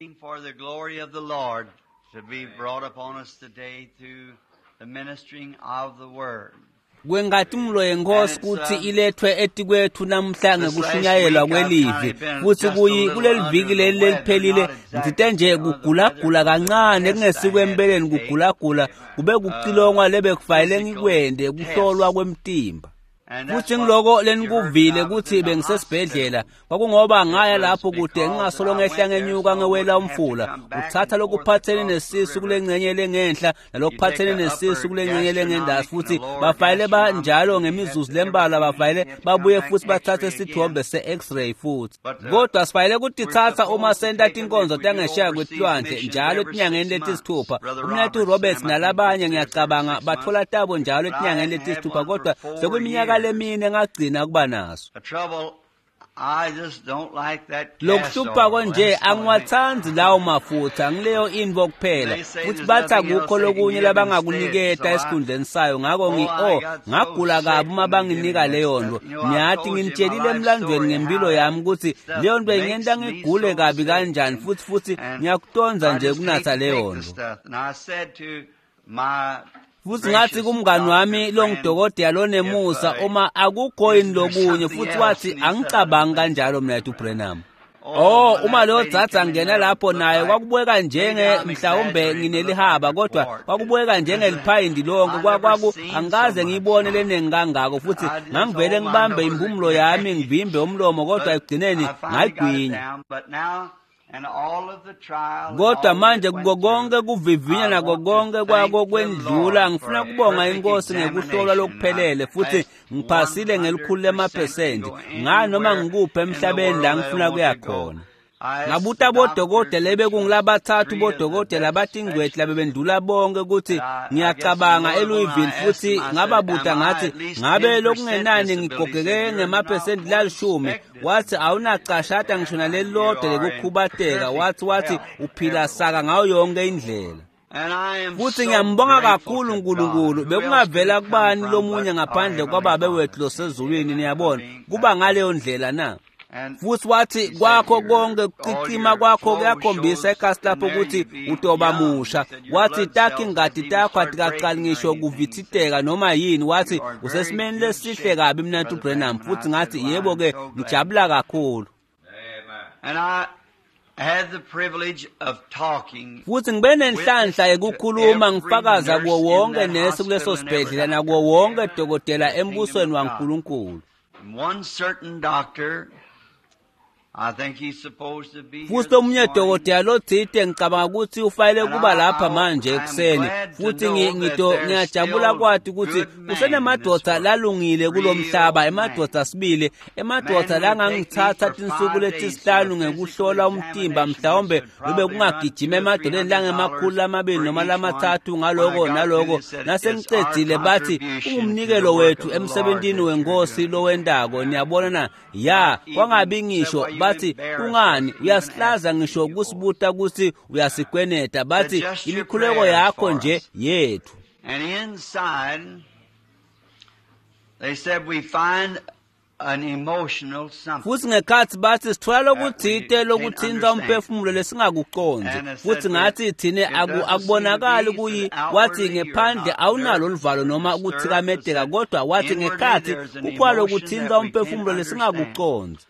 For the glory of the Lord to be brought upon us today through the ministering of the word. Kwenkatimlo yenkosi kutsi ilethwe etikwethu namhla ngekushunyayelwa kwelivi futsi kuyi kuleli viki leli leliphelile ngitsite nje kugulagula kancane kungesiko empeleni kugulagula kube kucilongwa lebekufanele ngikwente kuhlolwa kwemtimba. Futsi ngiloko lenikuvile kutsi bengisesibhedlela kwakungoba ngaya lapho kude ngingasolo ngehla ngenyuka ngewela umfula uthatha lokuphathene nesisu kulengcenye lengenhla nalokuphathene nesisu kulengcenye lengendasi futhi bafanele banjalo ngemizuzu lembalwa bafanele babuye futhi bathathe sithombe se-x-ray futhi kodwa sifanele kutitsatsa uma senta tinkonzo tangesheya kwetilwandle njalo etinyangeni letisithupha. Umnethu Roberts nalabanye ngiyacabanga bathola tabo njalo etinyangeni letisithupha kodwa sekuyiminyaka lemine ngagcina kuba naso. Lokuhlupha konje angiwatsanzi lawo mafutha ngileyo intfo kuphela futhi bathi akukho lokunye labangakuniketa esikhundleni sayo ngako ngagula kabi uma banginika leyo nto. Ngiyathi nginitshelile emlandweni ngempilo yami kutsi leyo nto ingenta ngigule kabi kanjani futhi ngiyakutonza nje kunatha leyo nto. Futhi ngathi kumngani wami longidokotela lonemusa uma akukho yini lokunye futhi wathi angicabangi kanjalo mina uBrenham. Oh uma leyo dzadza ngena lapho naye kwakubukeka njenge mhlawumbe nginelihaba kodwa kwakubukeka njengeliphayindi lonke kwaku angikaze ngiyibone leningi kangako futhi ngangivele ngibambe impumulo yami ngivimbe umlomo kodwa ekugcineni ngayigwinya. Kodwa manje kuko konke kuvivinya nako konke kwako kwendlula ngifuna kubonga inkosi ngekuhlolwa lokuphelele futhi ngiphasile ngelikhulu lemaphesenti nganoma ngikuphi emhlabeni la ngifuna kuya khona. Ngabuta bodokotela ebekungilabathathu bodokotela batingcweti labebendlula bonke ukuthi ngiyacabanga eLouisville futhi ngababuta ngathi ngabe lokungenani ngigogeke ngemaphesenti lalishumi. Wathi awunacashata ngisho nalelilodwa lekukhubateka wathi uphila saka ngayo yonke indlela. Futhi ngiyambonga kakhulu uNkulunkulu bekungavela kubani lomunye ngaphandle kwababe wethu losezulwini niyabona kuba ngaleyo ndlela na. Futhi wathi kwakho konke kucicima kwakho kuyakhombisa ekhasi lapho ukuthi utoba musha. Wathi takhi ingadi takho atikaqali ngisho kuvithiteka noma yini. Wathi usesimeni lesihle kabi mina uBrenham. Futhi ngathi yebo ke ngijabula kakhulu. Futhi ngibe nenhlanhla yekukhuluma ngifakaza kuwo wonke nesi kuleso sibhedlela nakuwo wonke dokotela embusweni waNkulunkulu. Futhi omunye dokotela lothite ngicabanga ukuthi ufanele kuba lapha manje ekuseni futhi ngiyajabula kwathi ukuthi kusenemadoda lalungile kulomhlaba emadoda sibili emadoda langangithatha tinsuku letisihlanu ngekuhlola umtimba mhlawumbe lube kungagijima emadoleni langemakhulu amabili noma lamathathu ngaloko naloko nasengicedzile bathi ungumnikelo wethu emsebentini wenkosi lowendako niyabona na ya kwangabi ngisho bathi kungani uyasihlaza ngisho kusibuta ukuthi uyasikweneta bathi imikhuleko yakho nje yethu. And inside they said we find an emotional something. Futhi ngekhathi bathi sithola lokuthite lokuthinta umphefumulo lesingakuconzi futhi ngathi thine akubonakali kuyi wathi ngephandle awunalo oluvalo noma ukuthikameteka kodwa wathi ngekhathi kukhona lokuthinta umphefumulo lesingakuconzi.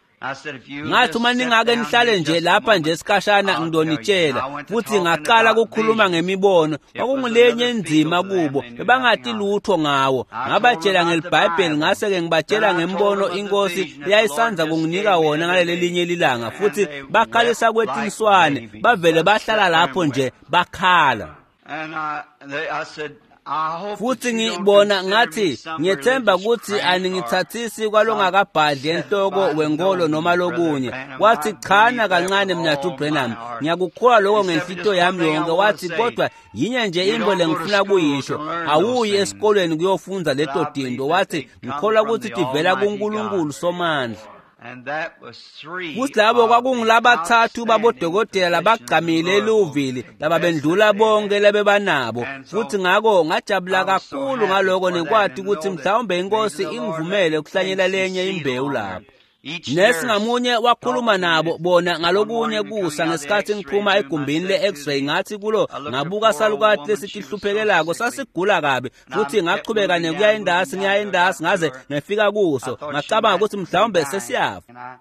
Ngathi uma ningake nihlale nje lapha nje esikhashana ngidonitshela futhi ngaqala ukukhuluma ngemibono kwakungulenye inzima kubo bebangati lutho ngawo ngabatshela ngeliBhayibheli ngase-ke ngibatshela ngembono inkosi eyayisanza kunginika wona ngaleli linye lilanga futhi bakhalisa kwetinswane bavele bahlala lapho nje bakhala. Futhi ngibona ngathi ngiyethemba ukuthi aningithathisi kwalongakabhadli enhloko wenkolo noma lokunye. Wathi chana kancane mnathu Brenham ngiyakukholwa lokho ngenhlito yami yonke. Wathi kodwa yinye nje into lengifuna kuyisho awuyi esikolweni kuyofunza leto tinto. Wathi ngikholwa ukuthi tivela kuNkulunkulu Somandla. Futhi labo kwakungilabathathu babodokotela labagqamile eLouisville lababendlula bonke labebanabo futhi ngako ngajabula kakhulu ngaloko nekwathi ukuthi mhlawumbe inkosi ingivumele ukuhlanyela lenye imbewu lapho. Nesi ngamunye wakhuluma nabo bona ngalokunye kusa ngesikhathi ngiphuma egumbini le-x-ray ngathi kulo ngabuka salukati lesitihluphekelako sasigula kabi futhi ngachubeka nekuya endasi ngiya endasi ngaze ngefika kuso ngacabanga ukuthi mhlawumbe sesiyafa.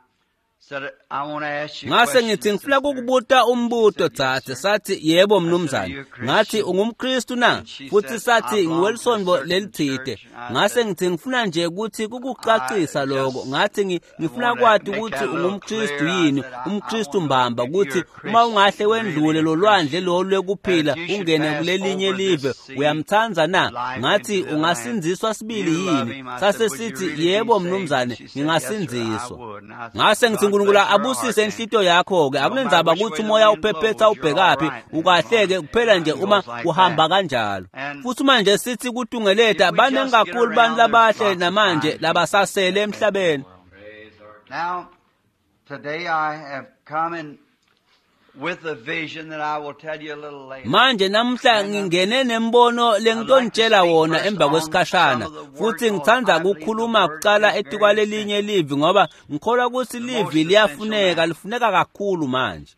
Ngase ngithi ngifuna kukubuta umbuto dzadze. Sathi yebo mnumzane. Ngathi ungumKristu na? Futhi sathi ngiwelisonto lelithide. Ngase ngithi ngifuna nje ukuthi kukucacisa lokho. Ngathi ngifuna kwati ukuthi ungumKristu yini, umKristu mbamba, ukuthi uma ungahle wendlule lolwandle lolu lwekuphila ungene kulelinye live uyamthanda na? Ngathi ungasindziswa sibili yini? Sase sithi yebo mnumzane, ngingasindziswa. Ngase ngithi uNkulunkulu abusise inhlito yakho ke akunenzaba ukuthi umoya uphephetha ubhekaphi ukahleke kuphela nje uma kuhamba kanjalo. Futhi manje sithi kutungeleta baningi kakhulu bantu labahle namanje labasasele emhlabeni. Now today I have come in with a vision that I will tell you a little later. Manje namhla ngingene nembono lengitonitshela wona emva kwesikhashana futhi ngithanda ukukhuluma kuqala etikwalelinye livi ngoba ngikholwa ukuthi livi liyafuneka, lifuneka kakhulu manje.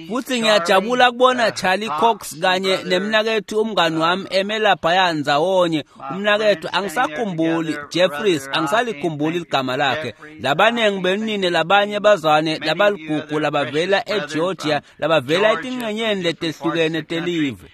Futhi ngiyajabula kubona Charlie Cox kanye nemnakethu umngani wami eme laphaya ndzawonye. Umnakethu angisakhumbuli, Jeffries, angisalikhumbuli ligama lakhe. Labaningi benine labanye bazwane labaligugu labavela eGeorgia, labavela etingcenyeni letehlukene telive.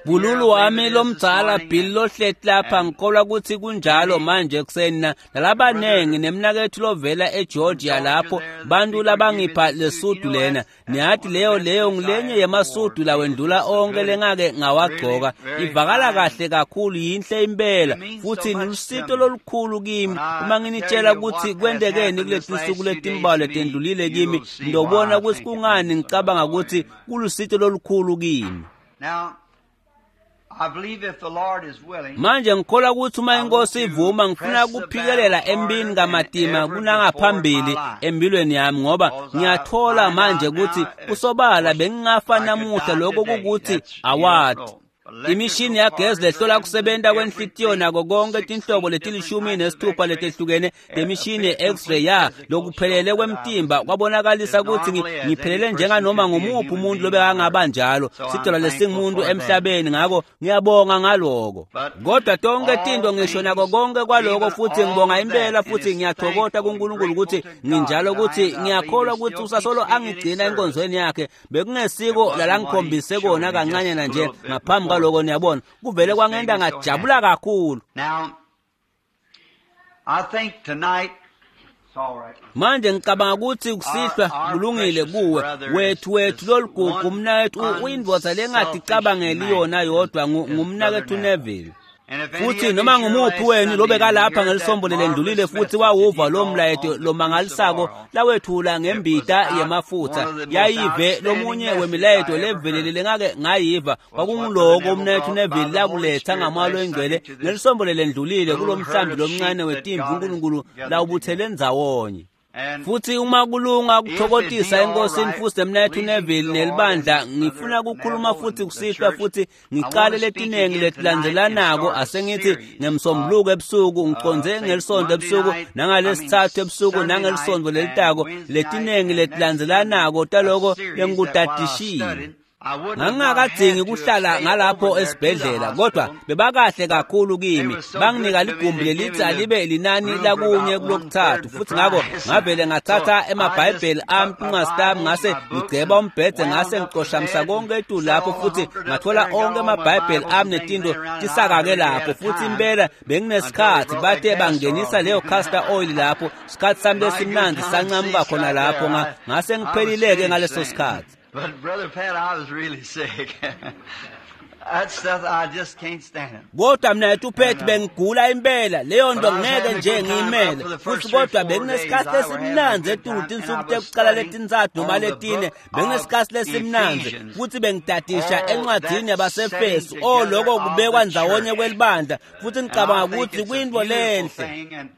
Bululu wami lomdzala Bill lohleti lapha ngikholwa ukuthi kunjalo manje ekuseni nalabanengi nemnakethu lovela eGeorgia lapho bantu labangipha lesudu lena. Niyathi leyo ngilenye yemasudu lawendlula onke lengake ngawagcoka. Ivakala kahle kakhulu, yinhle impela futhi nilusito lolukhulu kimi. Uma nginitshela ukuthi kwentekeni kuleti nsuku letimbalwa letendlulile kimi, ngiyobona ukuthi kungani ngicabanga ukuthi kulusito lolukhulu kimi. Now, I believe if the Lord is willing, manje ngikholwa ukuthi uma inkosi ivuma ngifuna ukuphikelela empini kamatima kunangaphambili empilweni yami ngoba ngiyathola manje ukuthi kusobala bengingafa namuhla lokho kukuthi awadi. Imishini yagesi lehlola kusebenta kwenhlitiyo nako konke tinhlobo leti-16 letehlukene temishini ye-x-ray ya lokuphelele kwemtimba kwabonakalisa ukuthi ngiphelele njenganoma ngumuphi umuntu lobekangaba njalo sidalwa lesingumuntu emhlabeni. Ngako ngiyabonga ngaloko. Kodwa tonke tinto ngisho nako konke kwaloko futhi ngibonga impela futhi ngiyathokoza kuNkulunkulu ukuthi nginjalo, ukuthi ngiyakholwa ukuthi usasolo angigcina enkonzweni yakhe. Bekungesiko lalangikhombise kona kancane nje ngaphambi kwaloko, niyabona kuvele kwangenta ngajabula kakhulu. Now, I think tonight it's all right. Manje ngicabanga ukuthi kusihlwa kulungile kuwe wethu lolugugu umnakethu uyindvodza lengaticabangeli yona yodwa ngumnakethu Neville. Futhi noma ngumuphi wenu lobekalapha ngelisombo lelendlulile futhi wawuva lo mlayeto lomangalisako lawethula ngembita yemafutha yayive lomunye wemilayeto levelele lengake ngayiva kwakunguloko umnakethu Neville lakuletha ngamoya loyingcwele ngelisombo lelendlulile kulo mhlambi lomncane wetimvu uNkulunkulu lawubuthele ndzawonye. Futhi uma kulunga kuthokotisa enkosini futhi nemnakethu Neville nelibandla, ngifuna ukukhuluma futhi kusihlwa futhi ngicale letinengi letilandzelanako. Asengithi ngemsombuluko ebusuku, ngiconze ngelisonto ebusuku, nangalesithathu ebusuku, nangelisonto lelitako, letinengi letilandzelanako taloko lengikutadishile. Ngangingakadzingi kuhlala ngalapho esibhedlela, kodwa bebakahle kakhulu kimi. Banginika ligumbi lelithi alibe linani lakunye kulokuthathu, futhi ngako ngavele ngathatha emabhayibheli ami kungasitami, ngase ngigceba umbhede, ngase ngicoshamisa konke etulu lapho, futhi ngathola onke amabhayibheli ami netinto tisakake lapho. Futhi impela benginesikhathi, bathe bangenisa leyo castor oil lapho, isikhathi sami lesimnandi sancamuka khona lapho, ngase ngiphelileke ngaleso sikhathi. But Brother Pat, I was really sick. That stuff, I just can't stand it. Kodwa mnakethu Pat, bengigula impela, leyo nto ngeke nje ngiyimele. Futhi kodwa benginesikhathi lesimnandzi etulu tinsuku tekuqala letintsatfu noma letine, benginesikhathi lesimnandzi futhi bengidadisha encwadini yabaseFesu, oloko kubekwa ndzawonye kwelibandla, futhi ngicabanga ukuthi kuyintfo lenhle.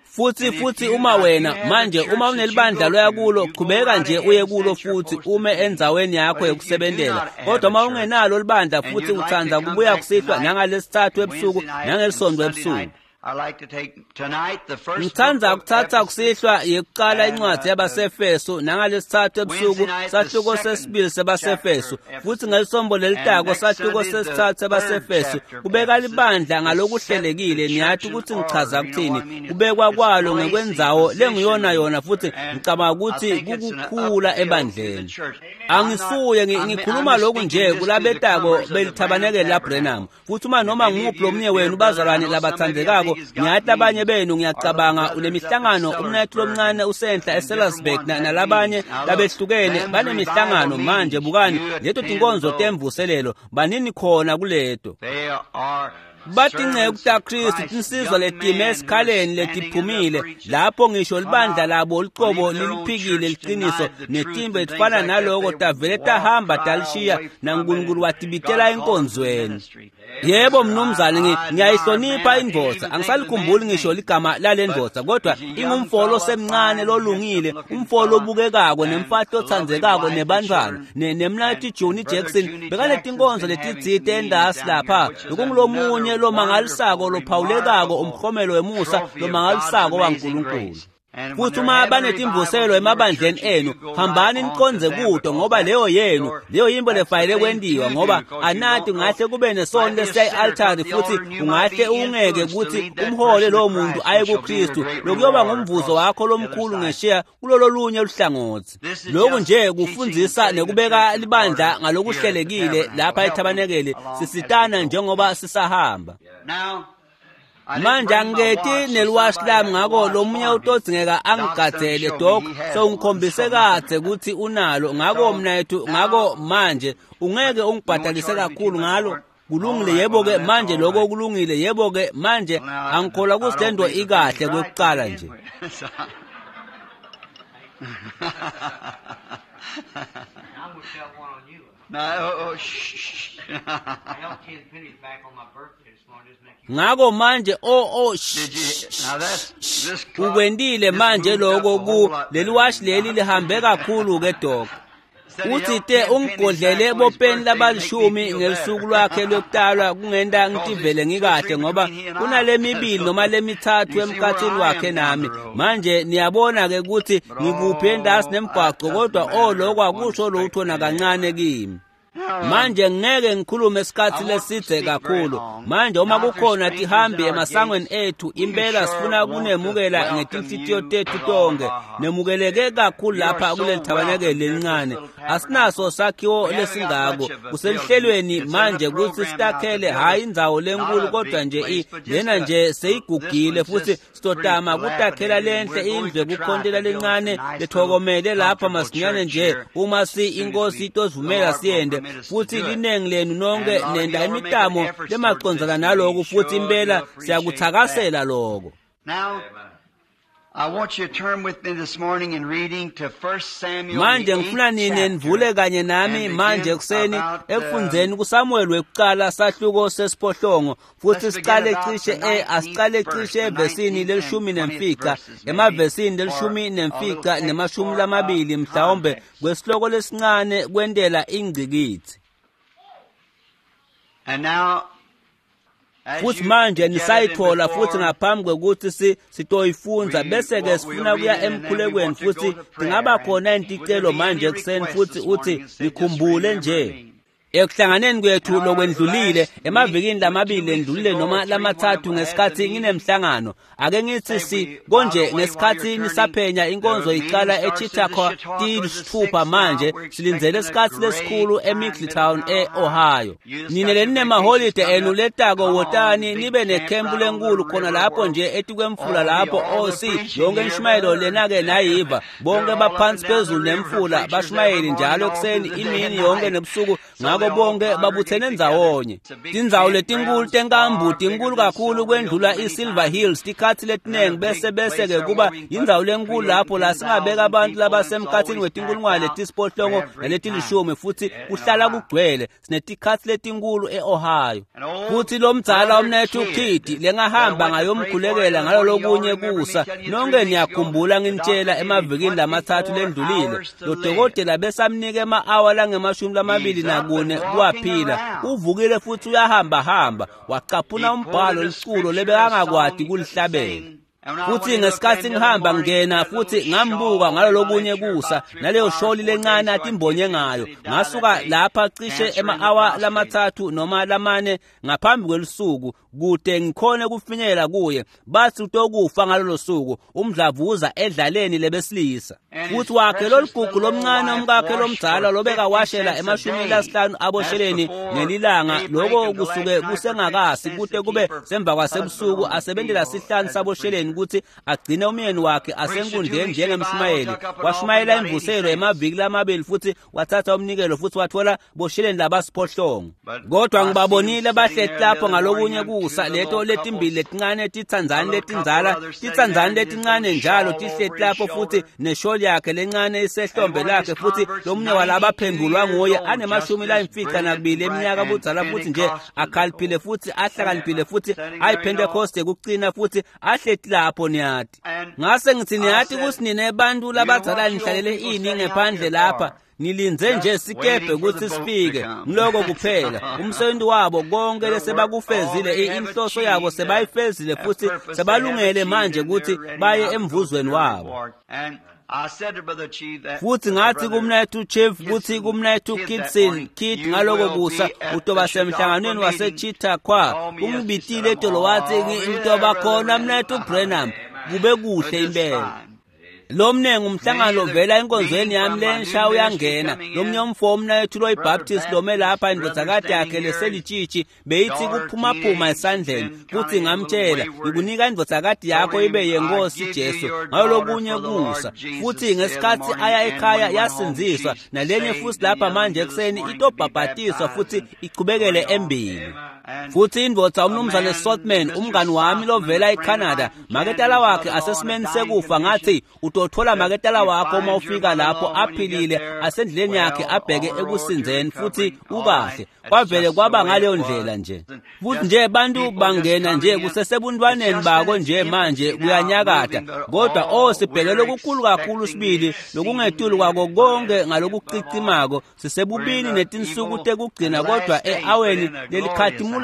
Futhi uma wena manje uma unelibandla loya kulo, qhubeka nje uye kulo futhi ume endzaweni yakho yokusebentela. Kodwa uma ungenalo libandla futhi uthanda kubuya kusihlwa nangalesithathu ebusuku nangelisonto ebusuku, Ngithanda ukuthatha kusihlwa yekuqala incwadi yabaseFeso nangalesithathu ebusuku sahluko sesibili sebaseFeso futhi ngelisombo lelitako sahluko sesithathu sebaseFeso kubeka libandla ngalokuhlelekile. Niyathi ukuthi ngichaza kuthini kubekwa kwalo ngekwendzawo lengiyona yona futhi ngicabanga ukuthi kukukhula ebandleni. Angisuye ngikhuluma lokhu nje kulabetako belithabanekele laBrenham futhi uma noma nguphi lomunye wenu bazalwane labathandekako ngiyathi abanye benu ngiyacabanga unemihlangano umnethu lomncane usenhla eSellersburg nalabanye labehlukene banemihlangano manje. Bukani leto tinkonzo temvuselelo banini khona kuleto batinceku taKristu tinsizwa letime esikhaleni letiphumile lapho ngisho libandla labo licobo liliphikile liqiniso netimbe tifana naloko tavele tahamba talishiya naNkulunkulu watibitela enkonzweni. Yebo mnumzane, ngiyayihlonipha indvodza, angisalikhumbuli ngisho ligama lale ndvodza, kodwa ingumfolo osemncane lolungile, umfolo obukekako nemfati othandzekako nebantwana nemnathi Johnny Jackson bekanetinkonzo letitsite endasi lapha lokungulomunye lomangalisako lophawulekako umkhomelo wemusa lomangalisako waNkulunkulu. Futhi uma banetimvuselo emabandleni enu hambani niqonze kuto ngoba leyo yenu leyo yimbo lefanele kwentiwa ngoba anati ungahle kube nesono lesiyayi-altari futhi ungahle ungeke ukuthi umhole lowo muntu aye kuKristu lokuyoba ngumvuzo wakho lomkhulu ngeshiya kulolo lunye luhlangothi. Lokhu nje kufundzisa nekubeka libandla ngalokuhlelekile lapha ethabanekele sisitana njengoba sisahamba. Manje angiketi neliwashi lami ngako lomunye utodzingeka angigadzele dok sewungikhombise kadze ukuthi unalo ngako mnethu ngako manje ungeke ungibhadalise kakhulu ngalo. Kulungile yebo-ke manje lokho kulungile yebo-ke manje angikholwa ukuthi le nto ikahle kwekuqala nje. Ngako manje ukwentile manje lokho ku leli washi leli lihambe kakhulu ke dok. Uthi te ungigodlele bopeni labalishumi ngelisuku lwakhe lwekutalwa kungenta ngitivele ngikahle ngoba kunale mibili noma lemithathu emkhathini wakhe nami. Manje niyabona ke ukuthi ngikuphi endasi nemgwaqo kodwa lokho akusho lutho nakancane kimi. Manje ngeke ngikhulume isikhathi lesidze kakhulu. Manje uma kukhona tihambi emasangweni ethu impela sifuna kunemukela ngetinhlitiyo tethu tonke. Nemukeleke kakhulu lapha kuleli thabanekele lelincane. Asinaso sakhiwo lesingako. Kuselihlelweni manje ukuthi sitakhele hhayi indzawo lenkulu kodwa nje lena nje seyigugile futhi sitotama kutakhela lenhle indlu ekukhontela lencane lethokomele lapha masinyane nje uma si inkosi itosivumela siyende. Futhi linengi lenu nonke nenda imitamo lemacondzana naloko futhi impela siyakuthakasela lokho. Manje ngifuna nine nivule kanye nami manje ekuseni ekufundzeni kuSamuel wekuqala sahluko sesiphohlongo futhi siqale cishe asiqale cishe evesini le-15 emavesini le-15 nema-20 mhlawumbe kwesihloko lesincane kwentela ingcikithi. Futhi manje nisayithola futhi ngaphambi kwekuthi sitoyifundza bese ke sifuna kuya emkhulekweni futhi tingaba khona inticelo manje ekuseni futhi uthi nikhumbule nje ekuhlanganeni kwethu lokwendlulile emavikini lamabili endlulile noma lamathathu ngesikhathi nginemhlangano ake ngithi si konje ngesikhathi nisaphenya inkonzo iqala eChitakwa tisithupha manje silindzele isikhathi lesikhulu eMiddletown eOhio. Nine leninemaholide enu letako wotani nibe nekhempu lenkulu khona lapho nje etikwemfula lapho osi yonke inshumayelo lena-ke nayiva bonke baphansi phezulu nemfula bashumayeli njalo ekuseni imini yonke nebusuku ngako bonke babuthene ndzawonye. Tindzawo letinkulu tenkambu tinkulu kakhulu kwendlula iSilver Hills tikhathi letinengi bese-ke kuba yindzawo lenkulu lapho la singabeka abantu labasemkhathini wetinkulungwane letisiphohlongo naletilishumi futhi kuhlala kugcwele. Sinetikhathi letinkulu e-Ohio. Futhi lo mdzala umnethu Kidi lengahamba ngayomkhulekela ngalolokunye kusa nonke niyakhumbula nginitshela emavikini lamathathu lendlulile lo dokotela besamnike ema-awa langemashumi lamabili nakune ngimbone waphila, uvukile futhi uyahambahamba. Wacaphuna umbhalo liculo lebekangakwati kulihlabela. Futhi ngesikhathi ngihamba ngena futhi ngambuka ngalolokunye kusa naleyo sholi lencane atimbonye ngayo, ngasuka lapha cishe ema-awa 3 noma 4 ngaphambi kwelusuku kude ngikhone kufinyela kuye. Bathi utokufa ngalolo suku, umdlavuza edlaleni lebesilisa. Futhi wakhe loligugu lomncane umkakhe lomdzala lobekawashela 50 abosheleni ngelilanga, loko kusuke kusengakasi kute kube semva kwasebusuku, asebentela 5 sabosheleni ukuthi agcine umyeni wakhe asenkundleni njengemshumayeli. Washumayela imvuselo emaviki lamabili futhi wathatha umnikelo futhi wathola bosheleni labasiphohlongo. Kodwa ngibabonile bahleti lapho ngalokunye kusa, leto letimbili letincane titsandzani letindzala, titsandzani letincane njalo tihleti lapho futhi nesholi yakhe lencane isehlombe lakhe, futhi lomunye walabaphendulwa nguye ane-52 eminyaka budzala futhi nje akhaliphile futhi ahlakaniphile futhi ayiPentecoste kucina futhi ahleti lapho niyati. Ngase ngithi niyati kutsi nine bantu labadzala nihlalele ini ngephandle lapha, nilindze nje sikebhe kutsi sifike, ngiloko kuphela. Umsebenzi wabo konke lesebakufezile, inhloso yabo sebayifezile futhi sebalungele manje kutsi baye emvuzweni wabo. Futhi ngathi kumnethu Chief kuthi kumnethu Kitson Kit ngaloko kusa utoba semhlanganweni waseChittakwa. Ungibitile etolo wathi ngitoba khona mnethu Branham, kube kuhle impela. Lomnengi umhlangano ovela enkonzweni yami lensha uyangena. Lomnye umfo umnethu loyiBaptist lome lapha, indvodzakati yakhe leselitshitshi beyithi kuphumaphuma esandleni. Kuthi ngamtshela, ngikunika indvodzakati yakho ibe yenkosi Jesu ngalolokunye kusa. Futhi ngesikhathi aya ekhaya yasindziswa, nalenye futhi lapha manje ekuseni itobhabhatiswa futhi ichubekele embili. Futhi indvodza umnumzane Sothman, umngani wami lovela eCanada, maketala wakhe asesimeni sekufa, ngathi utothola maketala wakho uma ufika lapho aphilile asendleleni yakhe abheke ekusinzeni futhi ukahle. Kwavele kwaba ngaleyo ndlela nje. Futhi nje bantu bangena nje kusesebuntwaneni bako nje manje kuyanyakata, kodwa o sibheke lokukhulu kakhulu sibili lokungetulu kwako konke ngalokucicimako, sisebubini netinsuku tekugcina kodwa e-aweni lelikhatimulako.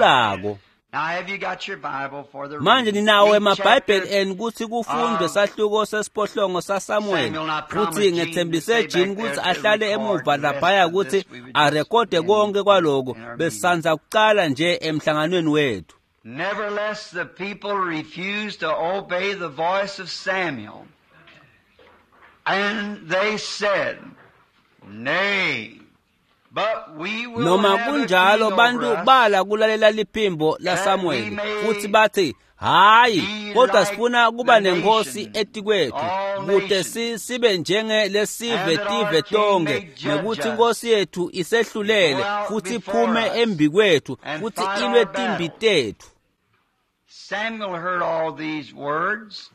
Manje ninawo emaBhayibheli enu kutsi kufundwe sahluko sesiphohlongo saSamuel, futhi ngethembise Jean kutsi ahlale emuva laphaya kutsi arekhode konke kwaloko besandza kucala nje emhlanganweni wethu. Nevertheless, the people refused to obey the voice of Samuel, and they said, Nay, Noma kunjalo bantu bala kulalela liphimbo laSamuel futhi bathi, hayi, kodwa sifuna kuba nenkosi etikwethu kute sibe njenge lesive tive tonke, nekuthi inkosi yethu isehlulele futhi iphume embi kwethu futhi ilwe timbi tethu. Samuel heard all these words.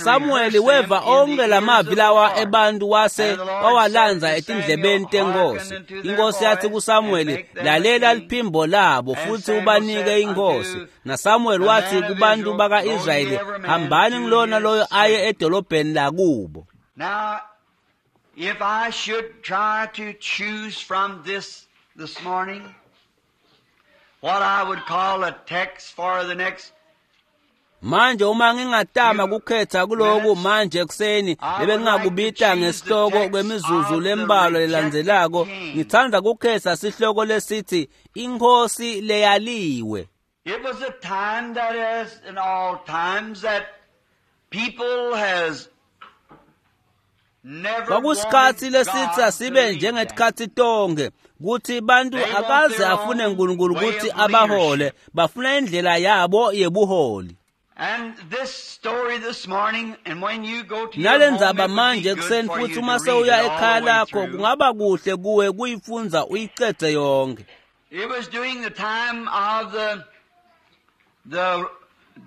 Samuel weva onke lamavi lawa ebantu wase wawalanza etindlebeni tenkosi. Inkosi yathi kuSamuel, lalela liphimbo labo futhi ubanike inkosi. NaSamuel wathi kubantu baka-Israyeli, hambani ngilona loyo aye edolobheni lakubo. Now, if I should try to choose from this morning what I would call a text for the next Manje uma ngingatama kukhetha kuloku manje ekuseni lebengingakubita ngesihloko kwemizuzu lembalwa lelandzelako, ngithanda kukhetha sihloko lesithi Inkosi leyaliwe. It was a time that as in all times that people has Kwakusikhathi lesithi asibe njengetikhathi tonke kuthi bantu akaze afune uNkulunkulu ukuthi abahole, bafuna indlela yabo yebuholi. Nalendzaba manje ekuseni futhi uma sewuya ekhaya lakho kungaba kuhle kuwe kuyifundza uyicedze yonke. It was during the time of the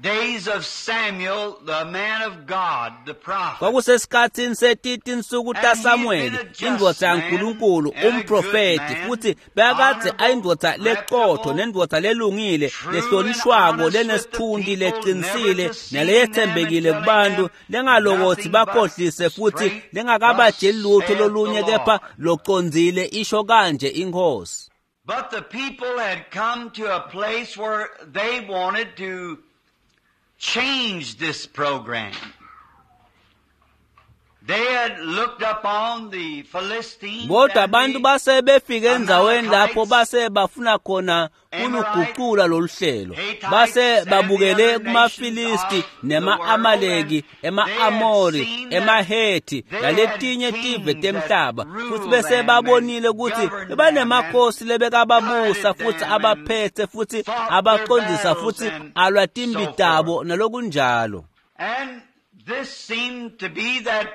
days of Samuel, the man of God, the prophet. Kwakusesikhatsini setitinsuku taSamuweli, indvodza yaNkulunkulu, umprofethi, futhi bekadze ayindvodza leqotho nendvodza lelungile, lehlonishwako, lenesithunti, leqinisile naleyethembekile kubantu, lengalokothi bakhohlise futhi lengakabajeli lutho lolunye kepha locondzile, isho kanje iNkhosi. But the people had come to a place where they wanted to change this program. They had looked upon the Philistines. Kodwa abantu base befike endzaweni lapho base bafuna khona kuluguqula lolu hlelo. Base babukele kumaFilisti nema-Amaleki, ema-Amori, emaHethi naletinye tive temhlaba, futhi bese babonile ukuthi bebanemakhosi lebekababusa futhi abaphethe futhi abaqondisa futhi alwa timbi tabo nalokunjalo. And this seemed to be that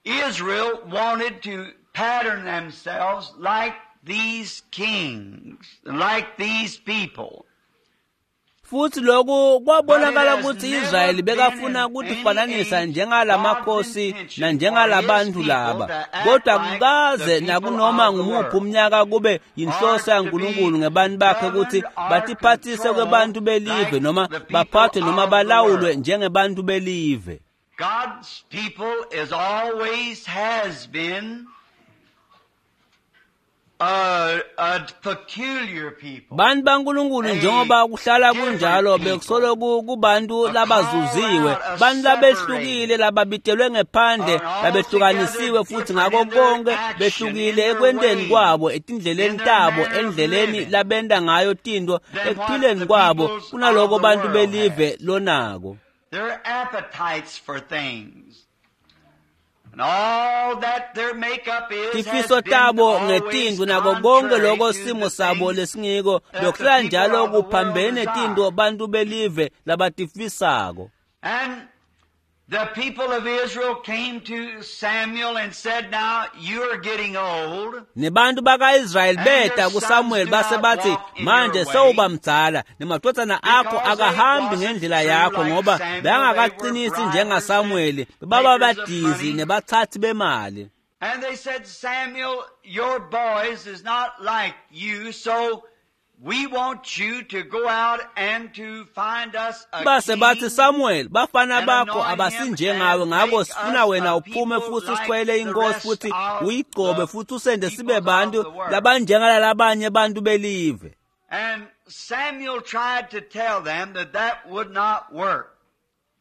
Israel wanted to pattern themselves like these kings, like these people. Futhi lokhu kwabonakala ukuthi Israyeli bekafuna ukutifananisa njengalamakhosi nanjengalabantu laba, kodwa kukaze nakunoma ngumuphi umnyaka kube yinhloso yaNkulunkulu ngebantu bakhe ukuthi batiphathise kwebantu belive noma baphathwe noma balawulwe njengebantu belive. God's people is always has been a peculiar people. Bantu baNkulunkulu njengoba kuhlala kunjalo bekusolo kubantu labazuziwe, bantu labehlukile, lababitelwe ngephandle, labehlukanisiwe futhi ngako konke behlukile ekwenteni kwabo, etindleleni tabo, endleleni labenda ngayo tinto, ekuphileni kwabo kunaloko bantu belive lonako. Their appetites for things. And all that their makeup is Tifiso tabo ngetinto nako konke loko simo sabo lesingiko bekuhlala njalo kuphambene tinto bantu belive labatifisako. And the people of Israel came to Samuel and said, now you are getting old. Nebantu bakaIsrayeli beta kuSamuel base bathi, manje sewuba mdzala, nemadvodzana akho akahambi ngendlela yakho, ngoba bangakaqinisi njengaSamueli, baba badizi nebathathi bemali. And they said, Samuel, your boys is not like you, so we want you to go out and to find us a Base bathi, king. Samuel, bafana bakho abasinjengawe, ngakho sifuna wena uphume futhi usikhwele inkosi futhi uyigcobe futhi usende sibe bantu labanjengalalabanye bantu belive. And Samuel tried to tell them that that would not work.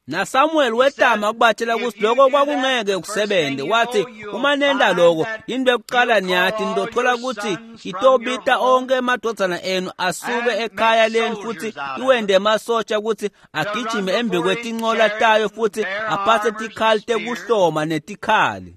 NaSamuel wetama ukubatshela ukuthi lokho kwakungeke kusebenze. Wathi, uma nenda lokho, into yokuqala niyathi nitothola ukuthi itobita onke emadvodzana enu asuke ekhaya lenu futhi iwende emasotsha ukuthi agijime embi kwetincola tayo futhi aphathe tikhali tekuhloma netikhali.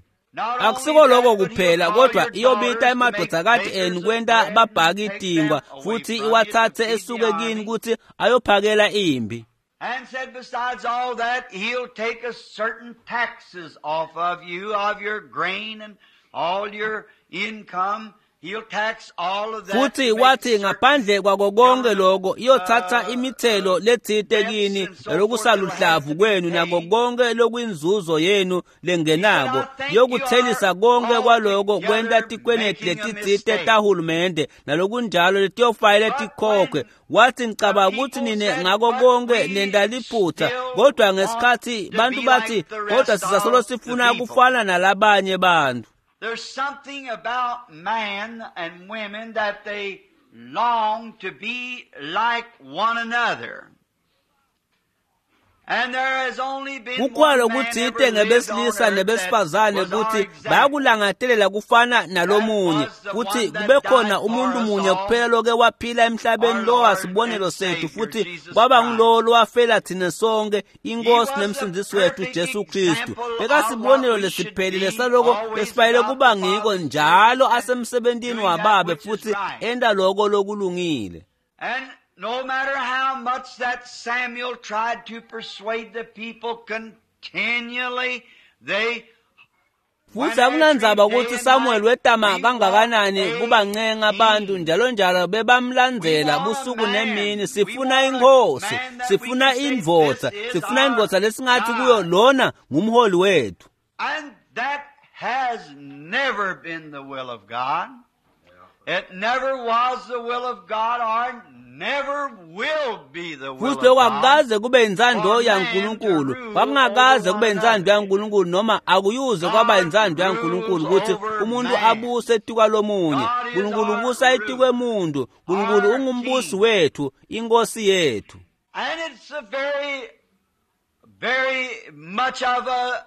Akusiko lokho kuphela, kodwa iyobita emadvodzakati enu kwenta babhaki tinkwa futhi iwathathe esuke kini ukuthi ayophakela impi. And said, besides all that, he'll take a certain taxes off of you, of your grain and all your income. He'll tax all of that. Futhi to make wathi certain ngaphandle kwako konke lokho iyothatha imithelo letsite kini nalokusaluhlavu kwenu nako konke lokwinzuzo yenu lengenako, yokuthelisa konke kwaloko kwenta tikweneti letitsite tahulumende nalokunjalo letiyofayele tikhokhwe. Wathi, ngicabanga ukuthi nine ngako konke nenta liphutha, kodwa ngesikhathi bantu bathi, kodwa sisasolo sifuna kufana nalabanye bantu. There's something about man and women that they long to be like one another. And there has only been Kukhona one man okuthite ever lived on ngebesilisa earth that nebesifazane was our ukuthi example. bayakulangatelela kufana nalomunye, kuthi kube khona umuntu munye kuphela loke waphila emhlabeni lo wasibonelo sethu, futhi kwaba ngulowo lowafela thina sonke, iNkosi nemsindisi wethu Jesu Kristu. Bekasibonelo lesiphelile saloko lesifanele kuba ngiko njalo asemsebentini wababe futhi enta loko lokulungile. And no matter how much that Samuel tried to persuade the people continually, they Futhi akunandzaba ukuthi Samuel wetama kangakanani kubancenga abantu njalo njalo bebamlandzela busuku nemini. Sifuna inkosi, sifuna indvodza, sifuna indvodza lesingathi kuyo lona ngumholi wethu. And that has never been the will of God. It never was the will of God or never will be the will Futhi of lokho God. akukaze kube intsando yaNkulunkulu, kwakungakaze kube intsando yaNkulunkulu noma akuyuze kwaba intsando yaNkulunkulu ukuthi umuntu abuse etikwalomunye. Nkulunkulu ubusa etikwemuntu, Nkulunkulu ungumbusi wethu, inkosi yethu. And it's a very, very much of a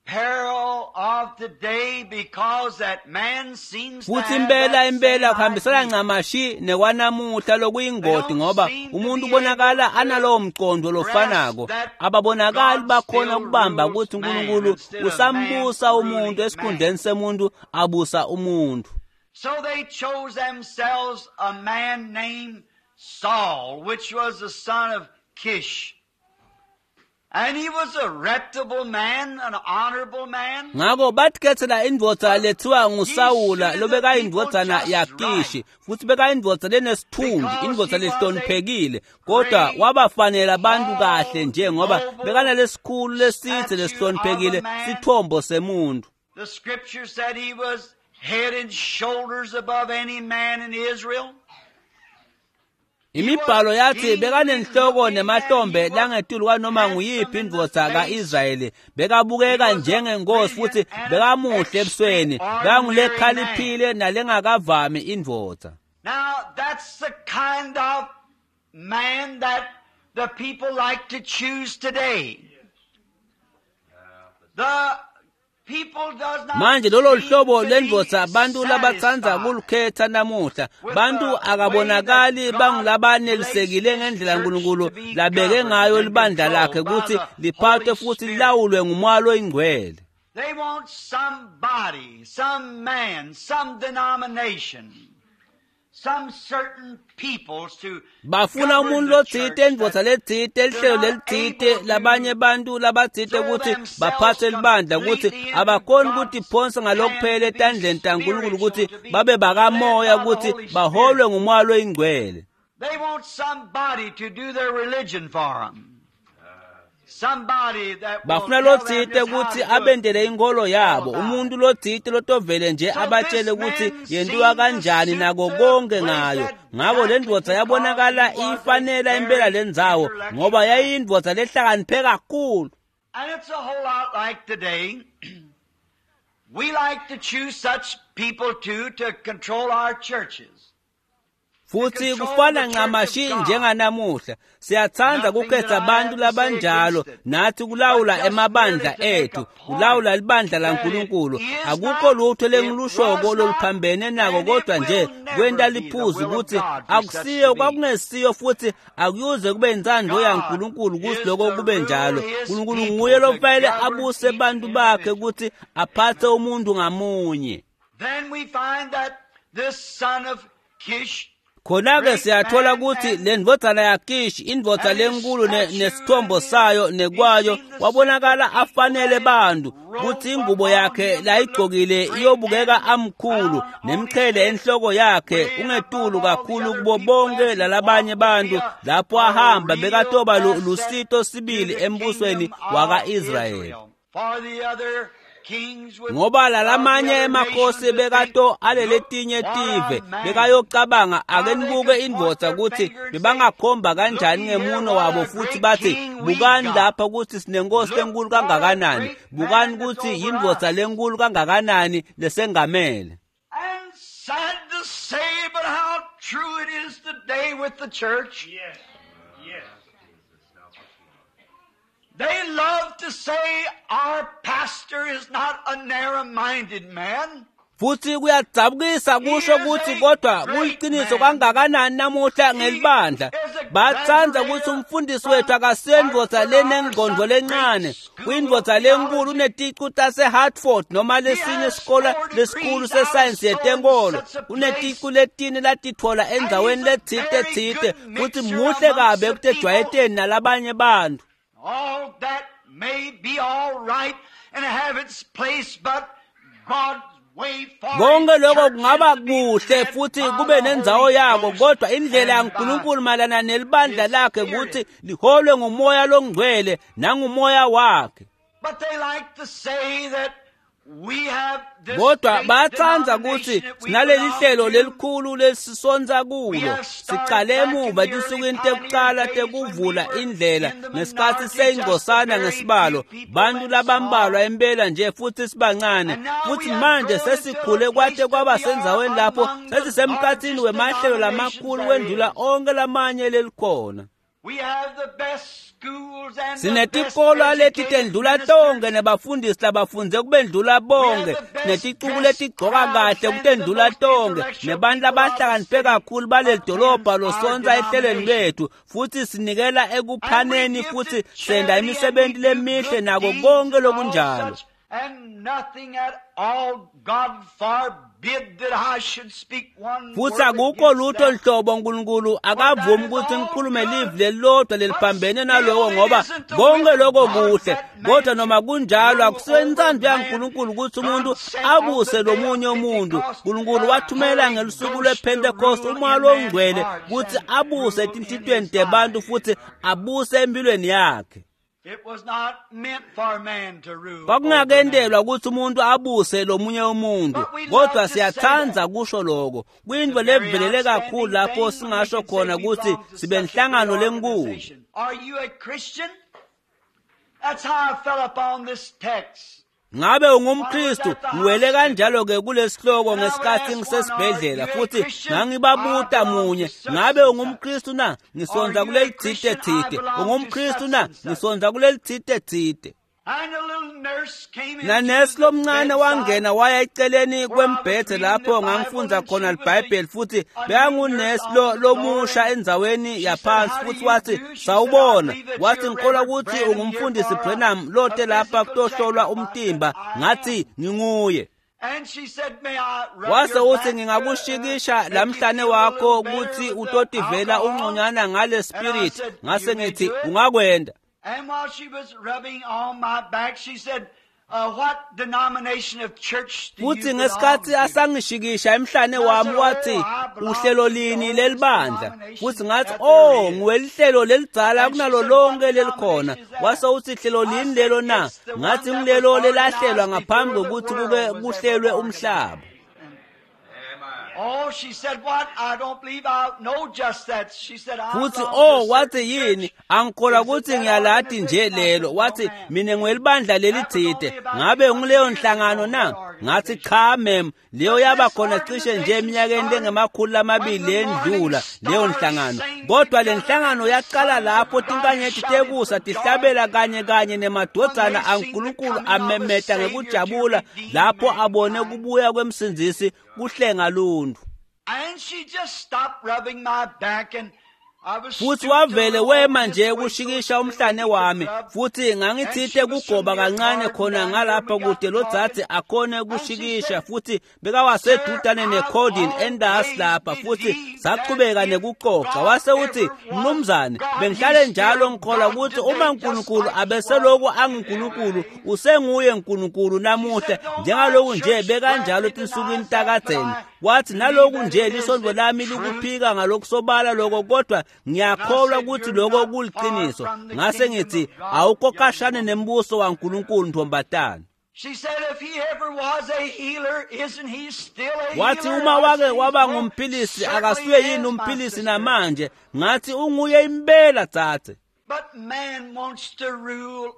peril of today because that man seems to Futhi have impela that impela same kuhambisana idea. ncamashi nekwanamuhla lokuyingoti ngoba umuntu ubonakala analowo mqondo lofanako. Ababonakali bakhona ukubamba ukuthi uNkulunkulu usambusa umuntu esikhundleni semuntu abusa umuntu. So they chose themselves a man named Saul, which was the son of Kish. And he was a reputable man, an honorable man. Ngakho bathikethela indvodza lethiwa nguSawula lobekayindvodzana yaKishi futhi bekayindvodza lenesithunzi, indvodza lehloniphekile, kodwa wabafanela abantu kahle nje ngoba bekanalesikhulu lesithe lesihloniphekile sithombo semuntu. The scripture said he was head and shoulders above any man in Israel. Imibhalo yathi bekanenhloko nemahlombe langetulu kwanoma nguyiphi indvodza ka-Israyeli. Bekabukeka njengenkosi futhi bekamuhle ebusweni, bekangulekhaliphile nalengakavami indvodza. Now, that's the kind of man that the people like to choose today. The people does not Manje lolo seem hlobo to be lendvodza abantu labatsandza satisfied. kulukhetha namuhla. Bantu akabonakali bangulabanelisekile ngendlela uNkulunkulu labeke ngayo libandla lakhe ukuthi liphathwe futhi lilawulwe ngumoya loyingcwele. They want somebody, some man, some denomination, some certain peoples to Bafuna govern umuntu the lotsite, church indvodza that letsite, lihlelo lelitsite, labanye bantu labatsite ukuthi baphathe libandla ukuthi abakhoni ukuthi iphonse ngalokuphela etandleni taNkulunkulu ukuthi babe bakamoya ukuthi baholwe ngumoya loyingcwele. They want somebody to do their religion for them. Somebody that will Bafuna tell them lotsite just how ukuthi to do it. abendele inkolo yabo, umuntu lotsite lotovele nje abatshele ukuthi yentiwa kanjani nako konke ngayo. Ngako le ndvodza yabonakala ifanela impela lendzawo ngoba yayiyindvodza lehlakaniphe kakhulu. And it's a whole lot like today. We like to choose such people too to control our churches. Futhi kufana ncamashi njenganamuhla, siyatsandza kukhetha abantu labanjalo nathi kulawula emabandla ethu, kulawula libandla laNkulunkulu. Akukho lutho lengilushoko loluphambene nako kodwa nje kwenta liphuzu ukuthi akusiyo kwakungesiyo futhi akuyuze kube intsandvo yaNkulunkulu ukuthi lokho kube njalo. uNkulunkulu nguye lofanele abuse bantu bakhe ukuthi aphathe umuntu ngamunye. Then we find that this son of Kish Khona-ke siyathola ukuthi le ndvodzana yaKishi, indvodza lenkulu nesithombo sayo nekwayo, wabonakala afanele bantu kuthi ingubo yakhe layigcokile iyobukeka amkhulu nemqhele enhloko yakhe ungetulu kakhulu kubo bonke lalabanye bantu. Lapho ahamba bekatoba lusito sibili embusweni waka-Israyeli. For the other kings would- Ngoba lalamanye of the other emakhosi nations would bekato think, aleletinye "Look, what tive a man." bekayocabanga ake nibuke indvodza ukuthi bebangakhomba kanjani ngemuno wabo futhi bathi bukani lapha ukuthi sinenkosi lenkulu kangakanani, bukani ukuthi yindvodza lenkulu kangakanani lesengamele. And sad to say, but how true it is today with the church. Yes. Yes. They love to say our pastor is not a narrow-minded man. Futhi kuyadzabukisa kusho ukuthi kodwa kuliciniso kangakanani namuhla ngelibandla. Batsandza ukuthi umfundisi wethu akasiyo indvodza lenengqondo lencane, uyindvodza lenkulu, uneticu tase-Hartford noma lesinye isikole lesikhulu sesayensi yetenkolo, uneticu letine latitfola endzaweni letsite tsite, futhi muhle kabi ekutejwayeteni nalabanye bantu. All that may be all right and have its place, but Konke lokho kungaba kuhle futhi kube nendzawo yako, kodwa indlela yaNkulunkulu mayelana nelibandla lakhe ukuthi liholwe ngumoya longcwele nangumoya wakhe. Kodwa bayatsandza ukuthi sinaleli hlelo lelikhulu lesisonza kulo. Sicale emuva etinsukwini tekucala tekuvula indlela ngesikhathi seyingcosana ngesibalo, bantu labambalwa impela nje futhi sibancane. Futhi manje sesikhule kwate kwaba sendzaweni lapho sesisemkhatsini wemahlelo lamakhulu kwendlula onke lamanye lelikhona. Sinetikolo leti tendlula tonke nebafundisi labafundze kubendlula bonke, sineticuku letigcoka kahle kutendlula tonke, nebantu labahlakaniphe kakhulu baleli dolobha losonsa ehlelweni lwethu, futhi sinikela ekuphaneni futhi senda imisebenzi lemihle nako konke lokunjalo. Futhi akukho lutho nhlobo uNkulunkulu akavumi ukuthi ngikhulume livi lelilodwa leliphambene naloko, ngoba konke lokho kuhle. Kodwa noma kunjalo akusiyo intsandvo yaNkulunkulu ukuthi umuntu abuse lomunye umuntu. uNkulunkulu wathumela ngelusuku lwePentecost umoya longcwele ukuthi abuse etinhlitiyweni tebantu futhi abuse empilweni yakhe. Kwakungakentelwa ukuthi umuntu abuse lomunye umuntu, kodwa siyatsandza kusho lokho. Kuyinto levelele kakhulu lapho singasho khona ukuthi sibe nhlangano lenkulu. Ngabe ungumKristu? Ngiwele kanjalo-ke kulesihloko ngesikhathi ngisesibhedlela, futhi ngangibabuta munye, ngabe ungumKristu na? Ngisonza kuleli thite thite. UngumKristu na? Ngisonza kuleli thite thite. Nanesi lomncane wangena waya eceleni kwembhedze lapho ngangifundza khona liBhayibheli, futhi bekangunesi lomusha endzaweni yaphansi, futhi wathi, sawubona. Wathi, ngikholwa ukuthi ungumfundisi Branham lote lapha kutohlolwa umtimba. Ngathi, nginguye. Wase uthi, ngingakushikisha lamhlane wakho ukuthi utotivela ungconywana ngale spirit. Ngase ngithi, ungakwenda. And while she was rubbing on my back, she said, what denomination of church do you Futhi ngesikhathi asangishikisha emhlane wami wathi, uhlelo lini lelibandla? Futhi ngathi, oh, ngiwelihlelo lelidzala kunalo lonke lelikhona. Wase uthi, hlelo lini lelo na? Ngathi, ngilelo lelahlelwa ngaphambi kokuthi kuke kuhlelwe umhlaba. Oh, she said, what? I don't believe I know just that. She said, I Futhi oh, wathi yini? Angikholwa ukuthi ngiyalati nje lelo. Wathi, mina ngiwelibandla lelithide. Ngabe ngileyo nhlangano na? Ngathi, cha mem, leyo yaba khona cishe nje eminyakeni lengama-200 lendlula leyo nhlangano. Kodwa le nhlangano yaqala lapho tinkanyeti tekusa tihlabela kanye kanye nemadvodzana aNkulunkulu amemeta ngekujabula lapho abone kubuya kwemsindzisi kuhlenga luntfu. And she just stopped rubbing my back, and I was Futhi wavele wema nje kushikisha umhlane wami, futhi ngangithite kugoba kancane khona ngalapha kude lodzadze akhone kushikisha, futhi bekawasedudane necordin endasi lapha, futhi sachubeka nekucoca. Wase uthi, mnumzane, bengihlale njalo ngikholwa ukuthi uma uNkulunkulu abeseloku anguNkulunkulu, usenguye uNkulunkulu namuhla, njengaloku nje bekanjalo etinsukwini takadzeni. Wathi, naloku nje lisondvo lami likuphika ngalokusobala lokho, kodwa ngiyakholwa ukuthi lokho kuliqiniso. Ngase ngithi, awukho kashane nembuso waNkulunkulu ntombatana. She said, if he ever was a healer, isn't he still a Wathi, healer? uma I wake said, waba "Well, ngumphilisi, certainly akasuye is, yini my umphilisi sister." namanje? Ngathi, unguye impela dzadze. But man wants to rule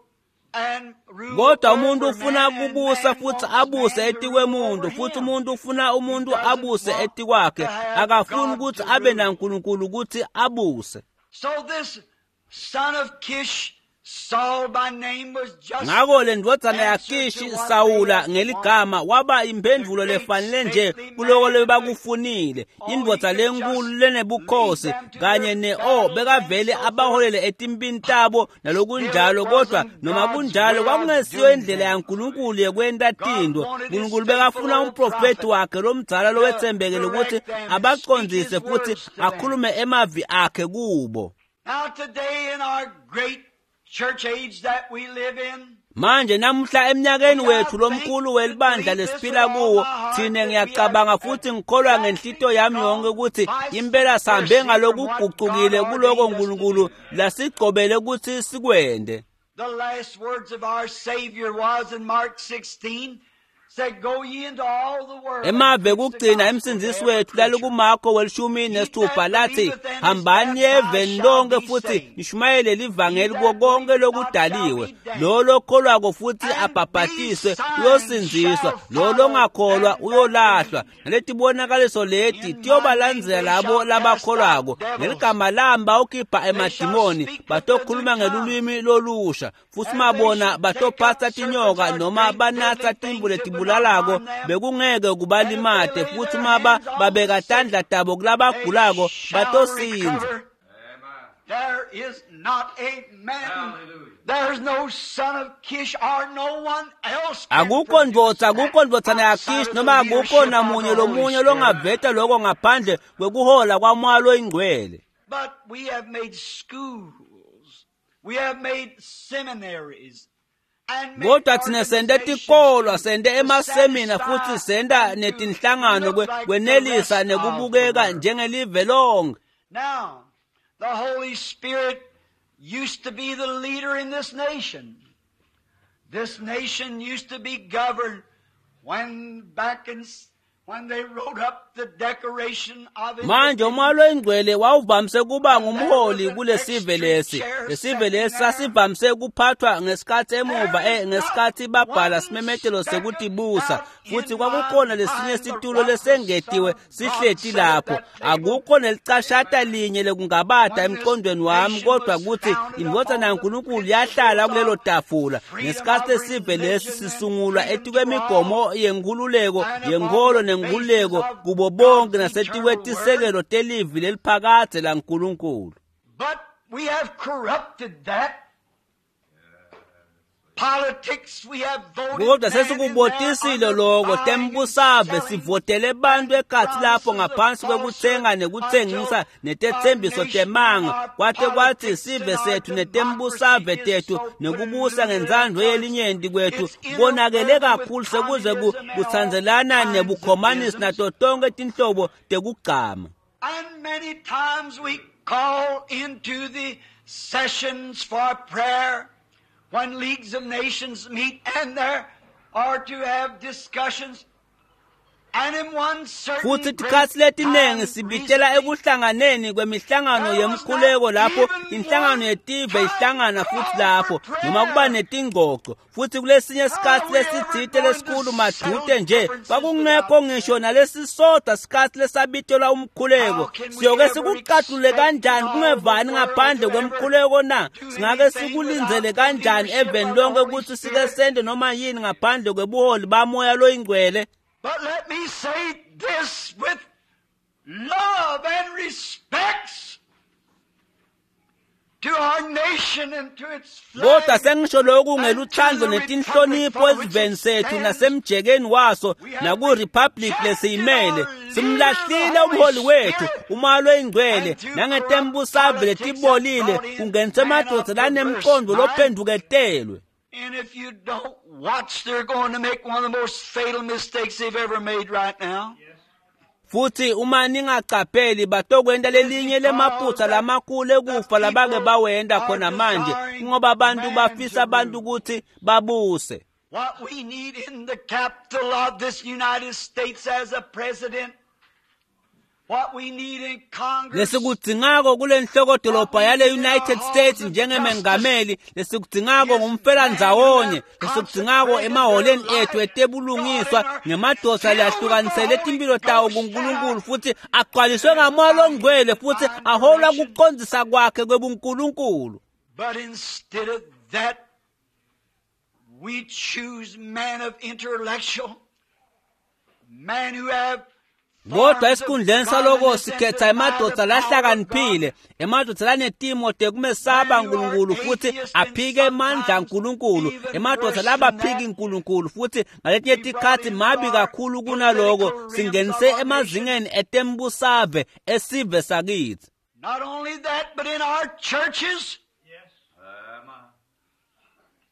and rule Kodwa umuntu over ufuna man, and kubusa man futhi wants abuse man to rule etikwemuntu, over futhi him. umuntu ufuna umuntu He doesn't abuse want etikwakhe. to have Akafuni God ukuthi to abe rule. naNkulunkulu ukuthi abuse. So this son of Kish, Saul by name, was just Ngako le ndvodzana answer yaKishi to what Sawula they ngeligama waba imphendvulo lefanele nje kuloko lebakufunile. Indvodza lenkulu lenebukhosi kanye ne-o bekavele abaholele etimpini tabo nalokunjalo, kodwa noma kunjalo kwakungesiyo indlela yaNkulunkulu yekwenta tintfo. Nkulunkulu bekafuna umprofethi wakhe lomdzala lowetsembekile ukuthi abacondzise futhi akhulume emavi akhe kubo. Now today in our great church age that we live in, Manje namuhla eminyakeni wethu lomkhulu welibandla lesiphila kuwo, thine ngiyacabanga futhi ngikholwa ngenhlito yami yonke ukuthi impela sihambe ngalokugucukile kuloko uNkulunkulu lasigcobele ukuthi sikwende. The last words of our Savior was in Mark 16, said, Go ye into all the world. Emave kugcina emsindzisi wethu lalikuMarko welishumi nesithupha lathi, hambani eveni lonke futhi nishumayele livangeli kuko konke lokudaliwe. Lo lokholwako futhi abhabhatiswe uyosindziswa, lo longakholwa uyolahlwa. Naletibonakaliso leti tiyobalandzela labo labakholwako. Ngeligama lami bawukhipha emadimoni, batokhuluma ngelulwimi lolusha, futhi mabona batophatsa tinyoka noma banatsa timvu letibulalako bekungeke kubalimate, futhi maba babeka tandla tabo kulabagulako batosindza. There is not a man, there's no son of Kish or no one else can Akukho ndvodza, produce akukho ndvodzana that yaKish outside of noma the akukho leadership of namunye the Holy lomunye Spirit. longaveta lokho ngaphandle kwekuhola kwaMoya loyiNgcwele. But we have made schools, we have made seminaries, and made Kodwa thina sente organizations tikolwa, to sente emasemina futhi satisfy senta and to netinhlangano look like the kwenelisa rest of the nekubukeka world. njengelive lonke. Now, the Holy Spirit used to be the leader in this nation. This nation used to be governed when back in, when they wrote up the Declaration of Manje uMoya Independence. loyiNgcwele wawuvamise kuba ngumholi kulesive lesi. Lesive lesi sasivamise kuphathwa ngesikhathi emuva ngesikhathi babhala simemetelo sekutibusa, futhi kwakukhona lesinye situlo lesengetiwe sihleti lapho. Akukho nelicashata linye lekungabata emqondweni wami kodwa ukuthi indvodzana yaNkulunkulu yahlala kulelo tafula ngesikhathi lesive lesi sisungulwa etikwemigomo yenkhululeko yenkholo nenkhululeko kubo bonke nasetikwetisekelo telivi leliphakadze laNkulunkulu. But we have corrupted that. Politics, we have voted Kodwa men in there sesikubotisile under loko buying and tembusave selling sivotele bantu ekhatsi lapho ngaphansi kwekutsenga nekutsengisa until our netetsembiso nation and temanga our kwate kwathi politics sive and our sethu democracy netembusave is tethu so nekubusa polluted ngentsandvo until yelinyenti kwethu it's konakele interwoven with kakhulu sekuze communism and all kutsandzelana kinds of nebukhomanisi isms. nato tonkhe tinhlobo tekugcama. And many times we call into the sessions for prayer when leagues of nations meet and there are to have discussions. And in one certain Futhi great tikhatsi letiningi time sibitela recently, ekuhlanganeni kwemihlangano there was not yemkhuleko lapho even inhlangano one yetive time ihlangana futhi call lapho for noma kuba prayer. netingcoco, futhi kulesinye How sikhatsi are we ever lesitsite going to lesikhulu settle madute nje differences kwakungekho without ngisho prayer? nalesisodwa sikhatsi lesabitelwa umkhuleko. How can we Siyoke ever sikucatulule expect in kanjani all the kungevani world ngaphandle to ever kwemkhuleko na? do Singake anything sikulindzele without the kanjani leadership eveni of the lonke Holy kutsi sike Spirit? sente noma yini ngaphandle kwebuholi baMoya loyiNgcwele? But let me say this with love and respects to our nation and to its Kodwa flag sengisho lokhu and to ngeluthando the republic netinhlonipho for which esiveni it sethu stands. nasemjekeni waso We have nakuRepublic rejected lesiyimele. our leader, the Simlahlile Holy umholi wethu Spirit, uMoya loyiNgcwele and through corrupt nangetembusave politics have letibolile brought in kungenise men of emadvodza perverse lanemqondo mind. lophendvuketelwe. And if you don't watch, they're going to make one of the most fatal mistakes they've ever made right now. Futhi uma ningacapheli batokwenta It's lelinye because lemaphutsa that lamakhulu the ekufa labake people bawenta are khona manje desiring ngoba abantu man bafisa to abantu rule. ukuthi babuse. What we need in the capital of this United States as a president, what we need in Congress, Lesikudzingako kule nhlokodolobha what we yale need in our United halls States of justice njengemengameli, lesikudzingako is men who ngumfelandzawonye, have lesikudzingako consecrated their emaholeni ethu life to God etebulungiswa and are ngemadoda filled with the lehlukanisele Holy timphilo tawo Ghost and kuNkulunkulu are futhi agcwaliswe led ngaMoya by His loNgcwele futhi divine aholwa direction. kucondzisa kwakhe kwebuNkulunkulu. But instead of that, we choose men of intellectual, men who have Kodwa forms of esikhundleni saloko godliness and sikhetha deny the emadvodza power of God, lahlakaniphile, emadvodza lanetimo tekumesaba men who are uNkulunkulu futhi atheists and aphike emandla sometimes aNkulunkulu, even emadvodza worse than labaphiki that. uNkulunkulu futhi ngaletinye We brought tikhatsi into mabi our kakhulu kunaloko political realms of singenise our nation emazingeni etembusave esive sakithi. not only that, but in our churches,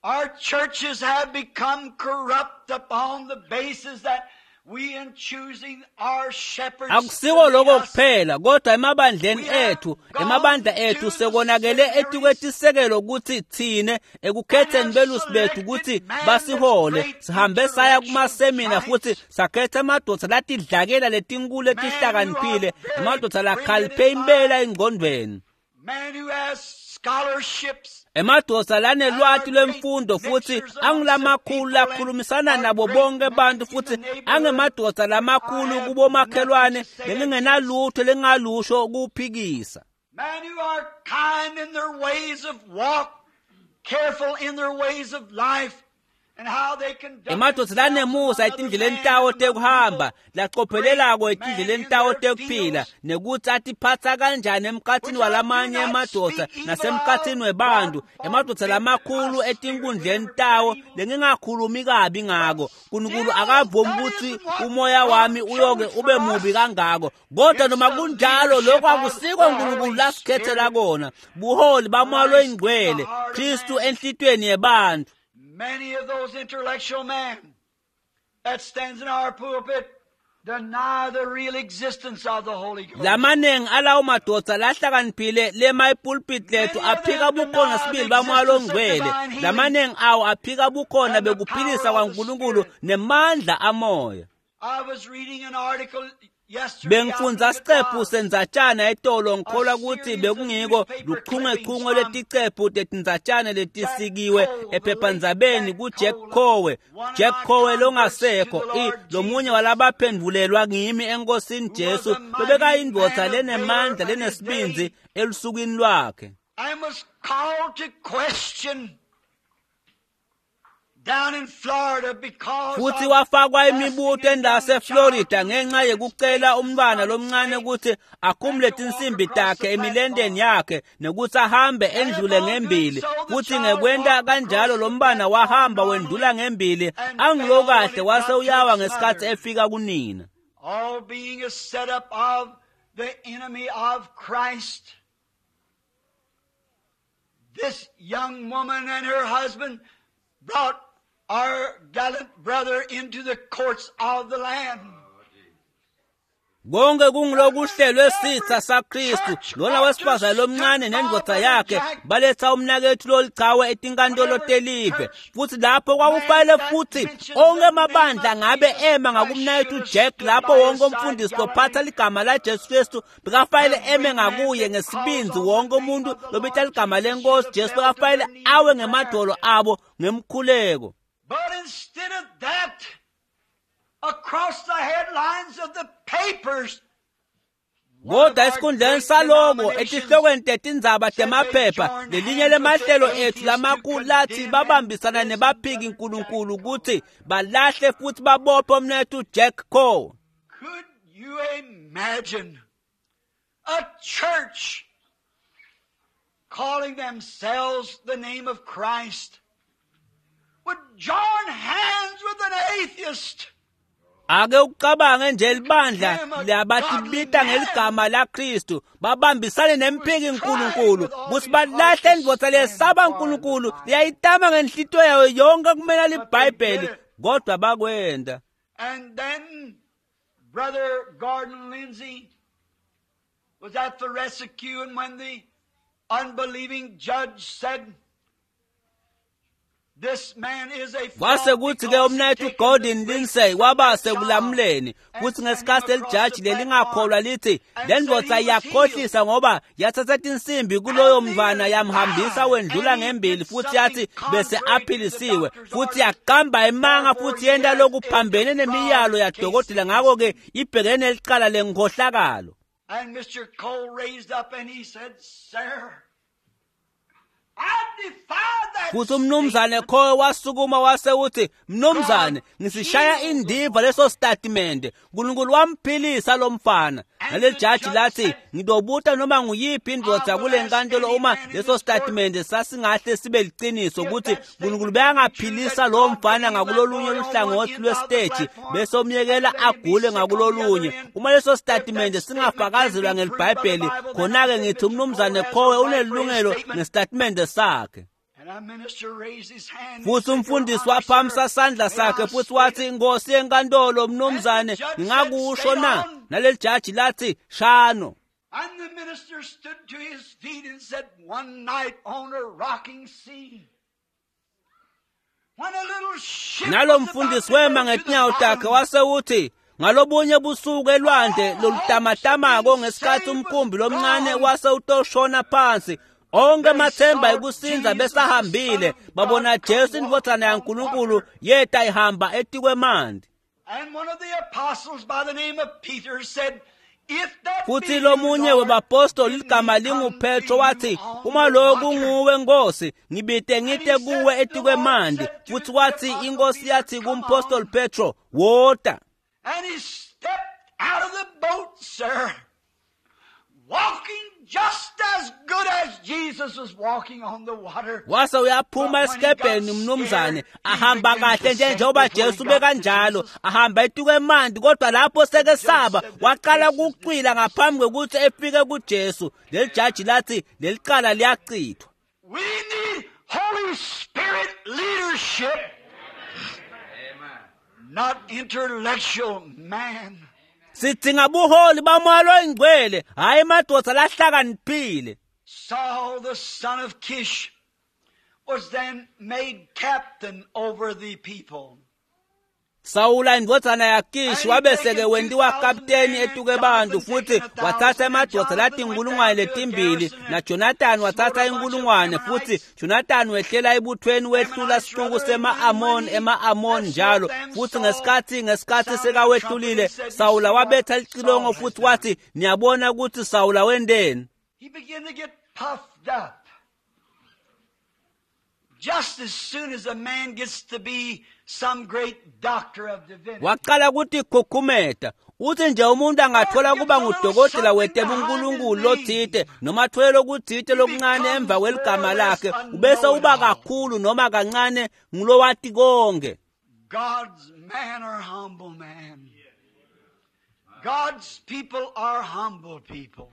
Our churches have become corrupt upon the basis that we in choosing our shepherds Akusiko lokho kuphela, kodwa emabandleni ethu, emabandla ethu sekonakele etikwetisekelo ukuthi thine ekukhetheni belusi bethu ukuthi basihole, sihambe saya kumasemina futhi sakhetha amadoda latidlakela letinkulu letihlakaniphile, amadoda lakhaliphe impela engqondweni. Man who has scholarships Emadoda lanelwati lwemfundo futhi angulamakhulu lakhulumisana nabo bonke bantu futhi angemadoda lamakhulu kubomakhelwane lengingenalutho lengalusho ukuphikisa. Men who are kind in their ways of walk, careful in their ways of life, and how they conduct Emadoda lanemusa etindleleni tawo tekuhamba, lacophelelako etindleleni tawo tekuphila, nekuthi atiphatsa kanjani emkhathini walamanye emadoda nasemkhathini webantu, emadoda lamakhulu etinkundleni tawo lengingakhulumi kabi ngako. Nkulunkulu akavumi ukuthi umoya wami uyoke ube mubi kangako. Kodwa noma kunjalo lokho akusiko uNkulunkulu lasikhethela kona. Buholi bamoya loyingcwele, Kristu enhlitweni yebantu. Many of those intellectual men that stands in our pulpit deny the real existence of the Holy Ghost. Lamanengi alawo madoda lahlakaniphile lema ipulpit lethu aphika bukhona sibili bamoya longcwele. Lamanengi awo aphika bukhona bekuphilisa kwaNkulunkulu nemandla amoya. I was reading an article yesterday. Bengifundza sicephu sendzatshana etolo, ngikholwa ukuthi bekungiko luchungechunge leticephu tetindzatshana letisikiwe ephephandzabeni kuJack Coe. Jack Coe longasekho, lomunye walabaphendvulelwa ngimi eNkosini Jesu, lobekayindvodza lenemandla lenesibindzi elusukwini lwakhe. I was called to question down in Florida because Futhi of wafakwa imibuto asking a endaseflorida young ngenxa yekucela umntwana lomncane ukuthi akhumule tinsimbi takhe emilendeni yakhe nekuthi ahambe endlule ngembili. Futhi ngekwenta kanjalo lo mntwana wahamba wendlula ngembili angilokahle, wase uyawa ngesikhathi efika kunina. All being a setup of the enemy of Christ. This young woman and her husband brought our gallant brother into the courts of the land. Konke kungulokuhlelwe sitha saKristu. Lona wesifazane lomncane nendvodza yakhe baletha umnakethu lolichawe etinkantolo telive. Futhi lapho kwakufanele futhi onke amabandla ngabe ema ngakumnakethu Jack, lapho wonke umfundisi lophatha ligama laJesu Kristu bekafanele eme ngakuye ngesibindzi. Wonke umuntu lobita ligama lenkosi Jesu bekafanele awe ngemadolo abo ngemkhuleko. But instead of that, across the headlines of the papers, Kodwa esikhundleni saloko etihlokweni tetindzaba temaphepha lelinye lemahlelo ethu lamakhulu lathi babambisana nebaphiki Nkulunkulu ukuthi balahle futhi babophe umnethu Jack Coe. Could you imagine a church calling themselves the name of Christ would join hands with an atheist? Ake ucabange nje libandla labatibita ngeligama laKristu babambisane nemphiki Nkulunkulu ukuthi balahle indvodza lesaba Nkulunkulu liyayitama ngenhlitiyo yayo yonke kumela liBhayibheli, kodwa bakwenda. And then Brother Gordon Lindsay was at the rescue, and when the unbelieving judge said, "This man is a fraud Kwase kuthi ke because he umnethu taken Gordon the Lindsay waba child sekulamuleni, and kuthi sent him ngesikhathi across lelijaji the lelingakholwa platform lithi and le said ndvodza he was iyakhohlisa healed. ngoba yathatha tinsimbi kuloyo And mntwana then yamhambisa lied, wendlula and he ngembili did futhi yathi something bese contrary to the aphilisiwe, doctor's futhi orders. yaqamba emanga Therefore, futhi he yenta has a lokuphambene nemiyalo fraud case yadokotela, ngakho-ke ibhekene nelicala lenkhohlakalo. And Mr. Cole raised up and he said, "Sir, I defy that Futhi umnumzane statement. Coe wasukuma wase uthi, "Mnumzane, ngisishaya indiva leso statimende. Nkulunkulu wamphilisa lo mfana." Naleli jaji lathi, "Ngidobuta noma nguyiphi indvodza kule nkantolo uma leso statimende sasingahle sibe liciniso ukuthi Nkulunkulu bekangaphilisa lowo mfana ngakulolunye luhlangothi lwesiteji bese umyekela agule ngakulolunye. Uma leso statimende singafakazelwa ngeliBhayibheli, khona-ke ngithi umnumzane Coe unelungelo ngesitatimende sakhe." And Futhi umfundisi waphakamisa sandla sakhe futhi wathi, Nkosi yenkantolo, mnumzane, ngingakusho na? Naleli jaji lathi, shano. And the minister stood to his feet and said, one night on a rocking sea, when a little ship Nalo mfundisi wema ngetinyawo takhe wase uthi, ngalobunye busuku elwandle lolutamatamako ngesikhathi umkhumbi lomncane wase utoshona phansi, onke amathemba ekusinza besahambile, babona Jesu indvodzana yaNkulunkulu yeta ihamba etikwemanti. And one of the apostles by the name of Peter said, Futhi lomunye webapostoli ligama linguPetro wathi, uma lokhu nguwe Nkosi, ngibite ngite kuwe etikwemanti. Futhi wathi inkosi yathi kumpostoli Petro, wota. And he stepped out of the boat, sir, walking just as good as Jesus was walking on the water. Wase uyaphuma esikebheni mnumzane, ahamba kahle nje njengoba Jesu bekanjalo, ahamba etikwemanti, kodwa lapho sekesaba waqala ukucwila ngaphambi kokuthi efike kuJesu. Leli jaji lathi leli cala liyachithwa. We need Holy Spirit leadership, not intellectual man. Sidinga buholi bamoya loyingcwele, hhayi madoda lahlakaniphile. Saul, the son of Kish, was then made captain over the people. Sawula indvodzana yaKishi wabese-ke wentiwa kapteni etuke bantu, futhi wathatha emadvodza latinkulungwane letimbili, naJonathan wathatha inkulungwane, futhi Jonathan wehlela ebuthweni wehlula sixuku sema-Amoni ema-Amoni njalo. Futhi ngesikhathi sekawehlulile, Sawula wabetha licilongo futhi wathi, niyabona ukuthi Sawula wenteni. He began to get puffed up. Just as soon as a man gets to be some great doctor of divinity. Waqala ukutikhukhumeta. Uthi nje umuntu angathola kuba ngudokotela wetebunkulunkulu lothite noma athole lokuthite lokuncane emva kweligama lakhe, ubese uba kakhulu noma kancane ngulowati konke. God's man are humble man. God's people are humble people.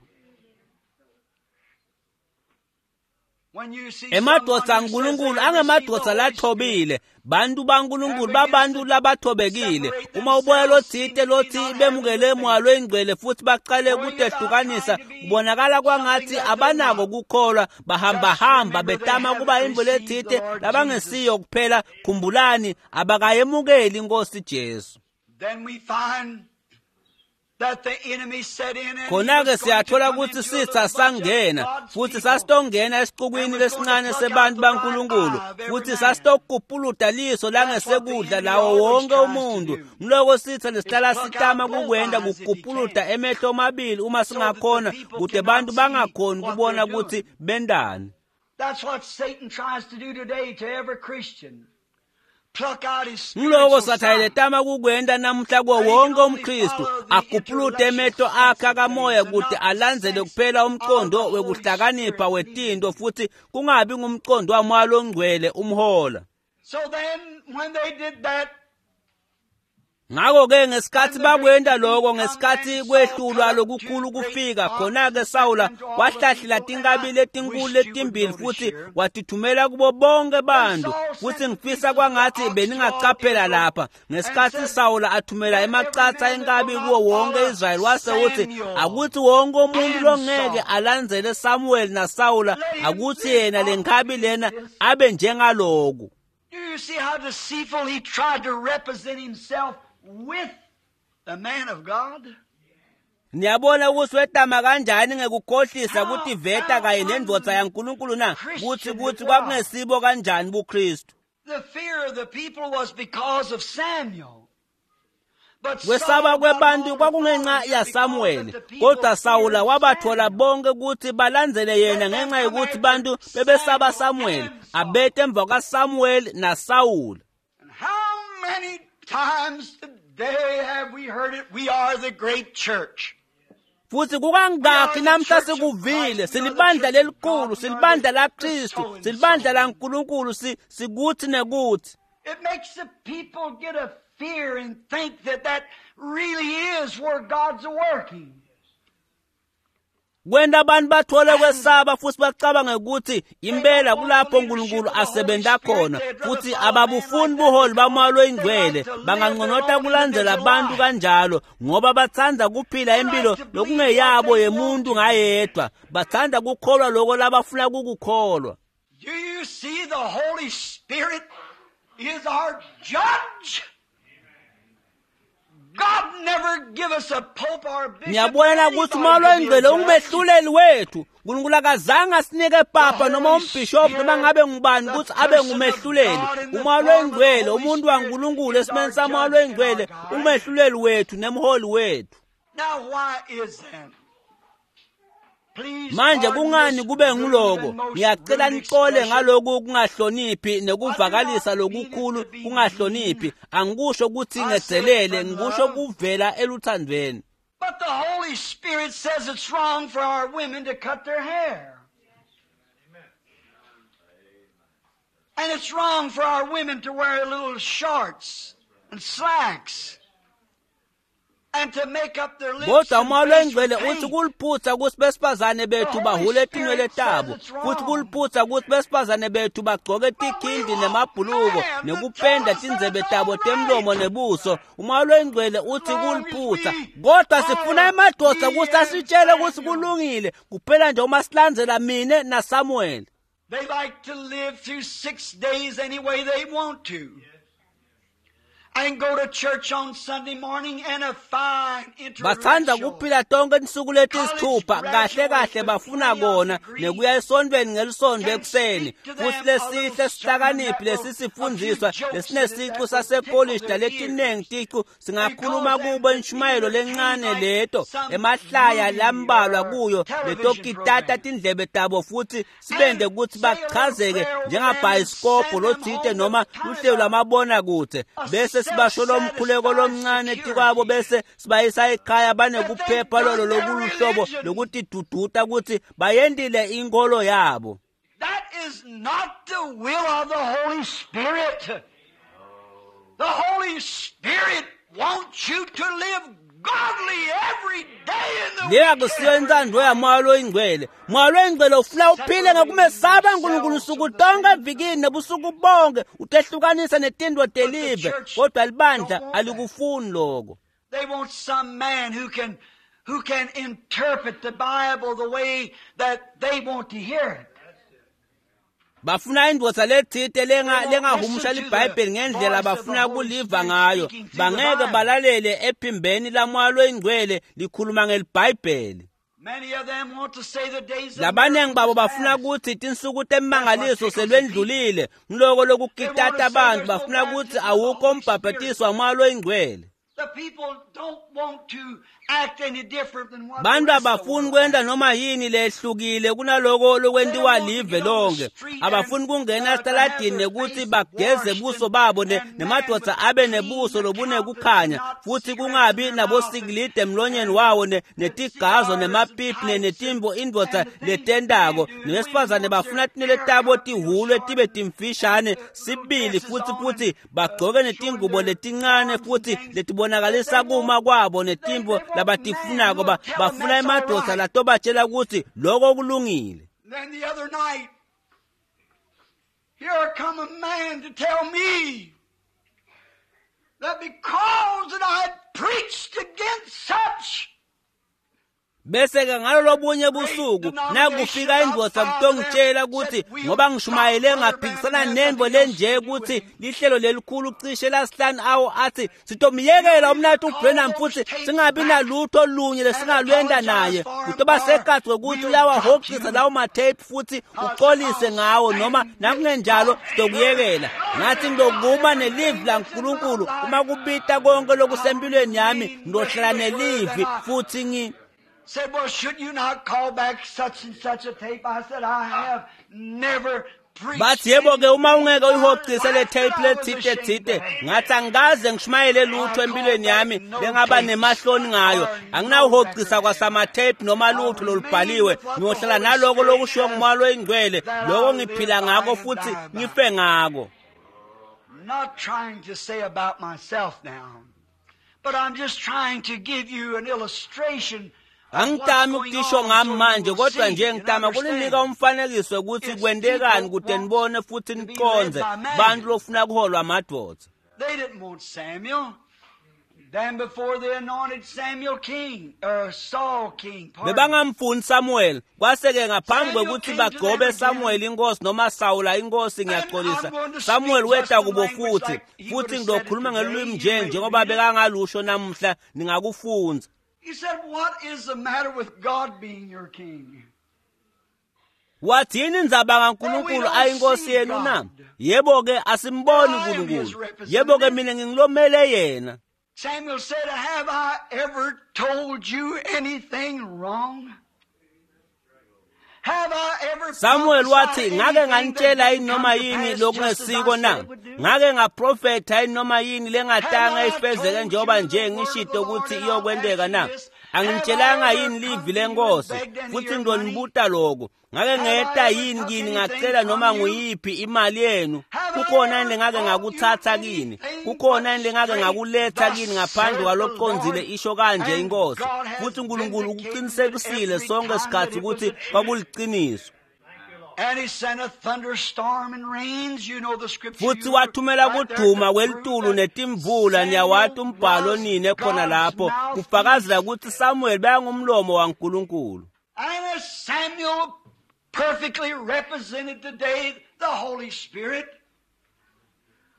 Emadvodza aNkulunkulu angemadvodza lathobile, bantu baNkulunkulu babantu labathobekile. Uma uboya lothite lothi bemukele moya loyingcwele futhi baqale ukutehlukanisa, kubonakala kwangathi abanako kukholwa, bahambahamba betama kuba imbo lethite labangesiyo kuphela. Khumbulani, abakayemukeli inkosi Jesu. Then we find Khona-ke siyathola ukuthi sitha sangena futhi sasitongena esixukwini lesincane sebantu baNkulunkulu, futhi sasitokupuluta liso langesekudla lawo wonke umuntu. Ngiloko sitha lesihlala sitama kukwenda kukupuluta emehlo omabili uma singakhona, kude bantu bangakhoni kubona ukuthi bendani. That's what Satan tries to do today to every Christian. Ngiloko sathane letama kukwenda namuhla kuwo wonke umKristu, akupulute emehlo akhe akamoya kude alandzele kuphela umqondo wekuhlakanipha wetinto futhi kungabi ngumqondo wamoya longcwele umhola. So then when they did that, Ngakho-ke ngesikhathi bakwenda lokho, ngesikhathi kwehlulwa lokukhulu kufika, khona-ke Sawula wahlahlela tinkabi letinkulu letimbili futhi watithumela kubo bonke bantu. Futhi ngifisa kwangathi beningacaphela lapha ngesikhathi Sawula athumela emacatha enkabi kuwo wonke Israyeli, wase uthi akuthi wonke umuntu longeke alandzele Samuel naSawula, akuthi yena le nkabi lena abe njengaloku. Do you see how deceitful he tried to represent himself with the man of God? Niyabona ukuthi wetama kanjani ngekukhohlisa ukuthi veta kanye nendvodza yaNkulunkulu na kuthi kuthi kwakungesibo kanjani buKristu. The fear of the people was because of Samuel. Kwesaba kwebantu kwakungenxa yaSamuweli, kodwa Sawula wabathola bonke ukuthi balandzele yena ngenxa yokuthi bantu bebesaba Samuweli, abete emva kaSamuweli naSawula. And how many times today have we heard it? We are the great church. Futhi kukangakhi namhla sikuvile, silibandla lelikhulu, silibandla laKristu, silibandla laNkulunkulu, sikuthi nekuthi. It makes the people get a fear and think that that really is where God's working. Kwenta abantu bathole kwesaba futhi bacabange ukuthi impela kulapho uNkulunkulu asebenza khona, futhi ababufuni buholi baMoya loyiNgcwele. Banganconota kulandzela abantu kanjalo ngoba batsandza kuphila impilo lokungeyabo yemuntu ngayedwa. Batsandza kukholwa loko labafuna kukukholwa. Do you see the Holy Spirit is our judge? God never give us a pope or a bishop. Ngiyabona ukuthi uMoya loyiNgcwele ungumehluleli wethu. uNkulunkulu akazange asinike papa noma umbhishobhi noma ngabe ngubani ukuthi abe ngumehluleli. uMoya loyiNgcwele, umuntu waNkulunkulu esimeni saMoya loyiNgcwele, umehluleli wethu nemholi wethu. Now why is that? Manje kungani kube nguloko? Ngiyacela nixole ngaloku kungahloniphi nekuvakalisa lokukhulu kungahloniphi. Angikusho ukuthi ngedzelele, ngikusho kuvela eluthandweni. But the Holy Spirit says it's wrong for our women to cut their hair. And it's wrong for our women to wear little shorts and slacks. Kodwa uMoya loyiNgcwele uthi kuliphutha ukuthi besifazane bethu bahule tinwele tabo, futhi kuliphutha ukuthi besifazane bethu bagcoke tikhindi nemabhuluko nekupenda tindzebe tabo temlomo nebuso. uMoya loyiNgcwele uthi kuliphutha, kodwa sifuna emadoda ukuthi asitshele ukuthi kulungile kuphela nje uma silandzela mine naSamuel. They like to live through 6 days any way they want to. And go to church on Sunday morning and a fine Batsandza kuphila tonke tinsuku letisithupha kahle kahle bafuna kona nekuya esontweni ngelisonto ekuseni, futhi lesihle sihlakaniphi lesisifundiswa lesinesicu sasekolishi naletinengi ticu singakhuluma kubo inshumayelo lencane leto emahlaya lambalwa kuyo letokitata tindlebe tabo futhi sibende ukuthi bachazeke njengabhayisikobho lotsite noma luhlelo lwamabonakudze, bese sibasho lomkhuleko lomncane tikwabo bese sibayisa ekhaya banekuphepha lolo lokuluhlobo lokutiduduta ukuthi bayendile inkolo yabo. That is not the will of the Holy Spirit. The Holy Spirit wants you to live godly every day in the Leya kusiyo intsandvo yaMoya loyiNgcwele. Moya loyiNgcwele ufuna uphile ngekumesaba uNkulunkulu usuku tonke evikini nebusuku bonke, utehlukanisa netindvo telive, kodwa libandla alikufuni lokho. They want some man who can interpret the Bible the way that they want to hear it. Bafuna indvodza letsite lengahumusha liBhayibheli ngendlela bafuna kuliva ngayo. Bangeke balalele ephimbeni laMoya loyiNgcwele likhuluma ngeliBhayibheli. Labanengi babo bafuna ukuthi tinsuku temangaliso selwendlulile, ngiloko lokukitata abantu. Bafuna ukuthi awukho umbhabhatiso waMoya loyiNgcwele. Bantu abafuni kwenta noma yini lehlukile kunaloko lokwentiwa live lonke. Abafuni kungena esitaladini nekuthi bageze buso babo nemadoda abe nebuso lobunekukhanya, futhi kungabi nabosikilide emlonyeni wawo netigazo nemapipi netimbo indvodza letentako. Nebesifazane bafuna tinwele tabo tihhulwe tibe timfishane sibili, futhi bagcoke netingubo letincane futhi letibonakalisa kuma kwabo netimbo labatifunako. Bafuna emadoda latobatshela ukuthi lokho kulungile. Then the other night, here come a man to tell me that because that I had preached against such. Bese-ke ngalolobunye busuku nakufika indvodza kutongitshela ukuthi ngoba ngishumayele ngaphikisana nendvo lenje ukuthi lihlelo lelikhulu cishe lasihlanu awo athi sitomyekela umnathu uBrenham futhi singabi nalutho lunye lesingalwenda naye, kutoba sekhathi kwekuthi uyawahokisa lawo ma-tape futhi uxolise ngawo, noma nakungenjalo sitokuyekela. Ngathi ngilokuma nelivi laNkulunkulu uma kubita konke lokusempilweni yami, ngilohlala nelivi futhi Said, well, should you not call back such and such a tape? I said, I have never preached. Bathi yebo ke uma ungeke uyihocise le tape lethite thite, ngathi angikaze ngishumayele lutho empilweni yami lengaba nemahloni ngayo. Anginawuhocisa kwasama tape noma lutho lolubhaliwe. Ngiyohlala naloko lokushiwo nguMoya loyiNgcwele, lokho ngiphila ngako futhi ngife ngako. Not trying to say about myself now, but I'm just trying to give you an illustration. Angitami ukutisho ngami manje kodwa nje ngitama kuninika umfanekiso ukuthi kwentekani kute nibone futhi niqondze bantu lofuna kuholwa amadvodza. They didn't want Samuel. Then before they anointed Samuel king, or Saul king. Bebangamfuni Samuel. Kwase-ke ngaphambi kwekuthi bagcobe Samuel inkosi noma Sawula inkosi ngiyaxolisa. Samuel weta kubo futhi futhi ngizokhuluma ngelulwimi nje njengoba bekangalusho namuhla ningakufundza. He said, "What is the matter with God being your king?" Wathi yini indzaba kaNkulunkulu ayinkosi yenu na? Yebo-ke asimboni uNkulunkulu. Yebo-ke mina ngingilomele yena. Samuel said, "Have I ever told you anything wrong? Have I ever Samuel wathi prophesied ngake anything nganitshela that yini didn't noma come to yini pass just as I lokungesiko said na? it would do? Ngake ngaprofetha yini noma yini lengatanga Have I ifezeke told njengoba you nje the word of ngishito the Lord ukuthi and I'll iyokwenteka ask na? you this? Have I Angitshelanga ever yini come livi to you and lenkosi begged any of futhi your money? ngizonibuta lokho. Ngake Have I ngeta ever yini took kini anything ngacela noma from you? nguyiphi imali yenu? Have I Kukhona ever yini lengake brought you ngakutsatsa kini? anything Kukhona but yini lengake straight, ngakuletha thus kini ngaphandle saith the kwalokucondzile Lord? isho kanje And inkosi? God has Futhi uNkulunkulu vindicated it ukuqinisekisile every sonke time that isikhathi it was ukuthi the truth. kwakuliqiniso. And he sent a thunderstorm and rains. You know the scripture. Futhi You were wathumela right there kuduma to prove kwelitulu that netimvula niyawati Samuel umbhalo was nini ekhona God's lapho mouthpiece. kufakazela ukuthi Samuel bekangumlomo waNkulunkulu. And as Samuel perfectly represented today the Holy Spirit,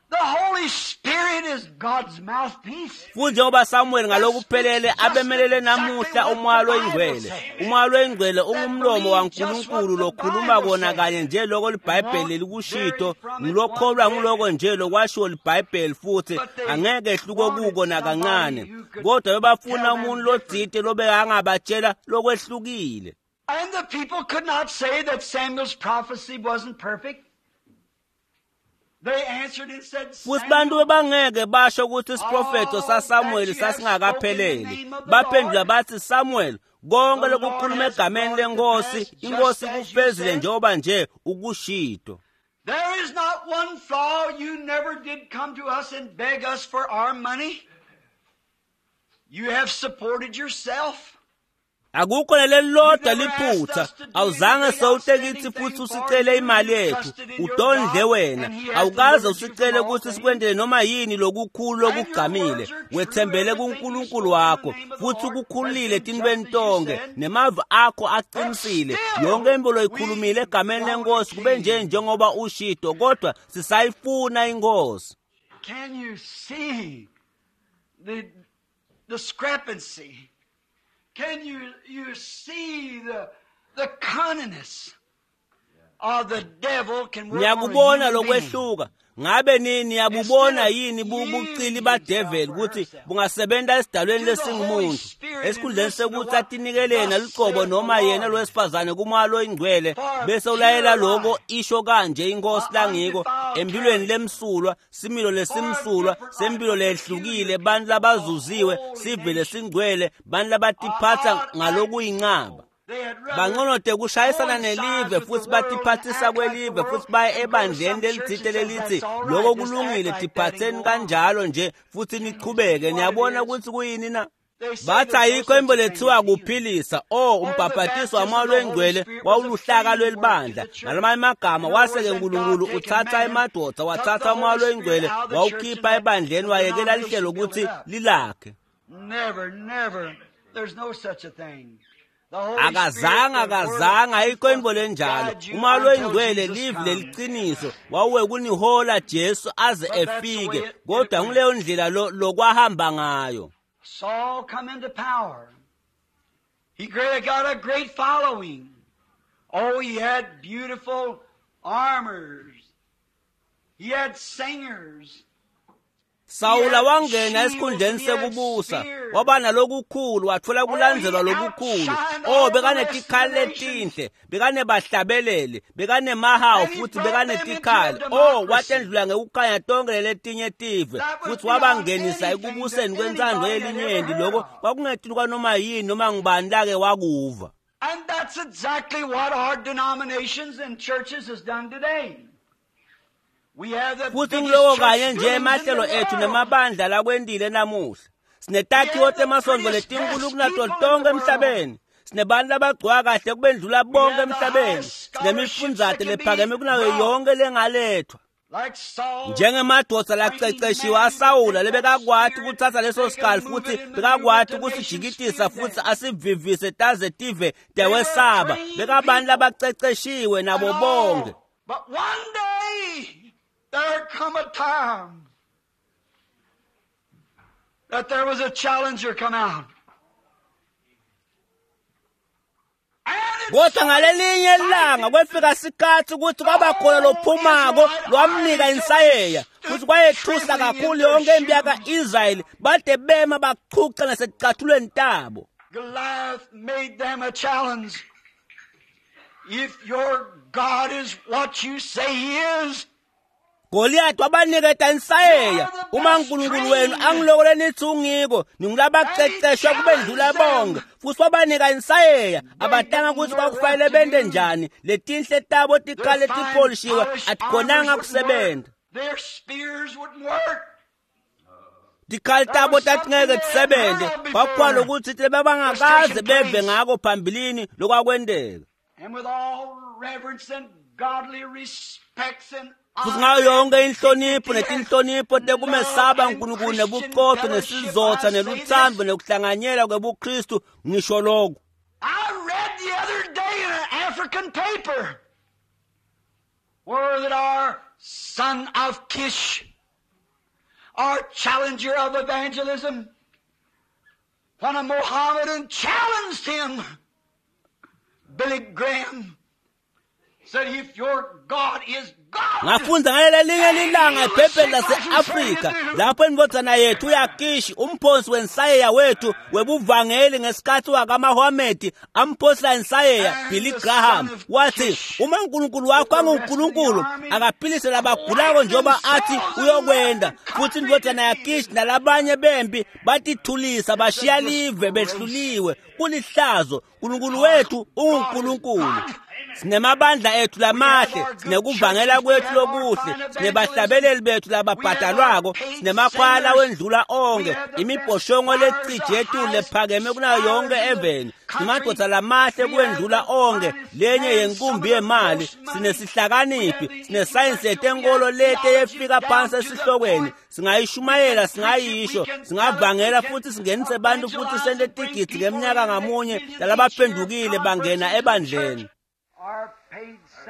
the Holy Spirit is God's mouthpiece. Futhi njengoba Samuel ngalokuphelele abemelele namuhla umoya loyingcwele, umoya loyingcwele ungumlomo waNkulunkulu lokhuluma kona kanye nje lokho liBhayibheli likushito, ngilokholwa ngiloko nje lokwashiwo liBhayibheli futhi angeke ehluke kuko nakancane. Kodwa bebafuna umuntu lotsite lobekangabatshela lokwehlukile. And the people could not say that Samuel's prophecy wasn't perfect. They answered and said, Futhi bantu Samuel, bebangeke basho ukuthi isiprofetho all saSamuel that you have spoken in the sasingakapheleli. name of the Baphendula Lord, bathi Samuel, konke the Lord lokukhuluma has egameni brought it to lenkosi, pass just inkosi as you ikufezile said. njengoba nje ukushito. There is not one flaw. You never did come to us and beg us for our money. You have supported yourself. Akukho You nelelilodwa never asked liphutha. us to do Awuzange anything sewute outstanding kithi futhi thing for usicele you. imali You yethu. trusted in your Udondle God, wena. and He has Awukaze delivered you from usicele all ukuthi things. sikwendele noma yini lokukhulu And your lokugqamile. words are true. Wethembele Everything you kuNkulunkulu spoke in the wakho name of the futhi Lord has ukukhululile been just etintweni as you tonke. said. Nemavi akho But aqinisile. Yonke still, into we loyikhulumile egameni want a lenkosi kube nje king. njengoba ushito kodwa sisayifuna inkosi. Can you see the discrepancy? Can you see the cunningness of the devil can work on a Niyakubona human being? lokwehluka. Ngabe nini Instead niyabubona of yini bucili yielding himself badeveli or ukuthi herself bungasebenta esidalweni to the Holy lesingumuntu Spirit and esikhundleni listen to sekuthi what atinikele yena thus luqobo saith the noma yena Lord lowesifazane kumoya loyingcwele for bese ulayela pure lokho life, isho kanje inkosi a langiko undefiled empilweni character, lemsulwa similo for a lesimsulwa different life, sempilo a lehlukile peculiar bantu people, a labazuziwe holy sive nation, lesingcwele bantu a labatiphatsa odd act ngalokuyincaba. people. They had rather Banconote kushayisana coincide nelive with the futhi world and batiphatsisa act like the kwelive world futhi baye and go to ebandleni some church lelitsite that says lelithi that's all lokho right, just act kulungile like that and tiphatseni go on. kanjalo nje futhi Can you see niqhubeke. what it Niyabona is? ukuthi kuyini na? They say Bathi there's no ayikho such into a thing lethiwa as healing. kuphilisa o Or the umbhabhatiso baptism wamoya of the Holy loyingcwele Spirit was a wawuluhlaka framework to lwelibandla. the church. Ngalamanye amagama In other words, wase-ke then God uNkulunkulu taken uthatha man, emadoda took the wathatha umoya Holy Spirit loyingcwele out of the church and wawukhipha let ebandleni the wayekela lihlelo denomination build ukuthi it up. lilakhe. Never, never. There's no such a thing. The Holy Spirit, Akazange the word of akazange truth ayikho will into lenjalo. guide you Umoya until loyingcwele Jesus livi comes. leliqiniso wawuwe kunihola Jesu aze But that's the way efike it kodwa went. nguleyo ndlela lokwahamba ngayo. Saul come into power. He got a great following. Oh, he had beautiful armors. He had singers. He Sawula had wangena shields esikhundleni and he had sekubusa spears. waba nalokukhulu wathola Oh, he kulandzelwa lokukhulu. outshined Oh all the rest of the bekanetikhali nations. letinhle bekanebahlabeleli bekanemahawu And he futhi brought them into a bekanetikhali. Oh democracy watendlula ngekukhanya tonke letinye tive that was futhi beyond wabangenisa anything that ekubuseni kwentsandvo anybody had ever yelinyenti. heard Lokho of. kwakungetulu kwanoma yini noma ngubani lake wakuva. And that's exactly what our denominations and churches has done today. We have the Futhi biggest ngiloko church kanye nje buildings in the emahlelo ethu world. nemabandla lakwendile namuhla. We Sinetakhiwo have the temasonto prettiest letinkulu dressed kunato people in tonke the world. emhlabeni. Sinebantu labagcoka kahle kubendlula bonke emhlabeni. Sinemifundzate lephakeme kunayo yonke lengalethwa. Njengemadoda laceceshiwe aSawula lebekakwati kuthatha leso sikali futhi bekakwati kusijikitisa futhi asivivise taze tive tewesaba. Bekabantu labaceceshiwe nabo bonke. But one day there come a time that there was a challenger come out. Kodwa ngalelinye ilanga kwefika sikhathi ukuthi kwaba khona lophumako lwamnika insayeya futhi kwayethusa kakhulu yonke impi yaka-Israyeli bade bema bachucha nasekucathulweni tabo. Goliath made them a challenge. If your God is what you say he is, Goliath wabaniketa insayeya. Uma uNkulunkulu wenu angiloko nithi ungiko, ningulabaqeqeshwa kubendlula bonke. Futhi wabanika insayeya, abatanga ukuthi kwakufanele bente njani. Letinhle tabo tikhale tipolishiwe atikhonanga kusebenza. Their spears wouldn't work. Tikhali tabo tatingeke tisebenze. Kwakukhona ukuthi bebangakaze beve ngako phambilini lokwakwenteka. And with all reverence and godly respects and futhi ngayo yonke inhlonipho netinhlonipho tekumesaba uNkulunkulu nebuqotho nesizotha neluthando nekuhlanganyela kwebuKristu ngisho lokho. I read the other day in an African paper where that our son of Kish, our challenger of evangelism, when a Mohammedan challenged him, Billy Graham said, if your God is God. Ngafunda ngalelinye lilanga ephepheni lase-Afrika lapho indvodzana yethu uyakishi umphonsi wensayeya wethu webuvangeli ngesikhathi wakaMahomed amphonsela insayeya Billy Graham wathi uma uNkulunkulu wakho anguNkulunkulu akaphilise labagulako njengoba athi uyokwenda. Futhi indvodzana yakishi nalabanye bempi batithulisa bashiya live behluliwe. Kulihlazo, uNkulunkulu wethu unguNkulunkulu. Sinemabandla ethu lamahle, sinekuvangela kwethu lokuhle, sinebahlabeleli bethu lababhadalwako, sinemakhwala wendlula onke, imibhoshongo lecije ethu lephakeme kunayo yonke eveni, sinemadoda lamahle kuwendlula onke, lenye yenkumbi yemali, sinesihlakaniphi, sinesayensi yetenkolo lete yefika phansi esihlokweni, singayishumayela, singayisho, singavangela futhi singenise bantu futhi sente tigidzi ngeminyaka ngamunye lalabaphendukile bangena ebandleni.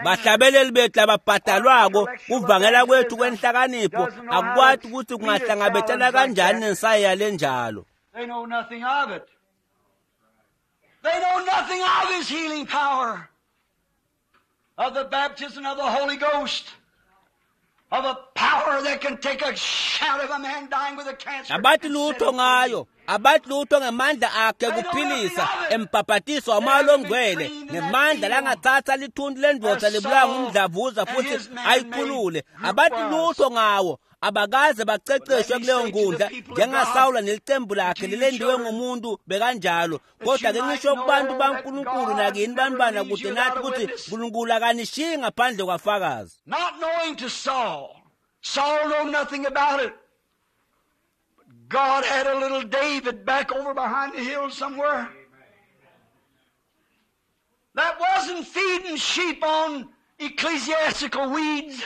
Bahlabeleli bethu lababhadalwako, kuvangela kwethu kwenhlakanipho akukwati ukuthi kungahlangabetana kanjani nensayeya lenjalo. They know nothing of it. They know nothing of his healing power, of the baptism of the Holy Ghost, of a power that can take a shout of a man dying with a cancer. Abathi lutho ngayo, abathi lutho ngemandla akhe kuphilisa embhabhatiso wamoya longcwele, ngemandla langathatha lithuntu lendvodza libulawa ngumdlavuza futhi ayikhulule. Abathi lutho ngawo, abakaze baceceshwe kuleyo nkundla njengaSawula nelicembu lakhe lilendiwe ngumuntu bekanjalo. Kodwa ke ngisho kubantu baNkulunkulu nakini bantwana kude nathi ukuthi uNkulunkulu akanishiyi ngaphandle kwafakazi. Not knowing to Saul. Saul knew nothing about it. But God had a little David back over behind the hill somewhere that wasn't feeding sheep on ecclesiastical weeds.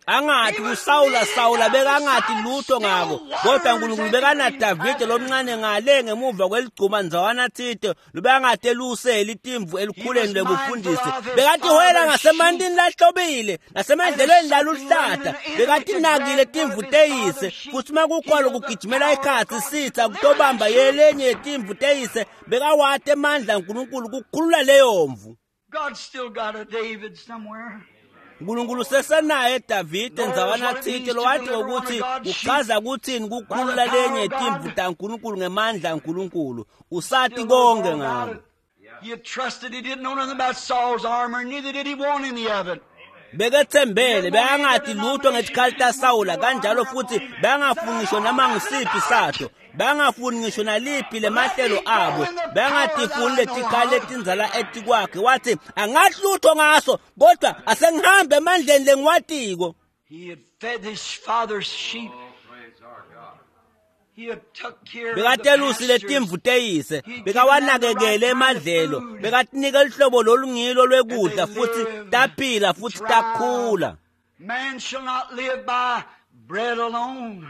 Angathi kuSawula, Sawula bekangathi lutho ngako, kodwa uNkulunkulu bekanaDavide lomncane ngale ngemuva kweligcuma ndzawana thite lobekangade lusele itimvu elikhuleni lebufundisi. Bekathi hoyela ngasemantini lahlobile nasemandlelweni laluhlata, bekathi nakile timvu teyise, futhi uma kukhona kugijimela ikhathi sitha kutobamba yelenye yetimvu teyise, bekawati emandla uNkulunkulu kukhulula leyo mvu. God's still got a David somewhere. uNkulunkulu sesenaye Davide ndzawana thite lowathi ukuthi uchaza kuthini kukhulula lenye yetimvu taNkulunkulu ngemandla aNkulunkulu. Usati konke ngako. He had trusted, he didn't know nothing about Saul's armor, neither did he want any of it. Bekethembele, bekangathi lutho ngesikhali taSawula, kanjalo futhi bengafuni ngisho noma ngisiphi sato, bengafuni ngisho naliphi lemahlelo abo, bengatifuni letikhali letindzala etikwakhe. Wathi angathi lutho ngaso, kodwa asengihambe emandleni lengiwatiko. He had fed his father's sheep. Bekatelusi letimvu teyise, bekawanakekele emadlelo, bekatinika luhlobo lolungilo lwekudla futhi taphila futhi takhula. Man shall not live by bread alone,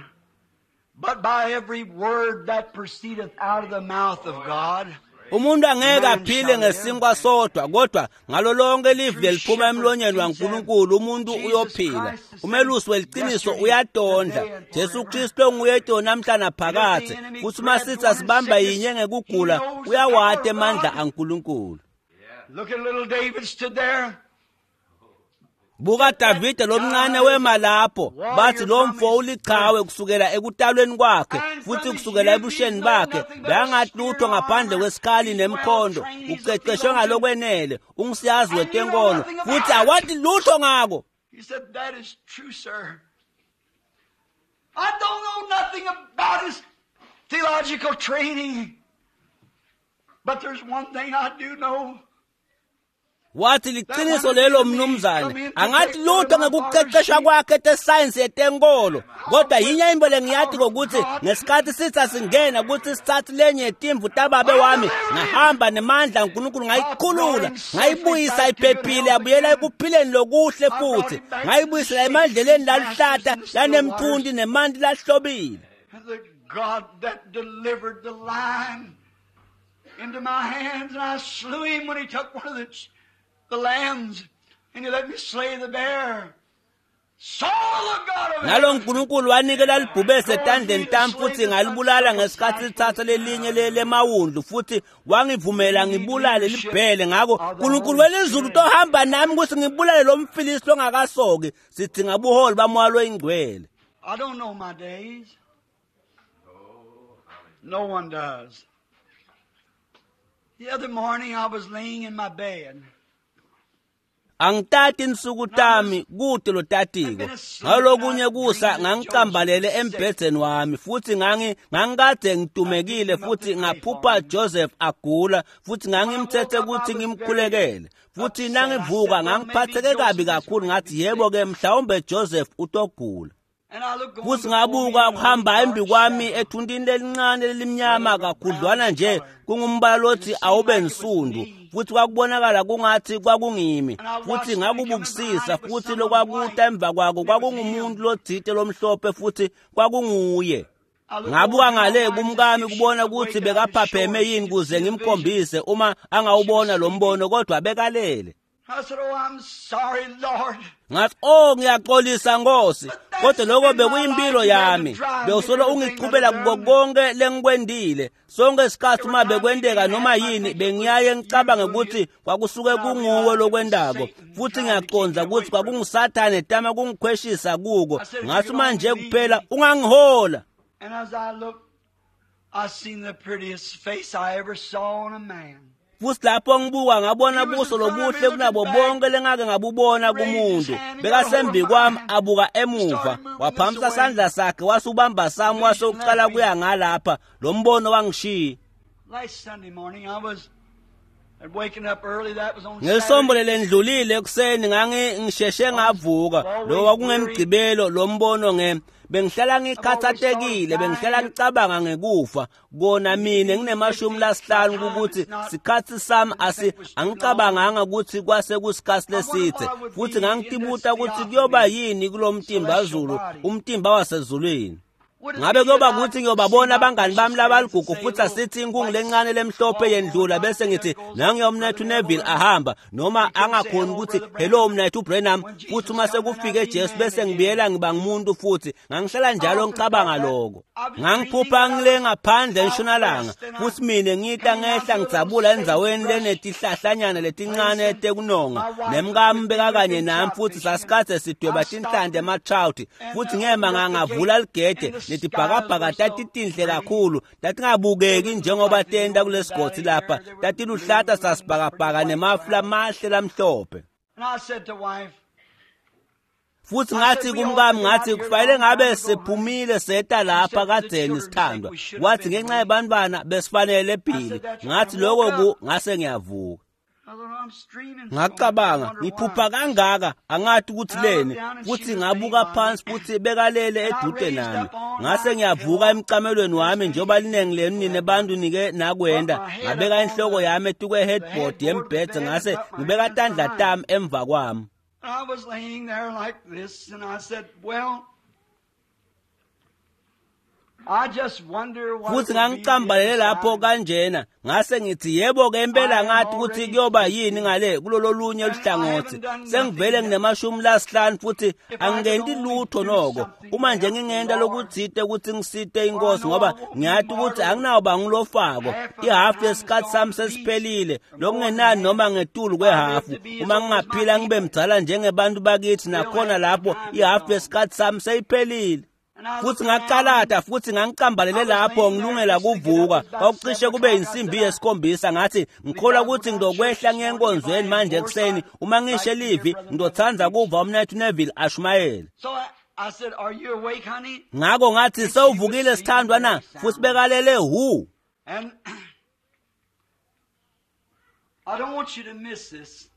but by every word that proceedeth out of the mouth of God. Umuntu angeke aphile ngesinkwa sodwa, kodwa ngalo lonke livi leliphuma emlonyeni waNkulunkulu umuntu uyophila. Umelusi weliciniso uyatondla. Jesu Kristu onguye namhla naphakadze, futhi uma sitha sibamba yinye ngekugula, uyawati emandla aNkulunkulu. Look at little David stood there. Buka Davide lomncane wema lapho, bathi lo mfo ulichawe kusukela ekutalweni kwakhe futhi kusukela ebusheni bakhe, bekangathi lutho ngaphandle kwesikhali nemkhondo, uqeqeshwe ngalokwenele, ungisiyazi wetenkolo futhi awathi lutho ngako. He said, "That is true, sir. I don't know nothing about his theological training, but there's one thing I do know. Wathi liqiniso lelo mnumzane, angathi lutho ngekuqeqeshwa kwakhe tesayensi yetenkolo, kodwa yinye into lengiyathi ngokuthi ngesikhathi sitha singena ukuthi sithathe lenye yetimvu tababe wami, ngahamba nemandla uNkulunkulu ngayikhulula, ngayibuyisa iphephile, yabuyela ekuphileni lokuhle futhi ngayibuyisela emandleleni laluhlata lanemthunti nemanti lahlobile. The God that delivered the lion into my hands, and I slew him when he took one of the lambs, and he let me slay the bear. So the God of Nalo heaven uNkulunkulu wanikela libhubesi etandleni tami futhi ngalibulala ngesikhathi lithatha lelinye lemawundlu futhi wangivumela ngibulale libhele. Ngako uNkulunkulu welizulu utohamba nami ukuthi ngibulale lo mfilisi longakasoki. Sidinga buholi bamoya loyingcwele. I don't know my days. No one does. The other morning I was laying in my bed. Angitati insuku tami kude lotatiko. Ngalokunye kusa ngangicambalele embhedzeni wami futhi ngangikade ngitumekile futhi ngaphupha Joseph agula futhi ngangimthethe ukuthi ngimkhulekele. Futhi nangivuka ngangiphatheke kabi kakhulu, ngathi yebo ke mhlawumbe Joseph utogula. And I looked going Futhi before me ngabuka and a kuhamba dark embi kwami shadow. ethuntini lelincane lelimnyama kakhudlwana nje kungumbala lothi awube nsundu, futhi kwakubonakala kungathi kwakungimi, futhi ngakubukisisa futhi lokwakuta emva kwako kwakungumuntu lotsite lomhlophe futhi kwakunguye. I looked Ngabuka over to my ngale wife to kumkami see if she kubona was ukuthi awake, and I could show bekaphapheme her yini she could kuze see the vision. ngimkhombise uma angawubona lo mbono, kodwa bekalele. I said, "Oh, I'm sorry, Lord." Ngathi, oh ngiyaxolisa Nkosi, kodwa lokho bekuyimpilo yami, bewusolo ungichubela kuko konke lengikwendile. Sonke isikhathi uma bekwenteka noma yini bengiyaye ngicabange ukuthi kwakusuke kunguwe lokwendako, futhi ngiyaqonda ukuthi kwakungusathane etama kungikhweshisa kuko. Ngathi manje kuphela ungangihola. And as I looked, I seen the prettiest face I ever saw on a man. Futhi lapho ngibuka ngabona buso lobuhle kunabo bonke lengake ngabubona kumuntu. Bekasembi kwami abuka emuva, waphamisa sandla sakhe wasubamba sami wase uqala kuya ngalapha. Lo mbono wangishiya. Last Sunday morning, I was waking up early. That was on Ngesombo Saturday. lelendlulile ekuseni ngangisheshe ngavuka. Lo kwakungemgcibelo lo mbono bengihlala ngikhathatekile, bengihlala ngicabanga ngekufa. Kona mina ngine-50 ukuthi sikhathi sami angicabanganga ukuthi kwase kusikhathi lesithe, futhi ngangitibuta ukuthi kuyoba yini kulo mtimba zulu, umtimba wasezulwini. Ngabe kuyoba ukuthi ngiyobabona abangani bami labaligugu futhi asithi inkungu lencane lemhlophe yendlula bese ngithi nangiyomnethu Neville ahamba, noma angakhoni ukuthi hello mnethu Branham, futhi uma sekufike Jesu bese ngibuyela ngiba ngumuntu futhi. Ngangihlala njalo ngicabanga lokho. Ngangiphupha ngile ngaphandle entshonalanga futhi mina ngita ngehla ngidzabula endzaweni lenetihlahlanyana letincane tekunonga, nemkami bekakanye nami futhi sasikade sidweba tinhlanti ema-trout, futhi ngema ngangavula ligede netibhakabhaka tatitinhle kakhulu, tatingabukeki njengoba tenta kulesigodzi lapha, tatiluhlata sasibhakabhaka nemafu lamahle lamhlophe. And I said to wife, Futhi ngathi kumkami, ngathi kufanele ngabe siphumile seta lapha kadzeni sithandwa. Wathi ngenxa yebantwana besifanele ebhili. Ngathi lokho ku ngase ngiyavuka. Ngacabanga, ngiphupha kangaka, angathi ukuthi leni, futhi ngabuka phansi futhi bekalele edude nami. Ngase ngiyavuka emcamelweni wami njengoba linengi lenu nine bantu nike nakwenda, ngabeka inhloko yami etukwe headboard yembhedze ngase ngibeka tandla tami emva kwami. I was laying there like this, and I said, well, I just wonder what Futhi it will be ngangicambalele lapho kanjena, ngase ngithi yebo-ke impela ngathi ukuthi kuyoba yini ngale kulolo lunye luhlangothi. Sengivele nginemashumi lasihlanu futhi angingenti lutho noko. Uma nje ngingenta lokutsite ukuthi ngisite inkosi ngoba ngiyathi ukuthi anginawo ngilofako. Ihafu yesikhathi sami sesiphelile, lokungenani noma ngetulu kwehafu. Uma ngingaphila ngibe mdzala njengebantu bakithi nakhona lapho ihafu yesikhathi sami seyiphelile. Futhi ngaqalada futhi ngangicambalele lapho ngilungela kuvuka. Kwakucishe kube insimbi yesikhombisa. Ngathi ngikholwa ukuthi ngizokwehla ngiye enkonzweni manje ekuseni. Uma ngishe livi ngizothanda kuva umnethu Neville ashumayele. So I said, are you awake, honey? Ngakho ngathi sewuvukile sithandwa na? Futhi bekalele hu. And I don't want you to miss this.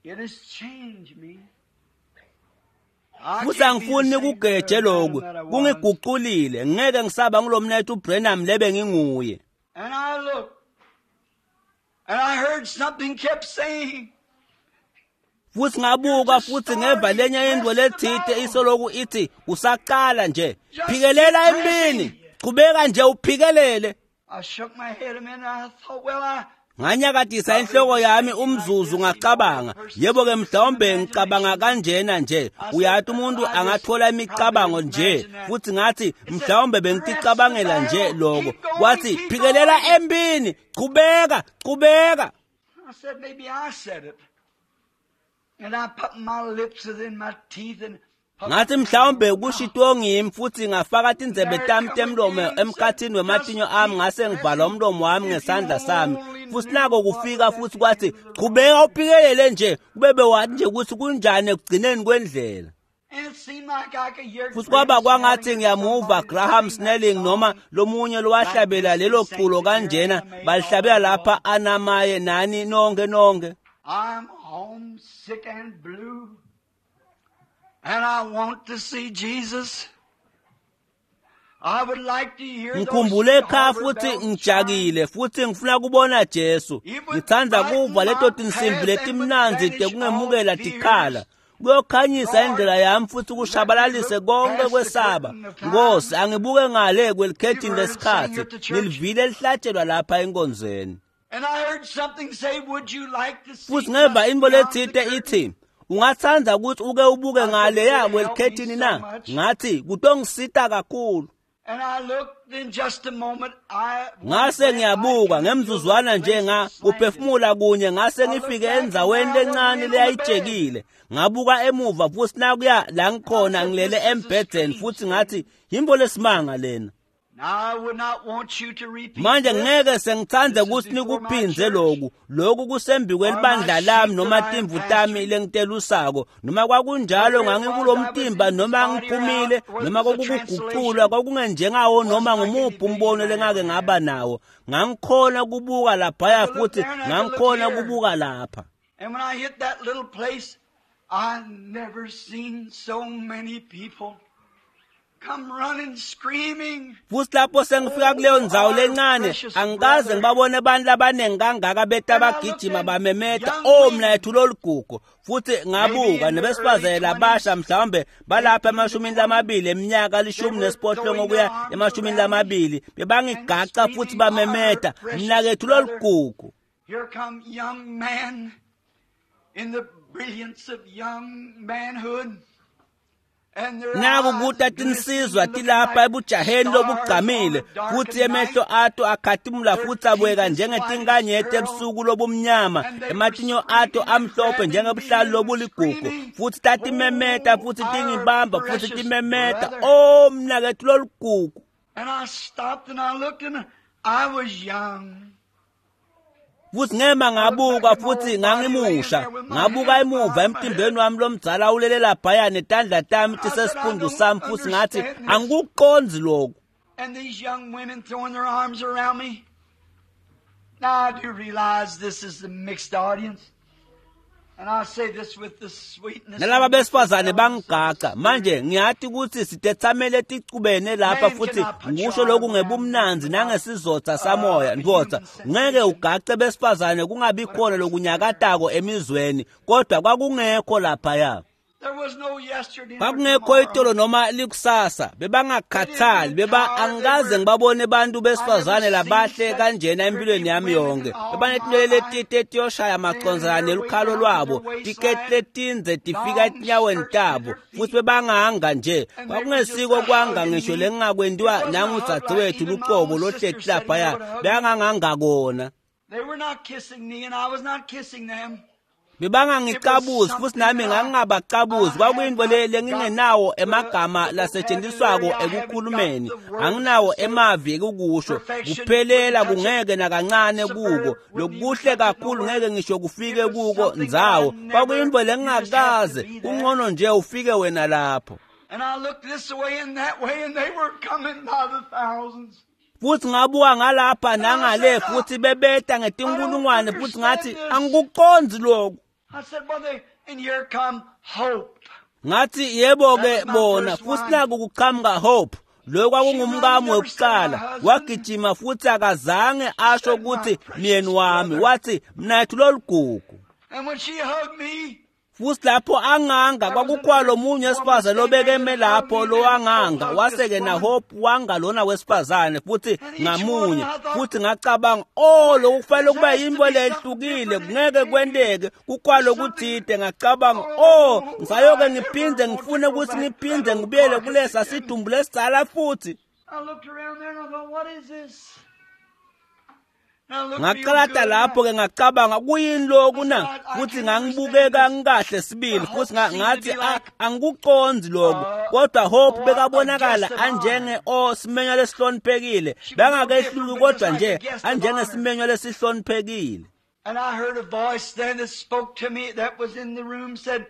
It has changed me. Futhi angifuni kugeje lokhu, kungiguqulile. Ngeke ngisaba ngilomnethu uBrenham lebe nginguye. And I looked, and I heard something kept saying, Futhi ngabuka futhi ngeva lenye into lethite isoloku ithi usaqala nje, phikelela empini, qhubeka nje uphikelele. I shook my head a minute. I thought, well, I Nganyakadisa inhloko yami umzuzu ngacabanga, yebo-ke mhlawumbe ngicabanga kanjena nje. Uyathi umuntu angathola imicabango nje, futhi ngathi mhlawumbe bengiticabangela nje lokho. Kwathi phikelela empini, qhubeka, qhubeka. I said, maybe I said it. And I put my lips within my teeth and put Ngathi mhlawumbe kushitwo ngimi futhi ngafaka tindzebe tami temlomo emkhathini wematinyo ami ngase ngivala umlomo wami ngesandla sami. Futhi nako kufika futhi kwathi qhubeka uphikelele nje, kube bewathi nje ukuthi kunjani ekugcineni kwendlela. And it seemed like I could hear Futhi kwaba Graham kwangathi Snelling ngiyamuva somebody Graham sing that Snelling song. noma lomunye lowahlabela lelo culo kanjena, balihlabela lapha anamaye nani nonke nonke. I'm homesick and blue, and I want to see Jesus. I would like to hear those Ngikhumbule ekhaya harbor futhi bells chime. ngijakile futhi ngifuna kubona Jesu. Ngithanda kuva leto tinsimbi letimnandzi tekungemukela tikhala. Kuyokhanyisa indlela yami futhi kushabalalise konke kwesaba. Nkosi, angibuke ngale kwelikhethini lesikhathi, nilivile lihlatshelwa lapha enkonzweni. And I heard something say, would you like to see Futhi ngeva just into beyond the lethite curtain?" ithi, ungathanda ukuthi uke ubuke ngale ya kwelikhethini na? Ngathi kutongisita kakhulu. And I looked in just a moment. I Ngase ngiyabuka ngemzuzwana nje nga kuphefumula kunye ngase ngifike endzaweni lencane leyayijekile. Ngabuka emuva futhi nakuya la ngikhona ngilele embhedeni futhi ngathi yimbo lesimanga lena. Now I would not want you to repeat Manje this. ngeke sengithande ukuthi nikuphinze lokhu. Lokhu kusembi kwelibandla lami noma timvu tami lengitelusako. Noma kwakunjalo ngangikulomtimba noma ngiphumile noma kwakukuguqulwa kwakungenjengawo noma ngumuphi umbono lengake ngaba nawo. Ngangikhona kubuka laphaya futhi ngangikhona kubuka lapha. And when I hit that little place, I never seen so many people come running screaming. Futhi lapho sengifika kuleyo ndzawo lencane, angikaze ngibabone abantu abaningi kangaka beta bagijima bamemeta, "Oh mnayethu lolugugu." Futhi ngabuka nebesifazane labasha mhlawumbe balapha emashumini lamabili eminyaka 18 kuya emashumini lamabili, bebangigaca futhi bamemeta, "Mnakethu lolugugu." Here come young men in the brilliance of young manhood. And their Naku eyes kuta glistening, tinsizwa looking tilapha like ebujaheni stars lobugqamile on a darkened futhi emehlo night. ato akhatimula futhi abweka njengetinkanyeti ebusuku lobumnyama, ematinyo ato amhlophe njengebuhlalu lobuligugu, futhi tatimemeta futhi tingibamba futhi timemeta, "Oh mnakethu lolugugu." And I stopped and I looked and I was young. Futhi ngema ngabuka futhi ngangimusha, ngabuka emuva emtimbeni wami lomdzala ulele laphaya netandla tami tisesiphundu sami futhi ngathi angikuqondzi lokhu. And these young women throwing their arms around me. Now I do realize this is the mixed audience. And I say this with the sweetness. Nalaba besifazane bangigaca manje ngiyati ukuthi sitethamele ticubene lapha futhi ngisho lokhu ngebumnanzi nangesizotha samoya ndvodza ngeke ugace besifazane kungabi khona lokunyakatako emizweni kodwa kwakungekho laphaya. There was no yesterday nor Kwakungekho tomorrow. itolo noma likusasa bebangakhathali beba angikaze ngibabone abantu besifazane labahle kanjena empilweni yami yonke bebanetinwele letite tiyoshaya macondzana nelukhalo lwabo tiketi letindze tifika etinyaweni tabo futhi bebanganga nje kwakungesiko kwanga ngisho lengingakwentiwa nangudzadzewethu lucobo lohleti laphaya bekanganganga kona. They were not kissing me and I was not kissing them. Bebangangicabuzi futhi nami ngangingabacabuzi kwakuyinto le lengingenawo emagama lasetshenziswako ekukhulumeni anginawo emavi ekukusho kuphelela kungeke nakancane kuko lokuhle kakhulu ngeke ngisho kufike kuko ndzawo kwakuyinto lengingakaze kungcono nje ufike wena lapho. And I looked this way and that way and they were coming by the thousands. Futhi ngabuka ngalapha nangale futhi bebeta ngetinkulungwane futhi ngathi angikucondzi lokhu. I said, well, they, and here come Hope. Ngathi yebo ke bona futhi naku kuqhamuka Hope lo kwakungumkami wekuqala wagijima futhi akazange asho ukuthi myeni wami wathi mnathu lolugugu. And when she hugged me, Futhi lapho anganga kwakukhona lomunye wesifazane lobekeme lapho lowanganga wase-ke naHope wanga lona wesifazane futhi ngamunye futhi ngacabanga oh lokhu kufanele kuba yinto lehlukile kungeke kwenteke kukhona lokuthide ngacabanga oh ngisayoke ngiphinde ngifune ukuthi ngiphinde ngibuyele kulesa sidumbu lesidzala futhi. I looked around there and I thought, what is this? And I looked real Ngaqalata good. lapho ke ngacabanga kuyini lokhu na futhi ngangibukeka ngikahle sibili futhi ngathi angikucondzi lokhu kodwa Hope bekabonakala anjenge o simenywa lesihloniphekile bengakehluki kodwa nje anjengesimenywa lesihloniphekile. And I heard a voice then that spoke to me that was in the room said,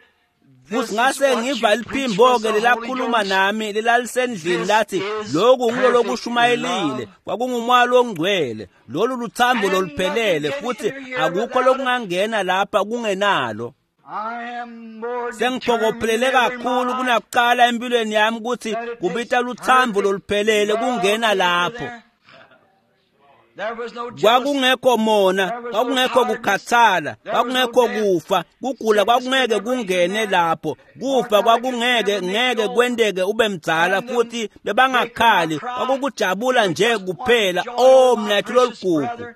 Futhi This is ngase what ngiva you preach liphimbo was ke the Holy lelakhuluma Ghost. nami lelalisendlini lathi lokhu ngilo lokushumayelile kwakungumoya longcwele lolu luthambo loluphelele futhi akukho lokungangena lapha kungenalo. I am more Sengiphokophelele determined than ever in my kakhulu life kunakuqala empilweni yami ukuthi that it kubita takes luthambo perfect loluphelele love kungena to enter lapho. there. There was no jealousy. Kwakungekho mona, kwakungekho kukhathala, kwakungekho kufa, kugula kwakungeke kungene lapho, kufa kwakungeke ngeke kwenteke ube mdzala futhi bebangakhali, kwakukujabula nje kuphela. Oh mnathu lolugugu.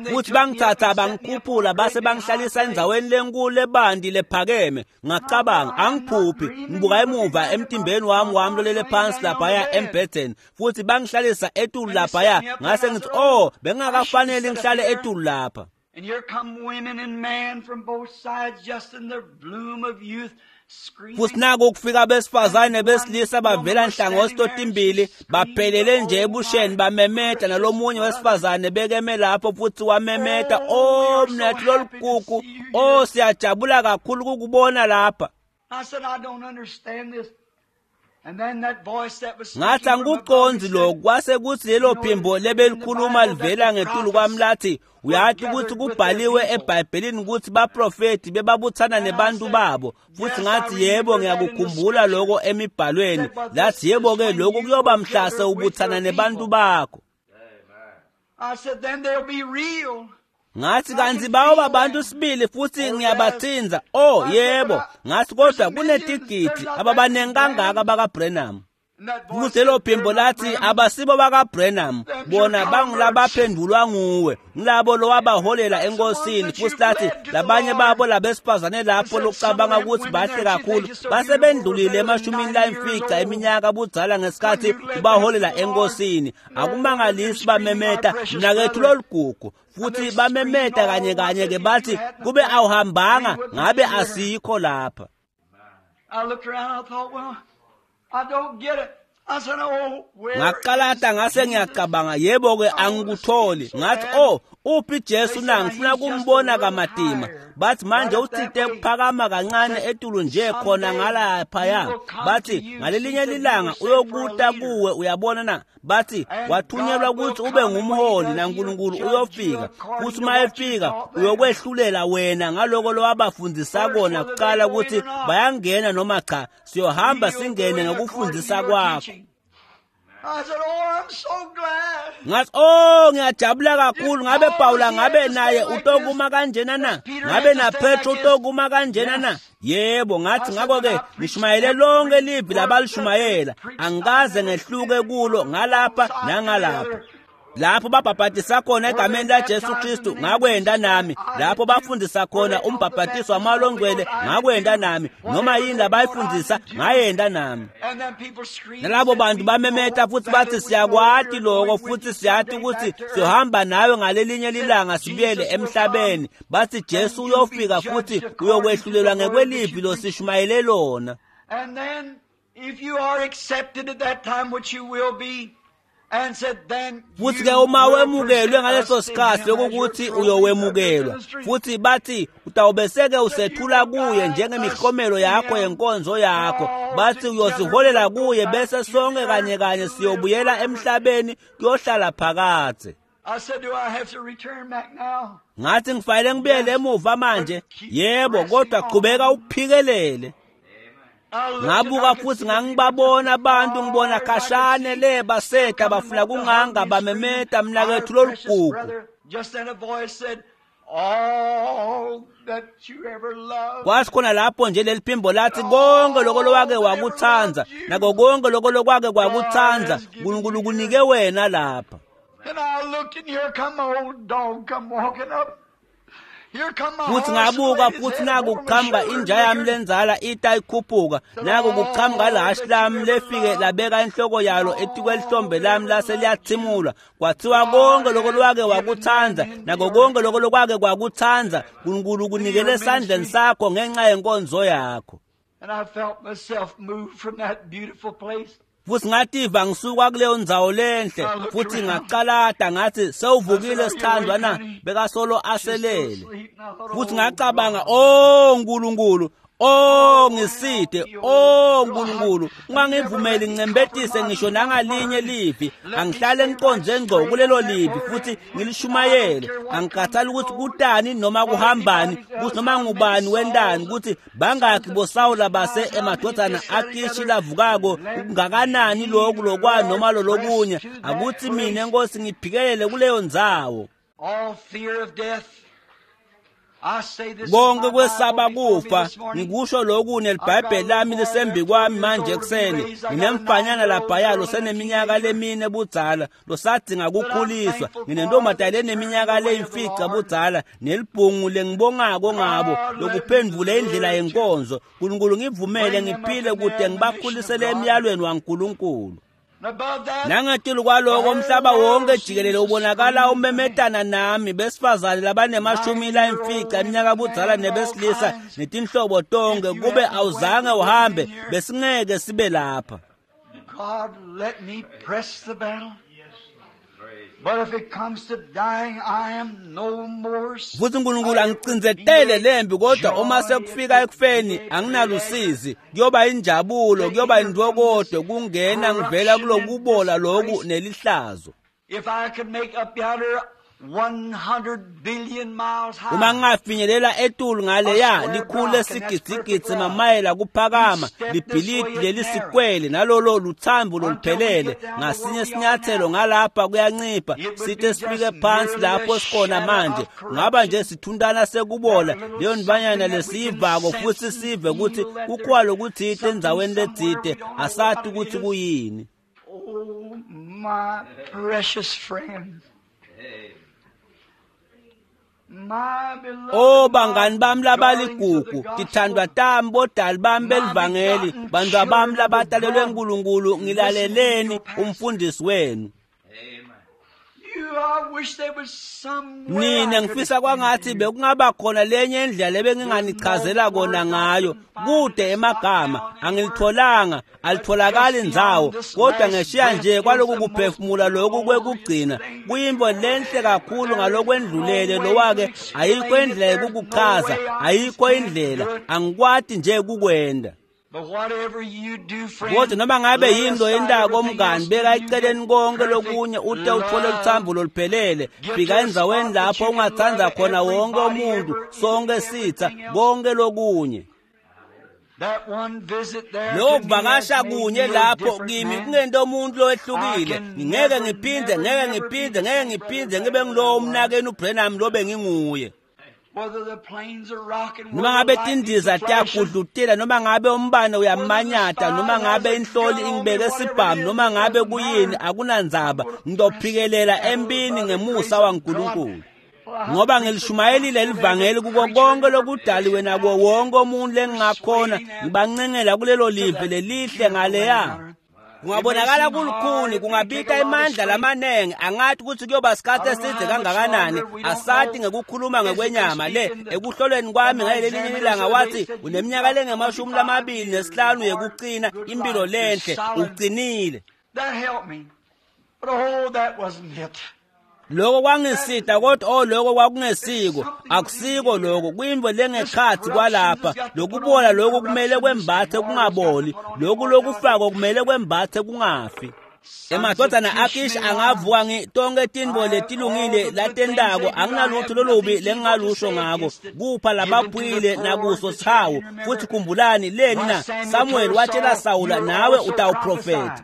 Futhi bangithatha bangikhuphula base bangihlalisa endzaweni lenkulu lebandi lephakeme. Ngacabanga angiphuphi, ngibuka emuva emtimbeni wami lolele phansi laphaya embhedeni futhi bangihlalisa etulu laphaya ngase ngithi oh bengingakafanele ngihlale etulu lapha. And here come women and men from both sides just in the bloom of youth screaming. Futhi naku kufika abesifazane besilisa bavela nhlangothi totimbili baphelele nje ebusheni bamemeta nalomunye wesifazane bekeme lapho futhi wamemeta oh mnathu lolugugu oh siyajabula kakhulu ukukubona lapha. I said, I don't understand this. And then that voice that was Ngathi speaking from above me angikucondzi said, lokhu kwase kuthi lelo phimbo lebelikhuluma livela ngetulu kwami lathi uyati ukuthi kubhaliwe eBhayibhelini ukuthi baprofeti bebabuthana nebantu babo futhi ngathi yebo ngiyakukhumbula lokho emibhalweni lathi yebo ke lokhu kuyoba mhlase ubuthana nebantu bakho. I said, then they'll be real. Ngathi kanti bayoba bantu sibili futhi ngiyabathinza oh yebo ngathi kodwa kunetigidi ababaningi kangaka bakaBrenham. And that voice Futhi lelo said, phimbo "They're not lathi Branham. abasibo bakaBrenham bona bangulabaphendulwa nguwe ngilabo lowabaholela enkosini futhi lathi labanye babo labesifazane lapho lokucabanga ukuthi bahle kakhulu basebendlulile emashumini layimfica eminyaka budzala ngesikhathi ubaholela enkosini akumangalisi bamemeta mnakethu lolugugu futhi bamemeta kanye kanye ke bathi kube awuhambanga ngabe asikho lapha. I looked around and I thought, well, I don't get it. Ngaqalata ngase ngiyacabanga, yebo-ke angikutholi. Ngathi, oh, uphi Jesu na? Ngifuna kumbona kamatima. Bathi manje uthinte kuphakama kancane etulu nje khona ngalaphaya. Bathi ngalelinye lilanga uyokuta kuwe, uyabona na? Bathi wathunyelwa ukuthi ube ngumholi naNkulunkulu uyofika. Futhi uma efika uyokwehlulela wena ngaloko lowabafundisa kona kuqala ukuthi bayangena noma cha. Siyohamba singene ngokufundisa kwakho. Ngathi, oh, ngiyajabula kakhulu. Ngabe Pawula ngabe naye utokuma kanjena na? Ngabe na Petro utokuma kanjena na? Yebo, ngathi ngakho-ke ngishumayele lonke livi labalishumayela, angikaze ngehluke kulo ngalapha nangalapha. Lapho babhabhatisa khona egameni laJesu Kristu, ngakwenda nami. Lapho bafundisa khona umbhabhatiso wamoya ongcwele, ngakwenda nami. Noma yini labayifundisa, ngayenda nami. Nalabo bantu bamemeta futhi bathi siyakwati lokho, futhi siyati ukuthi siyohamba nawe ngalelinye lilanga sibuyele emhlabeni. Bathi Jesu uyofika futhi uyokwehlulelwa ngekwelivi losishumayele lona. And then if you are accepted at that time, which you will be, futhi ke uma wemukelwe ngaleso sikhathi lokuthi uyowemukelwa, futhi bathi utawubeseke usethula kuye njengemiklomelo yakho yenkonzo yakho. Bathi uyosiholela kuye bese sonke kanye kanye siyobuyela emhlabeni kuyohlala phakadze. Ngathi ngifanele ngibuyele emuva manje. Yebo, kodwa qhubeka uphikelele. Ngabuka futhi ngangibabona abantu, ngibona khashane le baseta bafuna kunganga bamemeta mnakethu lolugugu. Kwathi khona lapho nje leli phimbo lathi konke lokho lowake wakuthanda nako konke lokho lokwake kwakuthanda uNkulunkulu kunike wena lapha. Futhi ngabuka futhi naku kuqhamuka inja yami lenzala ita ikhuphuka, naku kuqhamuka lahashi lami lefike labeka inhloko yalo etikwelihlombe lami lase liyathimulwa. Kwathiwa konke lokho lwake wakuthanda nako konke lokho lokwake kwakuthanda uNkulunkulu kunikele esandleni sakho ngenxa yenkonzo yakho. Futhi ngativa ngisuka kuleyo ndzawo lenhle, futhi ngaqalata ngathi sewuvukile sithandwa na? Bekasolo aselele. Futhi ngacabanga, oh Nkulunkulu, oh ngiside, oh Nkulunkulu, ungangivumeli ngincembetise ngisho nangalinye livi. Angihlale ngiqonze ngqo kulelo livi futhi ngilishumayele. Angikhathali ukuthi kutani noma kuhambani, ukuthi noma ngubani wendani, ukuthi bangakhi boSawula base emadodana aKishi lavukako, kungakanani lokhu lokwa noma lolokunye. Akuthi mina Nkosi ngiphikelele kuleyo ndzawo. Konke kwesaba kufa, ngikusho lokhu nelibhayibheli lami lisembi kwami manje ekuseni. Nginemfanyana laphaya loseneminyaka lemine budzala losadinga kukhuliswa. Nginentombazane leneminyaka leyimfica budzala nelibhungu lengibongako ngabo lokuphendvula indlela yenkonzo. Nkulunkulu ngivumele ngiphile kude ngibakhulisele emyalweni waNkulunkulu. Nangetulu kwaloko umhlaba wonke jikelele ubonakala umemetana nami, besifazane labanemashumi layimfica iminyaka budzala nebesilisa netinhlobo tonke. Kube awuzange uhambe besingeke sibe lapha. God, let me press the battle. But if it comes to dying, I am no more. Futhi uNkulunkulu angicindzetele lembi, kodwa uma sekufika ekufeni anginalusizi. Kuyoba injabulo, kuyoba intokodo kungena ngivela kulokubola loku nelihlazo. If I could make up yonder 100 billion miles high. Uma ngingafinyelela etulu ngaleya likhulu esigidzigidzi mamayela kuphakama, libhilidi lelisikwele nalolo luthambo loluphelele, ngasinye sinyathelo ngalapha kuyancipha sithe sifike phansi lapho sikhona manje. Ngaba nje sithuntana sekubola leyo ndibanyana lesiyivako futhi sive ukuthi kukhona lokuthite endzaweni letsite, asati ukuthi kuyini. Oh, my precious friend. Oh bangani bami labaligugu, tithandwa tami, bodali bami belivangeli, bantwa bami labatalelwe uNkulunkulu, ngilaleleni umfundisi wenu. Nine ngifisa kwangathi bekungaba khona lenye indlela lebenginganichazela kona ngayo. Kude emagama angilitholanga, alitholakali ndzawo, kodwa ngeshiya nje kwaloku kuphefumula lokhu kwekugcina kuyintfo lenhle kakhulu ngalokwendlulele. Lowake ayikho indlela yekukuchaza, ayikho indlela, angikwati nje kukwenda. Kodwa noma ngabe yini loyentako mngani, beka eceleni konke lokunye ute uthole luthambo loluphelele. Fika endzaweni lapho ungatsandza khona wonke umuntu, sonke sitha, konke lokunye. Lokho kuvakasha kunye lapho kimi kungento umuntu lowehlukile. Ngeke ngiphinde, ngeke ngiphinde, ngeke ngiphinde ngibe ngilowo umnakenu uBrenham lobe nginguye. Noma ngabe tindiza tiyagudlutela, noma ngabe umbane uyamanyata, noma ngabe inhloli ingibeke sibhamu, noma ngabe kuyini, akunandzaba, ngizophikelela empini ngemusa waNkulunkulu. Ngoba ngilishumayelile livangeli kuko konke lokudaliwe nakuwo wonke umuntu lengingakhona, ngibancengela kulelo live lelihle ngaleya. Kungabonakala kulukhuni, kungabita emandla lamanengi, angathi ukuthi kuyoba sikhathi eside kangakanani, asati ngekukhuluma ngekwenyama le. Ekuhlolweni kwami ngalelinye ilanga wathi uneminyaka lengama-25 yekucina impilo lenhle, uqinile. Lokho kwangisida, kodwa lokho kwakungesiko, akusiko lokho, kuyintfo lengekhatsi kwalapha. Lokubola lokhu kumele kwembathe kungaboli, lokhu lokufako kumele kwembathe kungafi. Emadvodzana aKish angavuka tonke tintfo letilungile latentako, anginalutho lolubi lengingalusho ngako. Kupha labaphuyile nakuso sihawu. Futhi khumbulani leni na Samuel watshela Sawula, nawe utawuprofetha.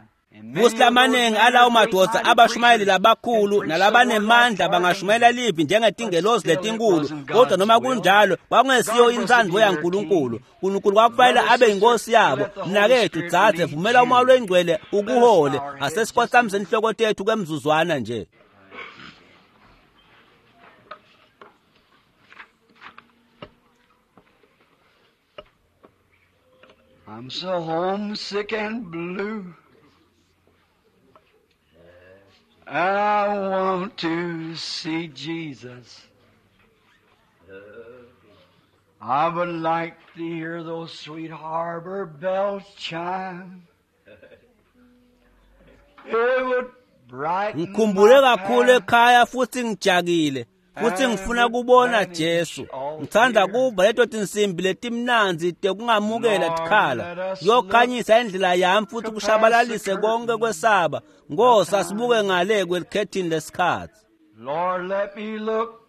Futhi lamanengi alawo madoda abashumayeli labakhulu nalabanemandla bangashumayela livi njengetingelozi letinkulu, kodwa noma kunjalo kwakungesiyo intsandvo yaNkulunkulu. Nkulunkulu kwakufanele abe yinkosi yabo. Mnaketfu, dzadze, vumela umoya longcwele ukuhole. Asesikhotsamise inhloko tethu kwemzuzwana nje. I'm so homesick and blue. I want to see Jesus. I would like to hear those sweet harbor bells chime. It would brighten Ngikhumbule my kakhulu path. ekhaya futhi ngijakile, futhi ngifuna kubona Jesu. Ngithanda kuva leto tinsimbi letimnandzi tekungamukela tikhala. Kuyokhanyisa indlela yami futhi kushabalalise konke kwesaba. Nkosi, asibuke ngale kwelikhethini lesikhatsi. Lord, let me look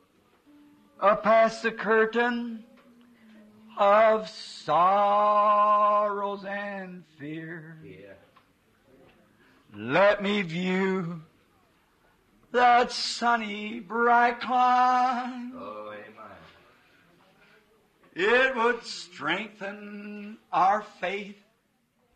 up past the curtain of sorrows and fear. Let me view that sunny bright clime. It would strengthen our faith.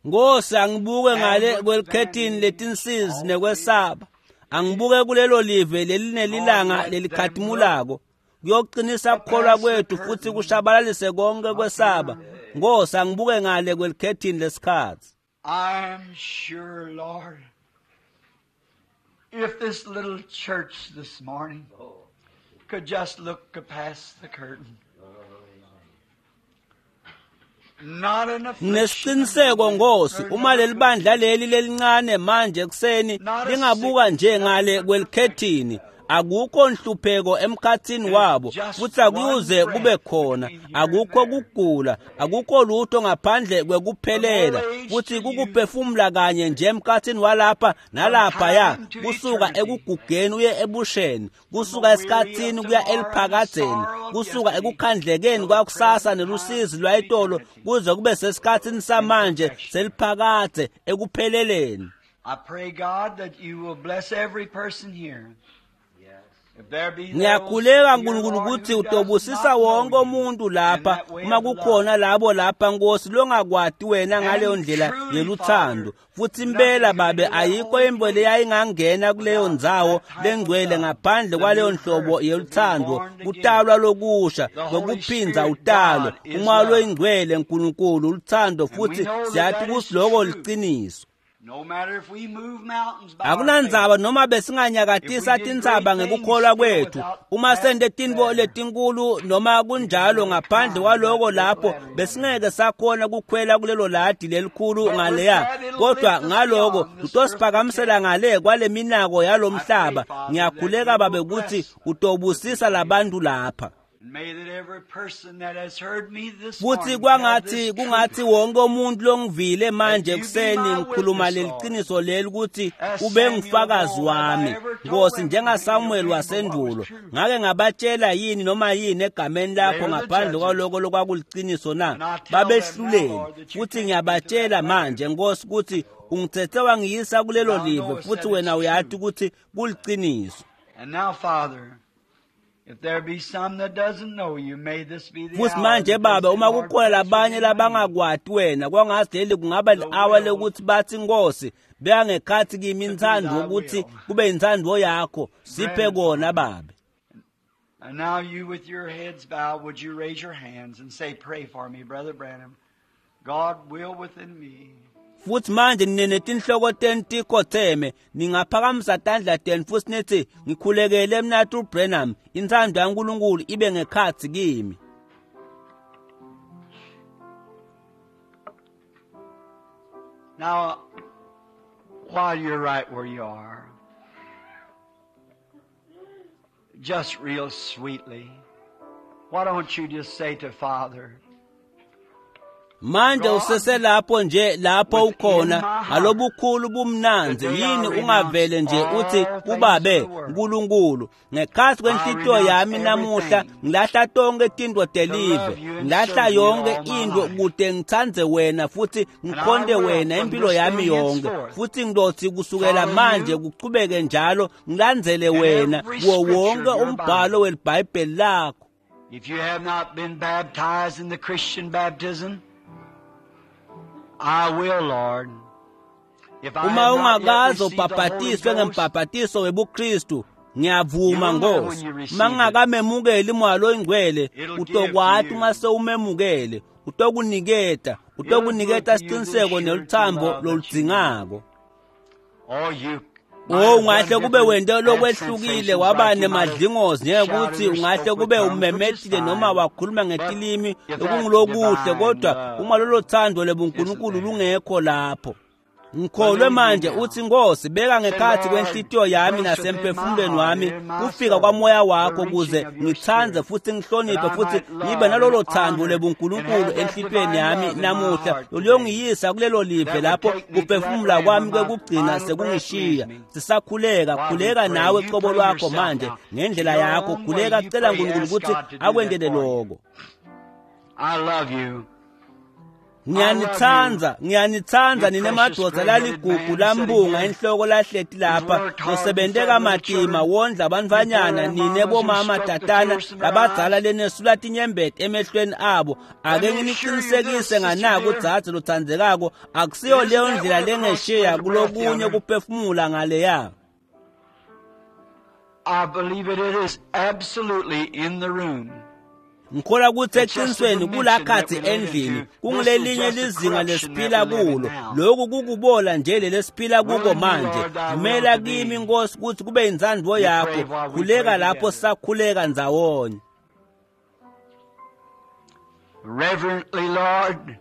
Nkosi, angibuke ngale kwelikhethini letinsizi nekwesaba. Angibuke kulelo live lelinelilanga lelikhatimulako. Kuyoqinisa kukholwa kwethu futhi kushabalalise konke kwesaba. Nkosi, angibuke ngale kwelikhethini lesikhatsi. I'm sure, Lord, if this little church this morning could just look past the curtain. Not an affliction. Nginesiqiniseko Nkosi, uma leli bandla leli lelincane manje ekuseni lingabuka nje ngale kwelikhethini, akukho nhlupheko emkhathini wabo, futhi akuyuze kube khona, akukho kugula, akukho lutho ngaphandle kwekuphelela, futhi kukuphefumula kanye nje emkhathini walapha nalaphaya, kusuka ekugugeni uye ebusheni, kusuka esikhathini kuya eliphakadzeni, kusuka ekukhandlekeni kwakusasa nelusizi lwayitolo kuze kube sesikhathini samanje seliphakadze ekupheleleni. I pray, God, that you will bless every person here. If there be those, Ngiyakhuleka dear nkulunkulu Lord, ukuthi who does utobusisa not know wonke you umuntu in lapha, that way uma of love. kukhona labo lapha Nkosi longakwati wena ngaleyo ndlela yeluthando. Futhi impela babe, ayikho imbo leyayingangena kuleyo ndzawo lengcwele ngaphandle kwaleyo nhlobo yeluthando, kutalwa lokusha, kwekuphinza utalwe. Umoya loyingcwele nkulunkulu luthando, futhi siyathi ukuthi loko liciniso. Akunandzaba noma besinganyakatisa tintsaba ngekukholwa kwethu, uma sente tintfo letinkulu noma kunjalo, ngaphandle kwaloko lapho besingeke sakhona kukhwela kulelo ladi lelikhulu ngaleya, kodwa ngaloko utosiphakamisela ngale kwale minako yalomhlaba. Ngiyakhuleka Babe kutsi utobusisa labantu lapha. Futhi kwangathi kungathi wonke umuntu longivile manje ekuseni ngikhuluma leliqiniso leli ukuthi ube ngufakazi wami, Nkosi, njengaSamuel wasendulo. Ngake ngabatshela yini noma yini egameni lakho ngaphandle kwaloko lokwakuliqiniso na? Babehluleli. Futhi ngiyabatshela manje, Nkosi, ukuthi ungithethe wangiyisa kulelo live, futhi wena uyati ukuthi kuliqiniso. Futhi manje Baba, uma kukhona labanye labangakwati wena, kwangathi leli kungaba li-awa lokuthi bathi, Nkosi, beka ngekhathi kimi intsandvo ukuthi kube intsandvo yakho, siphe kona Babe. And now you with your heads bowed, would you raise your hands and say, pray for me, Brother Branham. God will within me. Futhi manje nine netinhloko tenu tikhotheme, ningaphakamisa tandla tenu futhi nithi, ngikhulekele mnathu Branham, intsandvo yaNkulunkulu ibe ngekhatsi kimi. Now, while you're right where you are, just real sweetly, why don't you just say to Father, Manje useselapho nje lapho ukhona ngalobukhulu bumnandzi, yini ungavele nje uthi kubabe uNkulunkulu, ngekhathi kwenhlitiyo yami namuhla ngilahla tonke tintfo telive, ngilahla yonke intfo kute ngitsandze wena futhi ngikhonte wena impilo yami yonke, futhi ngilothi kusukela manje kuchubeke njalo ngilandzele wena kuwo wonke umbhalo weliBhayibheli lakho. If you have not been baptized in the Christian baptism, I will, Lord. Uma ungakaze ubhabhatiswe ngembhabhatiso webuKristu, ngiyavuma Nkosi. Uma ngingakamemukeli Moya loyiNgcwele, utokwati uma sewumemukele, utokuniketa, utokuniketa siciniseko neluthambo loludzingako. Oh, ungahle kube wente lokwehlukile waba nemadlingozi ngekuthi ungahle kube umemetile noma wakhuluma ngetilimi lokungulokuhle, kodwa uma lolo thando lebuNkulunkulu lungekho lapho. Ngikholwe manje uthi, Nkosi, beka ngekhathi kwenhlitiyo yami nasemphefumulweni wami kufika kwamoya wakho kuze ngitsandze futhi ngihloniphe futhi ngibe nalolo thando lebuNkulunkulu enhlitiyweni yami namuhla loluyongiyisa kulelo live lapho kuphefumula kwami kwekugcina sekungishiya. Sisakhuleka, khuleka nawe cobo lwakho manje ngendlela yakho, khuleka cela uNkulunkulu ukuthi akwentele lokho. I love you. Ngiyanithanda, ngiyanithanda nine madoda laligugu lambunga inhloko lahleti lapha, nosebente kamatima wondla abantfwanyana, nine bomama tatana labadzala lenesula tinyembeti emehlweni abo. Ake nginiqinisekise nganaku dzadze lotsandzekako, akusiyo leyo ndlela lengeshiya kulokunye kuphefumula ngaleya. I believe it is absolutely in the room. Ngikholwa ukuthi eqinisweni kulakhathi endlini kungulelinye lizinga lesiphila kulo. Lokhu kukubola nje lesiphila kuko manje. Vumela kimi Nkosi ukuthi kube intsandvo yakho. Khuleka lapho sakhuleka ndzawonye. Reverently, Lord,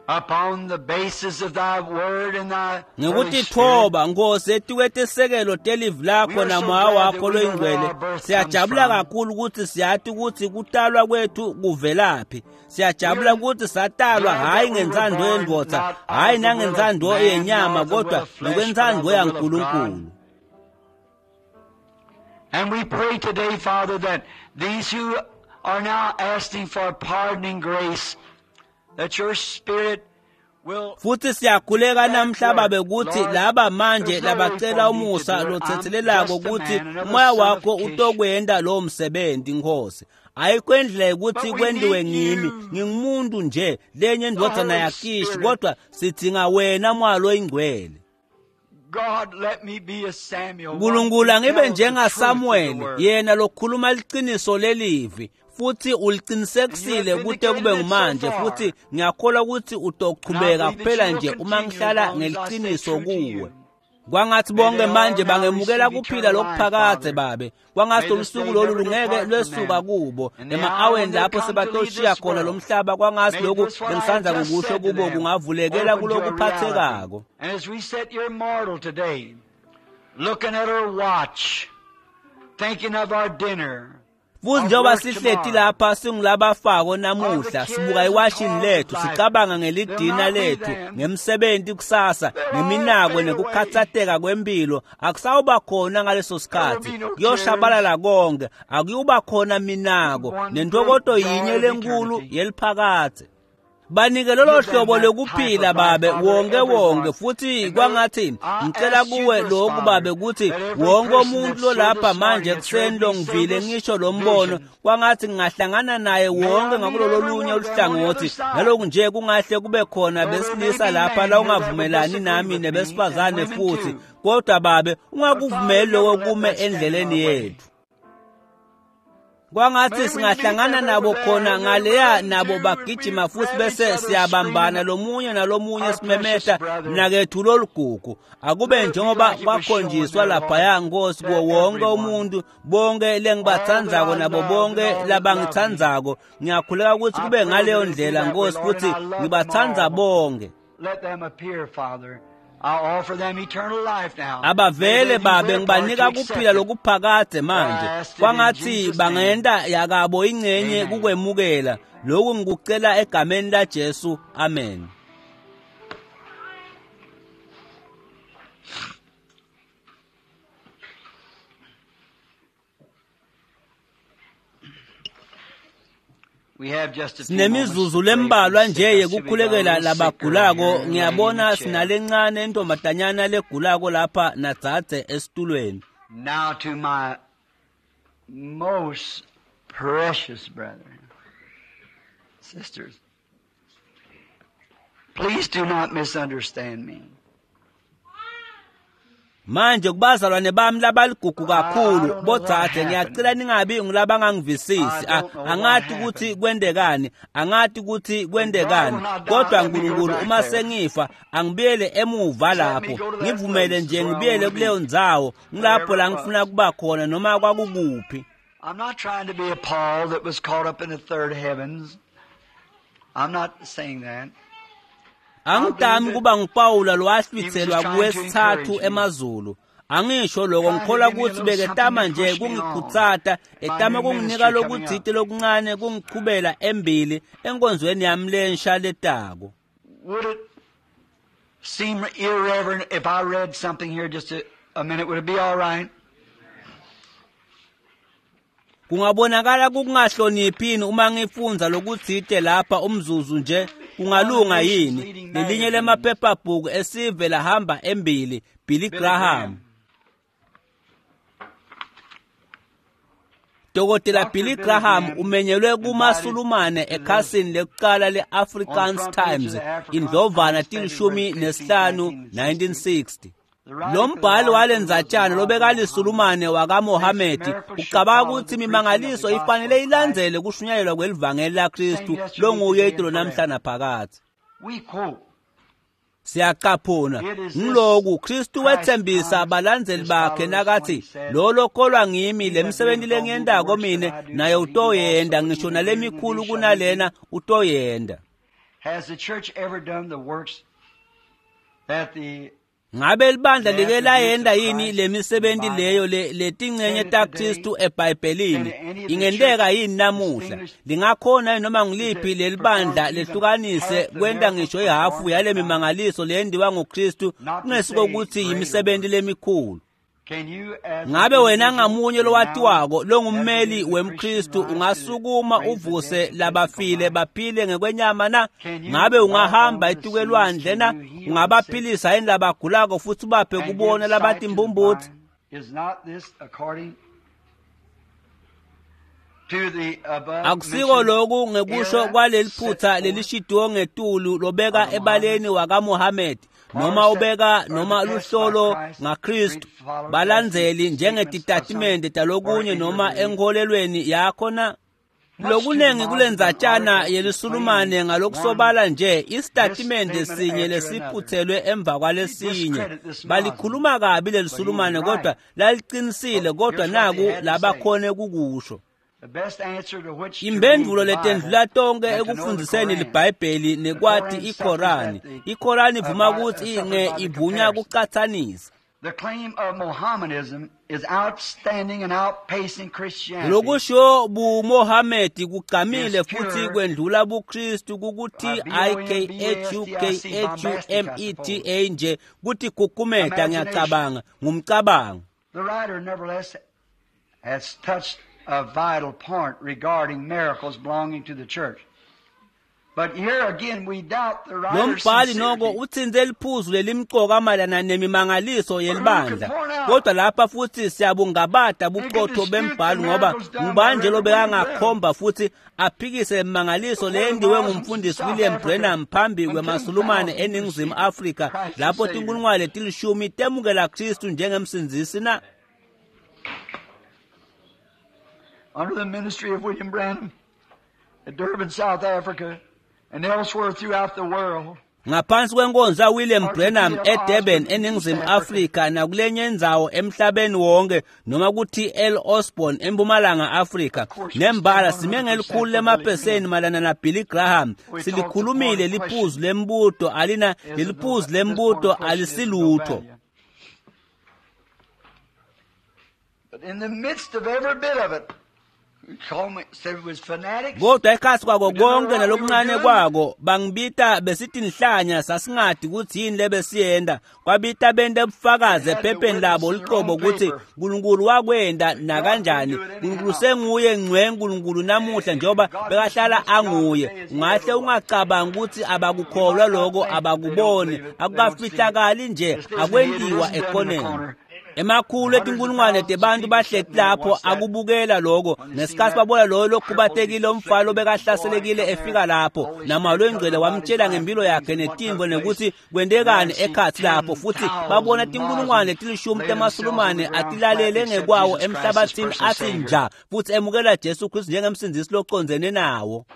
upon the basis of thy word and thy Ngekutithoba Nkosi etikwetesekelo telivi lakho namoya wakho loyingcwele, siyajabula kakhulu ukuthi siyati ukuthi kutalwa kwethu kuvelaphi. Siyajabula ukuthi satalwa hhayi ngentsandvo yendvodza, hhayi nangentsandvo yenyama, kodwa ngokwentsandvo yaNkulunkulu. And we pray today, Father, that these who are now asking for pardoning grace, that your spirit Futhi siyakhuleka namhla Babe ukuthi laba manje labacela umusa lothethelelako ukuthi umoya wakho utokwenta lowo msebenzi Nkosi. Ayikho indlela ukuthi kwendiwe ngimi, ngingumuntu nje lenye indvodzana yaKishi, kodwa sidzinga wena Moya loyiNgcwele. God, let me be a Samuel. Nkulunkulu angibe njengaSamuel yena lokhuluma liqiniso lelivi futhi uliqinisekisile kute kube ngumanje futhi ngiyakholwa ukuthi utochubeka kuphela nje uma ngihlala ngeliqiniso kuwe. Kwangathi bonke manje bangemukela kuphila lokuphakadze babe. Kwangathi lolusuku lolu lungeke lwesuka kubo ema-aweni lapho sebatoshiya khona lo mhlaba. Kwangathi lokhu bengisanza kukusho kubo kungavulekela kulokuphathekako. And as we sit here mortal today, looking at our watch, thinking of our dinner, Futhi njengoba sihleti lapha singulabafako namuhla sibuka iwashini lethu sicabanga ngelidina lethu ngemsebenzi kusasa ngeminako nekukhathateka kwempilo akusawuba khona ngaleso sikhathi kuyoshabalala konke akuyuba khona minako nentokoto yinye lenkulu yeliphakadze. Banike lolo hlobo lokuphila babe wonke wonke futhi kwangathi ngicela kuwe lokhu babe ukuthi wonke umuntu lolapha manje ekuseni longivile ngisho lo mbono kwangathi ngingahlangana naye wonke ngakulolo lunye oluhlangothi naloku nje kungahle kube khona besilisa lapha la ungavumelani nami nebesifazane futhi kodwa babe ungakuvumeli lokho kume endleleni yethu. Kwangathi singahlangana nabo khona ngaleya nabo bagijima futhi bese siyabambana lomunye nalomunye simemeta mnakethu lolugugu akube njengoba kwakhonjiswa laphaya Nkosi kuwo wonke umuntu bonke lengibathandzako nabo bonke labangithandzako. Ngiyakhuleka ukuthi kube ngaleyo ndlela Nkosi futhi ngibathanda bonke. Let them appear, Father. I'll offer them eternal life now. Abavele babe ngibanika kuphila lokuphakadze manje. Kwangathi bangenta yakabo ingcenye kukwemukela. Lokhu ngikucela egameni laJesu. Amen. We have just a few moments Sinemizuzu to pray for lembalwa the nje sick. I see we got a yekukhulekela little sick girl labagulako. here laying in the Ngiyabona chair. sinalencane intombazanyana legulako lapha nadzadze esitulweni. Now to my most precious brethren, sisters, please do not misunderstand me. Manje kubazalwane bami labaligugu kakhulu bodzadze ngiyacela ningabi ngulabangangivisisi. Angati ukuthi kwendekani, angati ukuthi kwendekani, kodwa Nkulunkulu uma sengifa angibuyele emuva lapho, ngivumele nje ngibuyele kuleyo ndzawo ngilapho la ngifuna kuba khona noma kwakukuphi. I'm not trying to be a Paul that was caught up in the third heavens. I'm not saying that. Angidami kuba nguPawula lowahlwitselwa kuwesithathu emazulu. Angisho lokho, ngikholwa ukuthi beketama nje kungikhutsata, etama kunginika lokutsite lokuncane kungichubela embili enkonzweni yami lensha letako. Would it seem irreverent if I read something here just a minute? Would it be all right? Kungabonakala kungahloniphini uma ngifundza lokutsite lapha umzuzu nje, kungalunga yini? Lelinye lemaphephabhuku esive lahamba embili, Billy Graham. Dr. Billy Graham umenyelwe kumasulumane ekhasini lekuqala le-Afrikaans Times indlovana 15, 1960. Lo mbhali walendzatshana lobekalisulumane wakaMohamedi ucabanga ukuthi imimangaliso ifanele ilandzele kushunyayelwa kwelivangeli laKristu longuye itolo namhla naphakadze. We quote, Siyacaphuna ngiloku Kristu wethembisa abalandzeli bakhe nakathi lo lokholwa ngimi lemsebenzi lengiyentako mine naye utoyenda ngisho nalemikhulu kunalena utoyenda. Has the church ever done the works that the Ngabe libandla like layenda yini lemisebenzi leyo letingcenye taKristu eBhayibhelini? Ingenteka yini namuhla? Lingakhona yini noma ngiliphi lelibandla lehlukanise kwenta ngisho ihafu yale mimangaliso leyendiwa nguKristu kungesiko ukuthi imisebenzi lemikhulu? Can you, as Ngabe an wena individual ngamunye lowatiwako longummeli as it is the wemKristu Christian ungasukuma rise to raise the uvuse dead to labafile physical life? baphile ngekwenyama na? Can you Ngabe walk ungahamba on the etukelwandle seas? na? Can you heal the Ungabaphilisa yini labagulako futhi ubaphe and give kubona sight to the labatimbumbutsi? blind? Is not this according to the above Akusiko mentioned lokhu ngekusho error kwaleli set phutha forth lelishidiwe ngetulu lobeka of ebaleni wakaMohamedi Noma ubeka noma luhlolo ngaKristu balandzeli njengetitatimende talokunye noma enkholelweni yakho na? Lokunengi kulendzatshana yelisulumane ngalokusobala nje isitatimende sinye lesiphuthelwe emva kwalesinye. Balikhuluma kabi lelisulumane kodwa laliqinisile, kodwa naku labakhone kukusho. Imphendvulo letendlula tonke ekufundziseni liBhayibheli nekwati iKhorani. IKhorani ivuma kutsi nge ivunya kucatsanisa. The claim of Mohammedanism is outstanding and outpacing Christianity. Lokusho buMohamedi kugqamile futhi kwendlula buKristu kukuthi IKHUKHUMETA nje kuthi kukumeta ngiyacabanga ngumcabango. The writer nevertheless has touched a vital point regarding miracles belonging to the church. But here again we doubt the writer's Lo mbhali noko sincerity. utsintse liphuzu lelimcoka mayelana nemimangaliso yelibandla. Kodwa lapha futhi siyabungabada buqotho bembhali ngoba ngubani nje lobekangakhomba futhi aphikise imimangaliso leyendiwe ngumfundisi William Branham phambi kwemasulumane eNingizimu Afrika lapho tinkulungwane letilishumi temukela Kristu njengemsindzisi na? Under the ministry of William Branham at Durban, South Africa, and elsewhere throughout the world. Ngaphansi kwenkonzo kaWilliam Branham eDurban eNingizimu Afrika nakulenye indzawo emhlabeni wonke noma ku-T.L. Osborn eMpumalanga Afrika nembala sime ngelikhulu lemaphesenti mayelana na Billy Graham. Silikhulumile liphuzu lembuto alina leliphuzu lembuto alisilutho. But in the midst of every bit of it, we call me, said it was fanatics. Kodwa ekhatsi kwako konke nalokuncane kwako bangibita besitinhlanya sasingadi kutsi yini lebesiyenta. Kwabita bente bufakazi ephepheni labo lucobo kutsi Nkulunkulu wakwenta nakanjani. Nkulunkulu senguye ngcwe Nkulunkulu namuhla njengoba bekahlala anguye. Ungahle ungacabangi kutsi abakukholwa loko, abakuboni, akukafihlakali nje, akwentiwa ekhoneni. Emakhulu etinkulungwane tebantu bahleti lapho akubukela lokho ngesikhathi babona loyo lokhubatekile umfana lobekahlaselekile efika lapho namalo engcwele wamtshela ngempilo yakhe netimvo nekuthi kwentekani ekhatsi lapho futhi babona tinkulungwane letilishumi temasulumane atilalele ngekwawo emhlabathini athi nja futhi emukela Jesu Kristu njengemsindzisi locondzene nawo.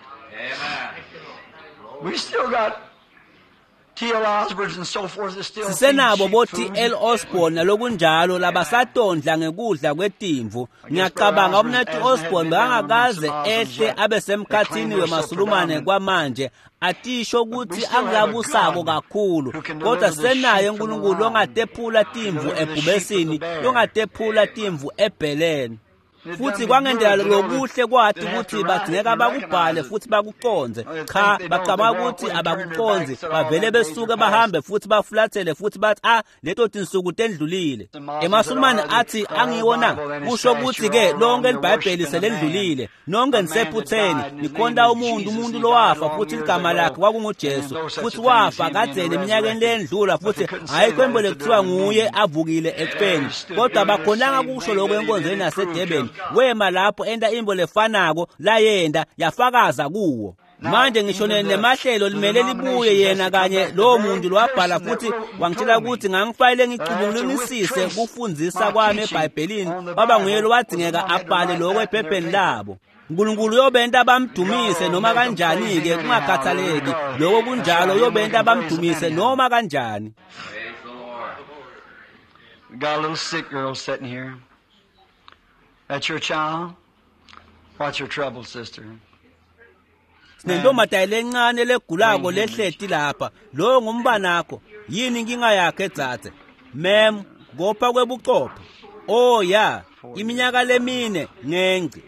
We still got T.L. Osborne and so forth is still Sisenabo feeding bo sheep food. T.L. Osborne nalokunjalo labasatondla ngekudla kwetimvu. Ngiyacabanga umnethu Osborne bekangakaze ehle abe semkhathini wemasulumane kwamanje atisho kutsi angilabusako kakhulu, kodwa sisenaye uNkulunkulu longatephula timvu ebhubesini, longatephula timvu ebheleni. Futhi kwangendlela lokuhle kwathi ukuthi badingeka bakubhale futhi bakuconze. Cha, bacabanga ukuthi abakuconzi, bavele besuke bahambe futhi bafulathele futhi bathi ah, leto tinsuku tendlulile. Emasulumane athi angiwo na, kusho ukuthi-ke lonke liBhayibheli selendlulile, nonke nisephutheni, nikhonta umuntu, umuntu lowafa futhi ligama lakhe kwakunguJesu, futhi wafa kadzeni eminyakeni leyendlula futhi ayikho into lekuthiwa nguye avukile ekufeni. Kodwa abakhonanga kusho lokho enkonzweni yaseDurban. Wema lapho enta imbo lefanako layenta yafakaza kuwo. Manje ngisho nemahlelo limele libuye yena kanye lowo muntu lowabhala futhi wangitshela ukuthi ngangifanele ngicubungulisise kufundzisa kwami eBhayibhelini, kwaba nguye lowadingeka abhale lokho ephepheni labo. uNkulunkulu uyobenta bamdumise noma kanjani-ke kungakhathaleki lokho kunjalo, uyobenta bamdumise noma kanjani. We got a little sick girl sitting here. That's your child? What's your trouble, sister? Sinentombazane lencane legulako lehleti lapha. Lowo ngumbanakho. Yini inkinga yakhe dzadze? Mem, kopha kwebuchopho. Oh ya, iminyaka lemine ngengci.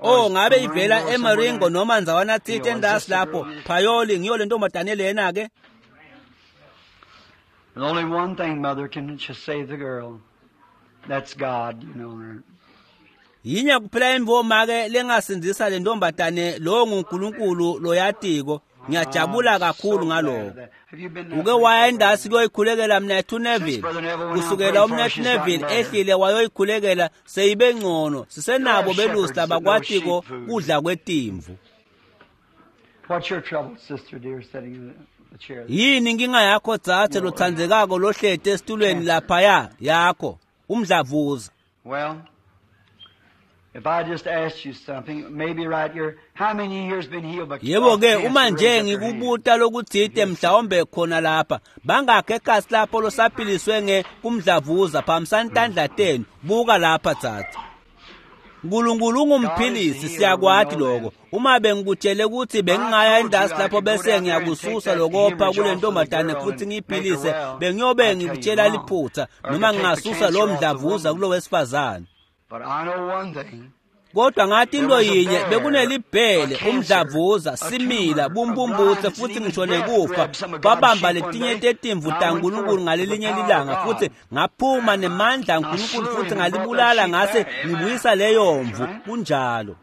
Oh ngabe ivela eMaringo noma ndzawana tsite endasi lapho. Phayoli ngiyo le ntombazane lena ke. There's only one thing, mother, can just save the girl. That's God, you know. Yinya kuphela imvo ke lengasindzisa le ntombazane, lowo nguNkulunkulu loyatiko. Ngiyajabula kakhulu ngaloko. Uke waya endasi kuyoyikhulekela Mnethu Neville. Kusukela uMnethu Neville ehlile wayoyikhulekela seyibe ngcono. Sisenabo belusi labakwatiko kudla kwetimvu. What's your trouble, sister dear, sitting there? Yini inkinga yakho dzadze lotsandzekako lohleti esitulweni laphaya yakho umdlavuza? Well, if I just asked you something, maybe right here, how many years been healed by Yebo ke uma nje ngikubuta lokutsite mhlawumbe khona lapha bangakhe ekasi lapho losaphiliswe nge kumdlavuza phambisani tandla tenu. Buka lapha dzadze. Nkulunkulu ungumphilisi, siyakwati lokho. Uma bengikutshele ukuthi bengingaya endasi lapho bese ngiyakususa lokopha kule ntombazane futhi ngiyiphilise, bengiyobe ngikutshela liphutha noma ngingasusa lo mdlavuza kulo wesifazane. But I know one thing. Kodwa ngathi into yinye, bekunelibhele, umdlavuza, simila, bumbumbutse futhi ngisho nekufa kwabamba letinye tetimvu taNkulunkulu ngalelinye lilanga, futhi ngaphuma nemandla aNkulunkulu futhi ngalibulala ngase ngibuyisa leyo mvu. Kunjalo.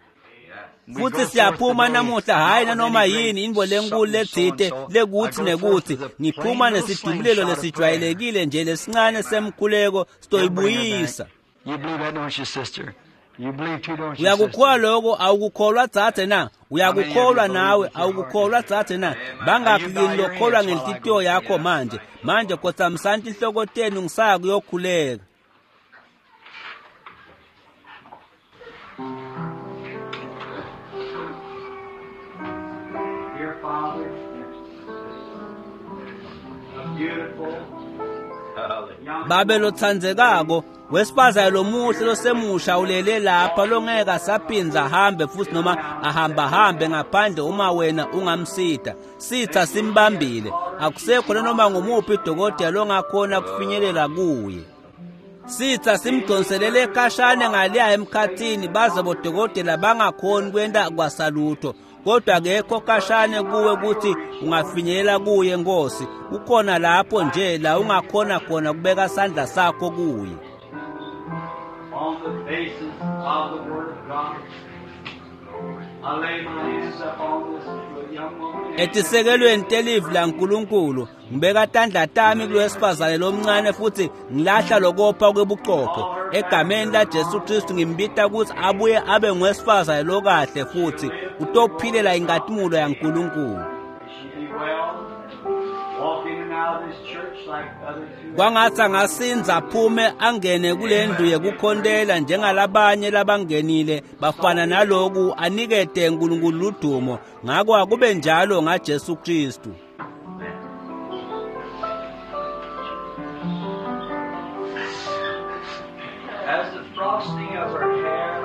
Futhi siyaphuma namuhla, hhayi nanoma yini intfo lenkulu letsite lekuthi nekuthi, ngiphuma nesidubulelo lesijwayelekile nje lesincane semkhuleko sitoyibuyisa. You believe that, don't you, sister? You believe too, don't you, Uyakukholwa sister? lokho? Awukukholwa dzadze na? Uyakukholwa nawe? Awukukholwa dzadze na? Bangakhi kini lokholwa ngenhlitiyo yakho manje? Manje khotsamisani tinhloko tenu ngisaya kuyokhuleka. Dear Father, a beautiful young Babe lotsandzekako, wesifazane lomuhle losemusha ulele lapha longeke asaphindze ahambe futhi noma ahambahambe ngaphandle uma wena ungamsita. Sitha simbambile, akusekho nanoma ngumuphi dokotela longakhona kufinyelela kuye. Sitha simdonselele khashane ngaleya emkhathini baze bodokotela bangakhoni kwenta kwasalutho. Kodwa akekho khashane kuwe ukuthi ungafinyelela kuye Nkosi. Ukhona lapho nje la ungakhona khona kubeka sandla sakho kuye. On the basis of the Word of God, I lay my hands upon this young woman. Etisekelweni telivi laNkulunkulu ngibeka tandla tami kulowesifazane lomncane futhi ngilahla lokopha kwebuchopho. Egameni laJesu Kristu ngimbita ukuthi abuye abe ngowesifazane lokahle futhi utophilela inkatimulo yaNkulunkulu. She be well, walk in and out of this church like others who Kwangathi angasinza aphume angene kule ndlu yekukhontela njengalabanye labangenile bafana naloku, anikete uNkulunkulu ludumo. Ngako akube njalo ngaJesu Kristu. As the frosting of her hair,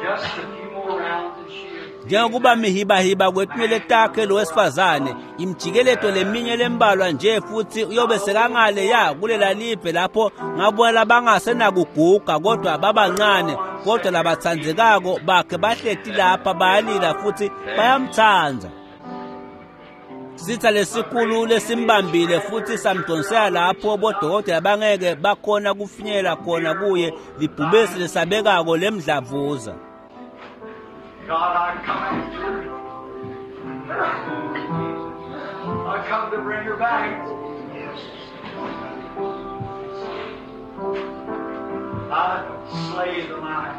just a few more rounds and she Njengokuba mihibahiba kwetinwele takhe lo wesifazane, imjikeleto leminye lembalwa nje futhi uyobe sekangale ya kulela live lapho ngabona labangasenakuguga kodwa babancane, kodwa labatsandzekako bakhe bahleti lapha bayalila futhi bayamtsandza. Sitha lesikhulu lesimbambile futhi samdonsela lapho bodokotela bangeke bakhona kufinyelela khona kuye, libhubesi lesabekako lemdlavuza. God, I come after her. I come to bring her back. I slay the lion.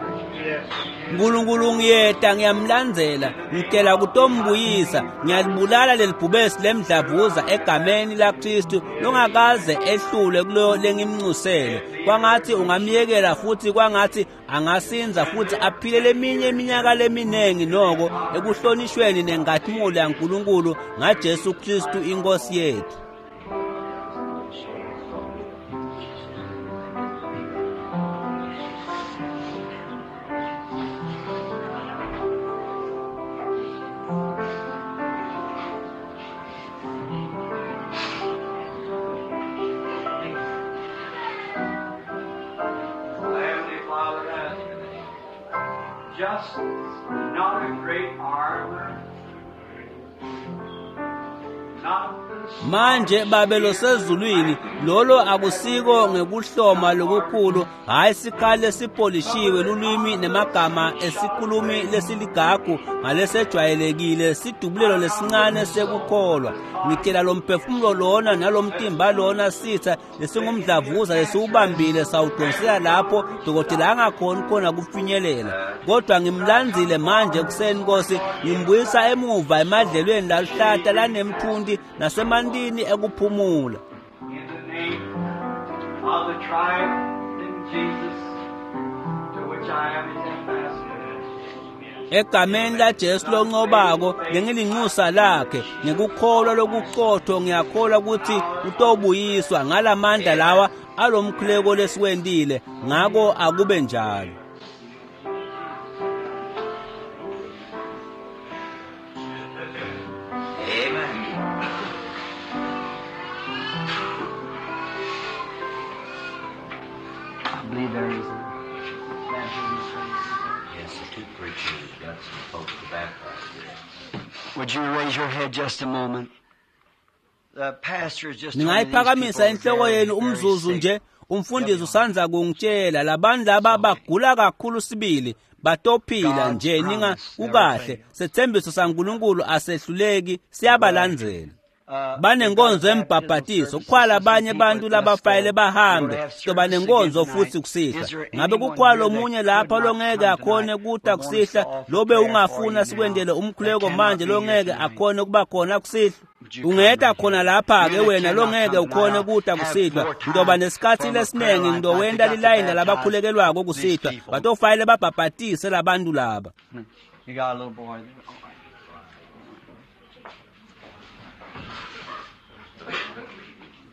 Nkulunkulu ngiyeta ngiyamlandzela, ngitela kutombuyisa, ngiyalibulala lelibhubesi lemdlavuza egameni laKristu longakaze ehlulwe kulo lengimncusele. Kwangathi ungamyekela futhi kwangathi angasinza futhi aphile leminye iminyaka leminingi noko ekuhlonishweni nenkatimula yaNkulunkulu ngaJesu Kristu inkosi yethu. Heavenly Father, ask just not a great armor, Manje Babe losezulwini, lolo akusiko ngekuhloma lokukhulu, hhayi sikhali lesipolishiwe lulwimi nemagama esikhulumi lesiligagu ngalesejwayelekile sidubulelo lesincane sekukholwa. Ngitshela lo mphefumulo lona nalomtimba lona sitha lesingumdlavuza lesiwubambile sawudonsela lapho dokotela angakhoni khona kufinyelela. Kodwa ngimlandzile manje ekuseni Nkosi, ngimbuyisa emuva emadlelweni laluhlata lanemthunti nasemantini ekuphumula. In the name of the triumphant Jesus, to which I am his ambassador. Egameni laJesu loncobako lengilinxusa lakhe ngekukholwa lokuqotho ngiyakholwa ukuthi utobuyiswa ngalamandla lawa alomkhuleko lesiwentile, ngako akube njalo. Amen. I believe there is a baptism service. Yes, the two preachers got some folks to baptize here. Would you raise your head just a moment? The pastor is just told me these Ningayiphakamisa people are inhloko very, yenu very umzuzu sick. nje. Umfundisi usanza kungitshela labantu laba bagula kakhulu sibili, batophila nje ninga kukahle. Sethembiso saNkulunkulu asehluleki, siyabalandzela. Banenkonzo embhabhatiso, kukhwala abanye abantu labafayele bahambe, sizoba nenkonzo futhi kusihlwa. Ngabe kukhwala omunye lapha longeke akhone kuta kusihlwa, lobe ungafuna sikwendele umkhuleko manje longeke akhone kuba khona kusihlwa? Ungeta khona lapha-ke wena longeke ukhone kuta kusihlwa. Ngizoba nesikhathi lesiningi, ngizowenta lilayini labakhulekelwako kusihlwa. Batofayele babhabhatise labantu laba. You got a little boy there.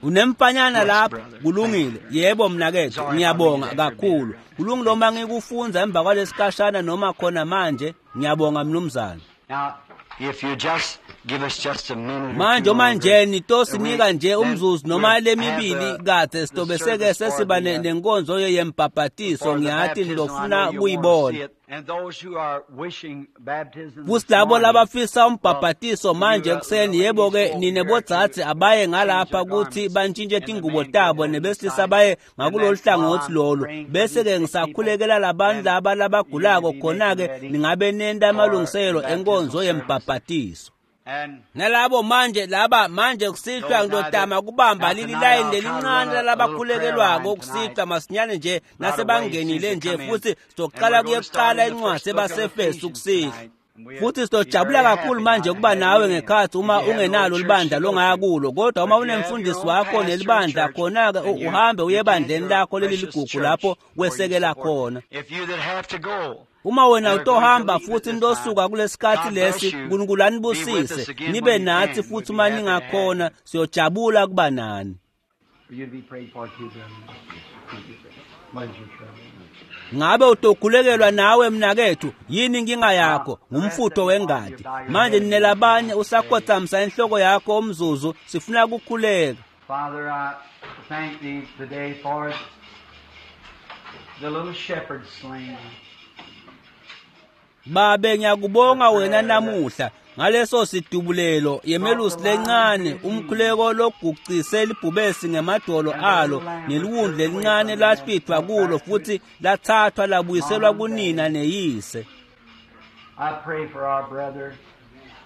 Unemfanyana lapha, kulungile. Yebo mnakethu, ngiyabonga kakhulu. Kulungile uma ngikufunza emva kwalesikashana noma khona manje. Ngiyabonga mnumzane. Now, if you just give us just a minute or Manje two uma longer, nje nitosinika nje then umzuzu noma we'll lemibili have the- kade the sitobe seke service for sesiba the, nenkonzo yembhabhatiso, for the ngiyathi baptism. I nilofuna know you want to see kuyibona. it. And those who are wishing baptism Futhi this labo morning, labafisa umbhabhatiso well, manje you, ekuseni, the yebo-ke ladies go nine here bodzadze to abaye change ngalapha their ukuthi garments, bantshintshe and the tingubo men go tabo on this nebesilisa side. baye And ngakulolu then while hlangothi I'm lolu. praying for Bese-ke these sick ngisakhulekela people, labantu then laba you labagulako, be khona-ke making ready ningabe nenta for amalungiselelo the baptismal enkonzo service. yembhabhatiso. And Nalabo manje laba manje kusihlwa Those now ngitotama that- kubamba now leli tonight layini I'll try to lelincane run a little prayer lalabakhulekelwako line kusihlwa tonight. masinyane nje Right away, nasebangenile as soon as nje, they come in. futhi And sizoqala we're going to start kuyekuqala in the incwadi first book of ebasefesu Ephesians kusihlwa. tonight. And we'll Futhi be sitojabula very kakhulu happy manje now to ukuba have nawe you in. ngekhathi If uma you have no ungenalo church libandla to go longaya to. kulo, kodwa But uma if you have your unemfundisi own wakho pastor and nelibandla church, khona-ke then you uhambe uye you tend ebandleni your lakho precious leliligugu church lapho where you wesekela support. khona. If you that have to go, Uma wena and are going to utohamba leave at futhi this time, nitosuka kulesikhathi God bless lesi, you. uNkulunkulu Be with anibusise. us again Nibe when you nathi can. futhi We'd be uma happy to have ningakhona, you. siyojabula kuba nani. For you to be prayed for too, brother. What is your trouble? Ngabe utokhulekelwa nawe mnakethu, yini inkinga yakho? Ngumfutho wengadi. Manje ninelabanye usakhothamisa inhloko yakho umzuzu, sifuna ukukhuleka. Father, I thank thee today for the little shepherd slain. Babe ngiyakubonga wena namuhla ngaleso sidubulelo yemelusi lencane, umkhuleko logucise libhubesi ngemadolo alo neliwundlu lelincane lahlwithwa kulo futhi lathathwa labuyiselwa kunina neyise. I pray for our brother.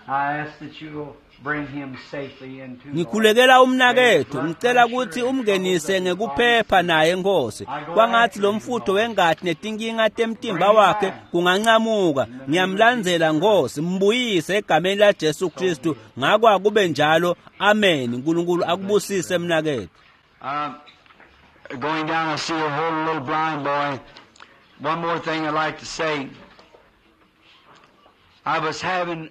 I ask that you will bring him safely into Lord. Ngikhulekela umnakethu, ngicela ukuthi umngenise ngekuphepha naye Nkosi. Kwangathi lo mfutho wengati netinkinga temtimba wakhe kungancamuka. Ngiyamlandzela Nkosi, mbuyise egameni la Jesu Kristu. Ngako akube njalo. Amen. uNkulunkulu akubusise mnakethu. Going down, I see a whole little blind boy. One more thing I'd like to say. I was having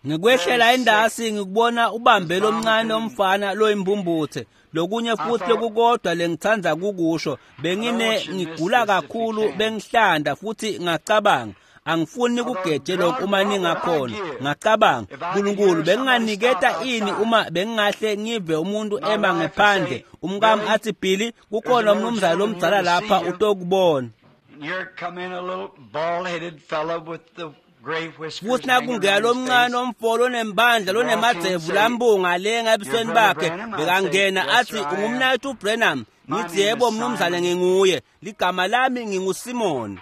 Ngikwehlela endasi ngikubona ubambe lomncane omfana loyimbumbuthe. Lokunye futhi lokukodwa lengithanda kukusho, bengine ngigula kakhulu bengihlanda futhi ngacabanga angifuni kugeje lokhu uma ningakhona. Ngacabanga, uNkulunkulu benginganiketa ini uma bengingahle ngive umuntu ema ngephandle, umkami athi Billy kukhona umnumzane lomdzala lapha utokubona. Here come in a little bald-headed fellow with the Futhi nakungena lomncane omfo lonembandla lonemadzevu lambunga lenga ebusweni bakhe, bekangena athi, "Ungumnaketfu Branham?" Ngithi, "Yebo mnumzane, nginguye. Ligama lami nginguSimon."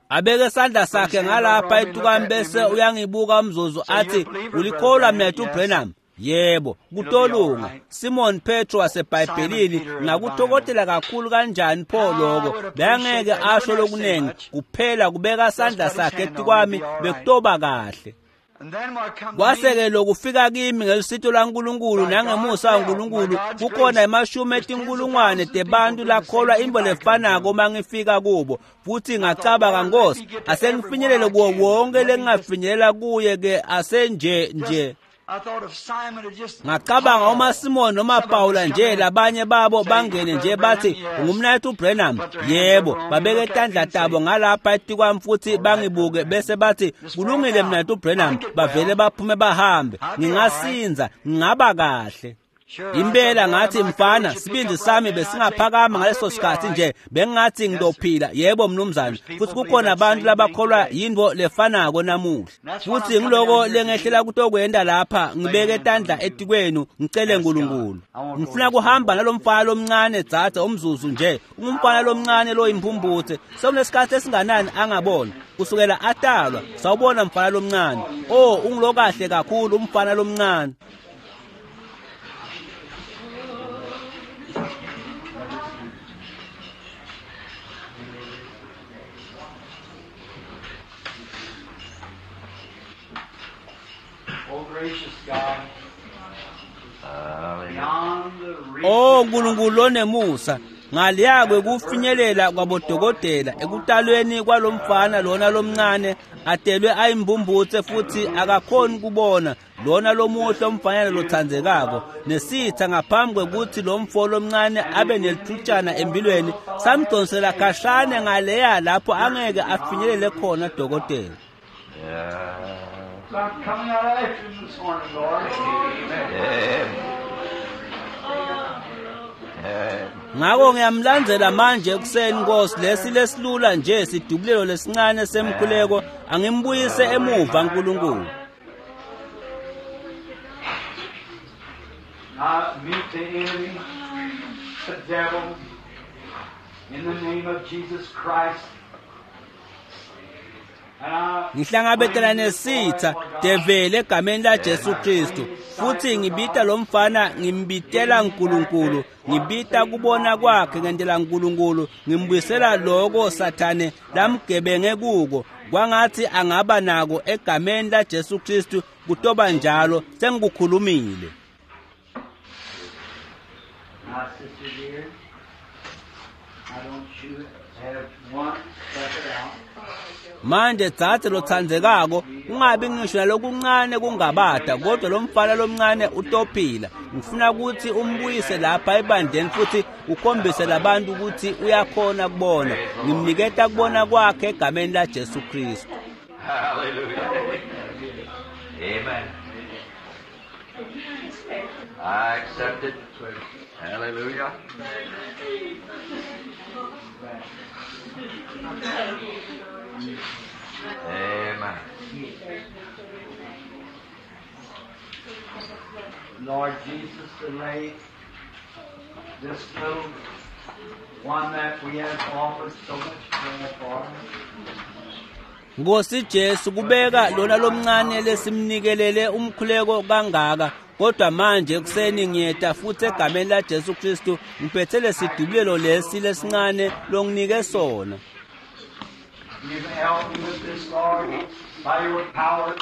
Abeke isandla sakhe ngalapha etukami bese uyangibuka umzuzu athi, "Ulikholwa mnaketfu Branham?" "Yebo, kutolunga." Simon Petro waseBhayibhelini, ngakutokotela kakhulu kanjani pho lokho. Bengeke asho lokunengi, kuphela kubeka isandla sakhe etukwami bekutoba kahle. Kwase-ke lokufika kimi ngelusito lwaNkulunkulu nangemusa waNkulunkulu, kukhona emashumi etinkulungwane tebantu lakholwa intfo lefanako uma ngifika kubo. Futhi ngacabanga, "Nkosi, asengifinyelele kuwo wonke lengingafinyelela kuye ke asenje nje." Ngacabanga uma Simon noma Paula nje labanye babo bangene nje bathi, "Ungumnaketfu Branham?" "Yebo." Babeke tandla tabo ngalapha etikwami futhi bangibuke bese bathi, "Kulungile mnaketfu Branham." Bavele baphume bahambe. Ngingasinza, ngingaba kahle. Impela ngathi, "Mfana, sibindi sami besingaphakama ngaleso sikhathi nje, bengingathi ngidophila." "Yebo mnumzane." Futhi kukhona abantu labakholwa yintfo lefanako namuhla. Futhi ngiloko lengehlela kutokwenta lapha, ngibeke tandla etikwenu ngicele Nkulunkulu. Ngifuna kuhamba nalomfana lomncane dzadze umzuzu nje. Ungumfana lomncane loyimphumputse. Sewunesikhathi esinganani angabona? Kusukela atalwa. Sawubona mfana lomncane. Oh, ungulokahle kakhulu umfana lomncane. Oh Nkulunkulu lonemusa, ngaliyakwe kufinyelela kwabodokotela ekutalweni kwalomfana lona lomncane atelwe ayimbumbutse futhi akakhoni kubona, lona lomuhle umfanyana lothandzekako, nesitha ngaphambi kwekuthi lo mfo lomncane abe nelithutshana empilweni samdonsela khashane ngaleya lapho angeke afinyelele khona dokotela. I'm coming out after him this morning, Lord. Ngako ngiyamlandzela manje ekuseni Nkosi, lesi lesilula nje sidubulelo lesincane semkhuleko, angimbuyise emuva Nkulunkulu. I meet the enemy, the devil, in the name of Jesus Christ. Ngihlangabetana nesitha devele egameni la Jesu Kristu, futhi ngibita lo mfana, ngimbitela Nkulunkulu, ngibita kubona kwakhe ngentela Nkulunkulu, ngimbuyisela loko Sathane lamgebenge kuko, kwangathi angaba nako egameni la Jesu Kristu. Kutoba njalo, sengikukhulumile. My sister dear, I don't you have one step out. Manje dzadze lothandzekako, ungabi ngisho nalokuncane kungabata, kodwa lo mfana lomncane utophila. Ngifuna ukuthi umbuyise lapha ebandleni futhi ukhombise labantu ukuthi uyakhona kubona. Ngimniketa kubona kwakhe egameni la Jesu Kristu. Hallelujah. Amen. I accept it. Hallelujah. Amen. Lord Jesus, to lay this little one that we have offered so much prayer for. Nkosi Jesu, kubeka lona lomncane lesimnikelele umkhuleko kangaka, kodwa manje ekuseni ngiyeta futhi egameni la Jesu Kristu ngiphethe lesidubulelo lesi lesincane longinike sona. You've helped me with this, Lord, by your power.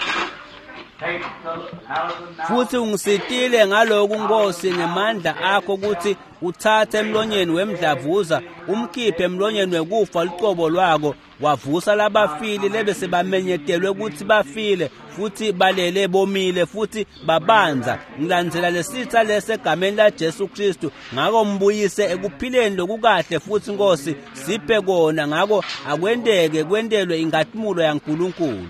Take the out of the mouth. Futhi ungisitile ngaloku Nkosi ngemandla akho ukuthi uthathe emlonyeni wemdlavuza umkhiphe emlonyeni wekufa lucobo lwako, wavusa labafile lebese bamenyetelwe ukuthi bafile futhi balele bomile futhi babanza. Ngilandzela lesitha lesi egameni la Jesu Kristu, ngako mbuyise ekuphileni lokukahle futhi Nkosi, siphe kona. Ngako akwenteke kwentelwe inkhatimulo yaNkulunkulu.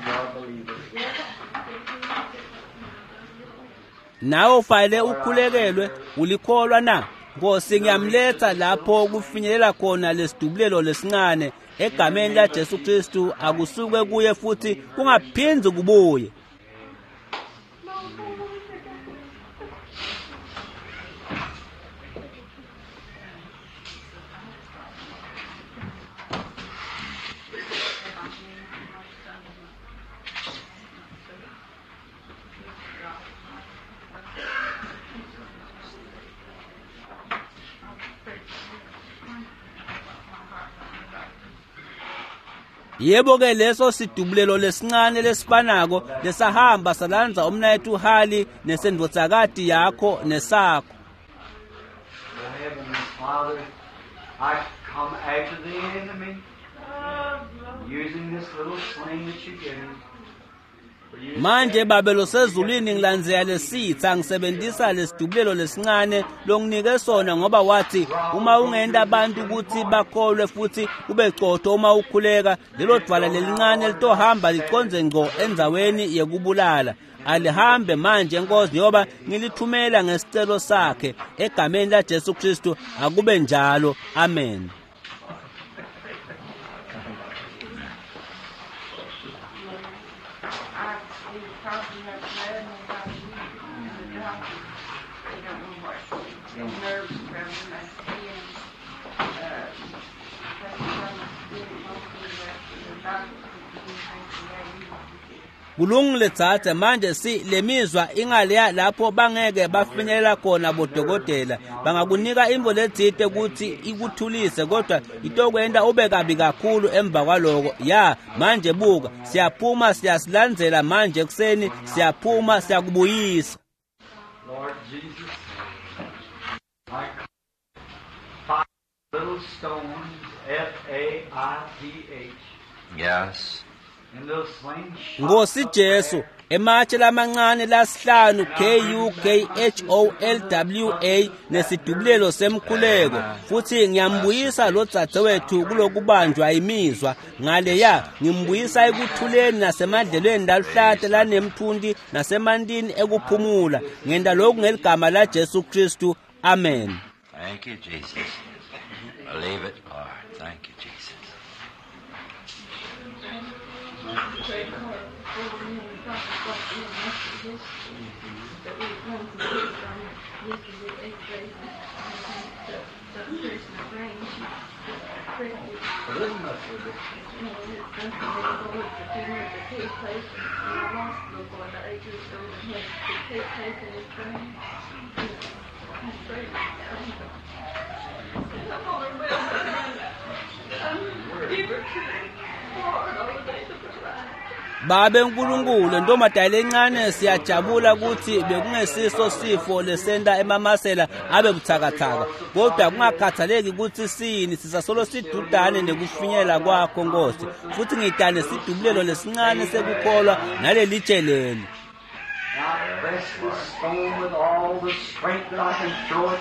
You're a believer. Nawe ufanele ukhulekelwe, ulikholwa na? Nkosi, ngiyamletha lapho kufinyelela khona lesidubulelo lesincane egameni laJesu Kristu, akusuke kuye futhi kungaphindzi kubuye. Yebo-ke, leso sidubulelo lesincane lesifanako lesahamba salandza umnayethu Hali nesendvodzakati yakho nesakho. Heavenly Father, I come after the enemy using this little sling that you give me. Manje Babe losezulwini, ngilandzela lesitha ngisebenzisa lesidubulelo lesincane longinike sona, ngoba wathi uma ungenta abantu ukuthi bakholwe futhi ube cotho uma ukhuleka, lelo dwala lelincane litohamba liconze ngco endzaweni yekubulala. Alihambe manje Nkosi, ngoba ngilithumela ngesicelo sakhe egameni laJesu Kristu, akube njalo. Amen. Kulungile dzadze, manje si lemizwa ingaleya lapho bangeke bafinyelela khona bodokotela. Bangakunika intfo letsite kutsi ikuthulise, kodwa itokwenta ube kabi kakhulu emva kwaloko. Ya, manje buka, siyaphuma siyasilandzela manje ekuseni, siyaphuma siyakubuyisa. Lord Jesus, I five little stones, F-A-I-T-H. Yes. Nkosi Jesu, ematshe lamancane lasihlanu KUKHOLWA nesidubulelo semkhuleko, futhi ngiyambuyisa lo dzadzewethu kulokubanjwa imizwa ngaleya, ngimbuyisa ekuthuleni nasemadlelweni laluhlata lanemthunti nasemantini ekuphumula. Ngenta lokhu ngeligama laJesu Kristu. Amen. Thank you, Jesus. Believe it, Lord. Thank you, Jesus. Babe Nkulunkulu, ntombazane lencane, siyajabula ukuthi bekungesiso sifo lesenta emamasela abe buthakathaka, kodwa kungakhathaleki ukuthi sini, sisasolo sidudane nekufinyelela kwakho Nkosi, futhi ngidane sidubulelo lesincane sekukholwa nalelitshe leli. I press this stone with all the strength that I can throw it.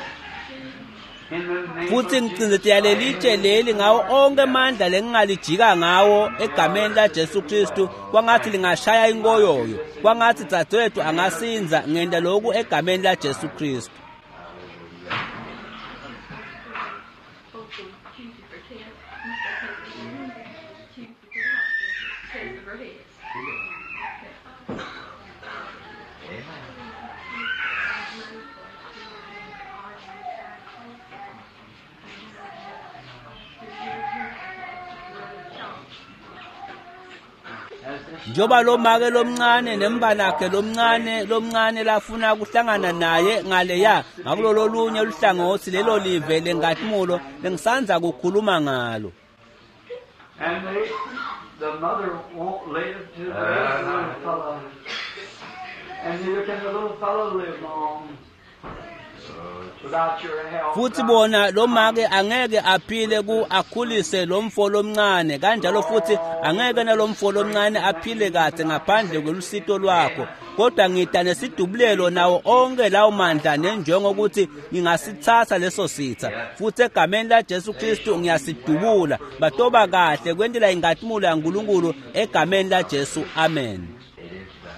Futhi ngicindzetela lelitshe leli ngawo onke amandla lengingalijika ngawo egameni laJesu Kristu, kwangathi lingashaya inkoyoyo, kwangathi dzadzewethu angasinza. Ngenta lokhu egameni laJesu Kristu. Njoba lo make lomncane nembanakhe lomncane lafuna kuhlangana naye ngaleya ngakulolo lunye luhlangothi lelo live lengatimulo lengisanza kukhuluma ngalo. And the mother won't live to raise the little fellow. And neither can the little fellow live long without your help. Futhi bona lo make angeke aphile ku akhulise lo mfo lomncane, kanjalo futhi angeke nalomfo lomncane aphile kahle ngaphandle kwelusito lwakho, kodwa ngida nesidubulelo nawo onke lawo mandla nenjongo ukuthi ngingasithatha leso sitha, futhi egameni laJesu Kristu ngiyasidubula. Batoba kahle kwentela ingatimulo yaNkulunkulu egameni laJesu. Amen. It is done.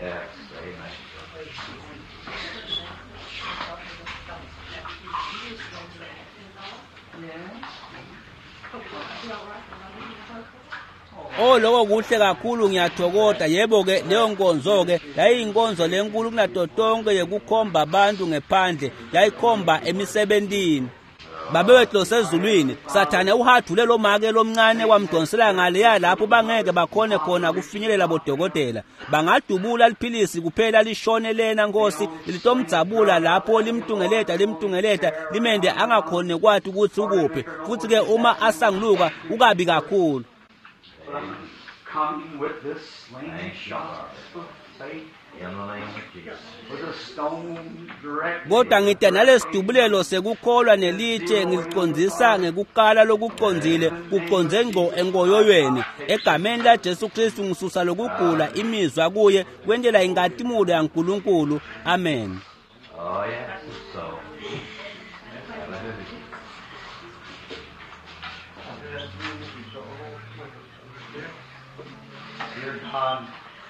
Yes. Oh, lokho kuhle kakhulu, ngiyathokoza. Yebo-ke, leyo nkonzo-ke yayiyinkonzo lenkulu kunato tonke yekukhomba abantu ngephandle, yayikhomba emisebentini. Babe wethu losezulwini, Sathane uhadvule lo make lomncane wamdonsela ngaleya lapho bangeke bakhone khona kufinyelela bodokotela. Bangadubula liphilisi kuphela lishone lena, Nkosi, litomdzabula lapho limtungeleta limende angakhoni kwati ukuthi ukuphi. Futhi-ke uma asanguluka ukabi kakhulu. Coming with this slingshot of faith, In the name of Jesus. with a stone directly. Kodwa ngida nalesidubulelo sekukholwa nelitshe ngilicondzisa ngekukala lokucondzile, kucondze ngco enkoyoyweni. Egameni laJesu Kristu ngisusa lokugula imizwa kuye kwentela inkatimulo yaNkulunkulu. Amen. Oh, yes, it's so. Hallelujah. Dear God,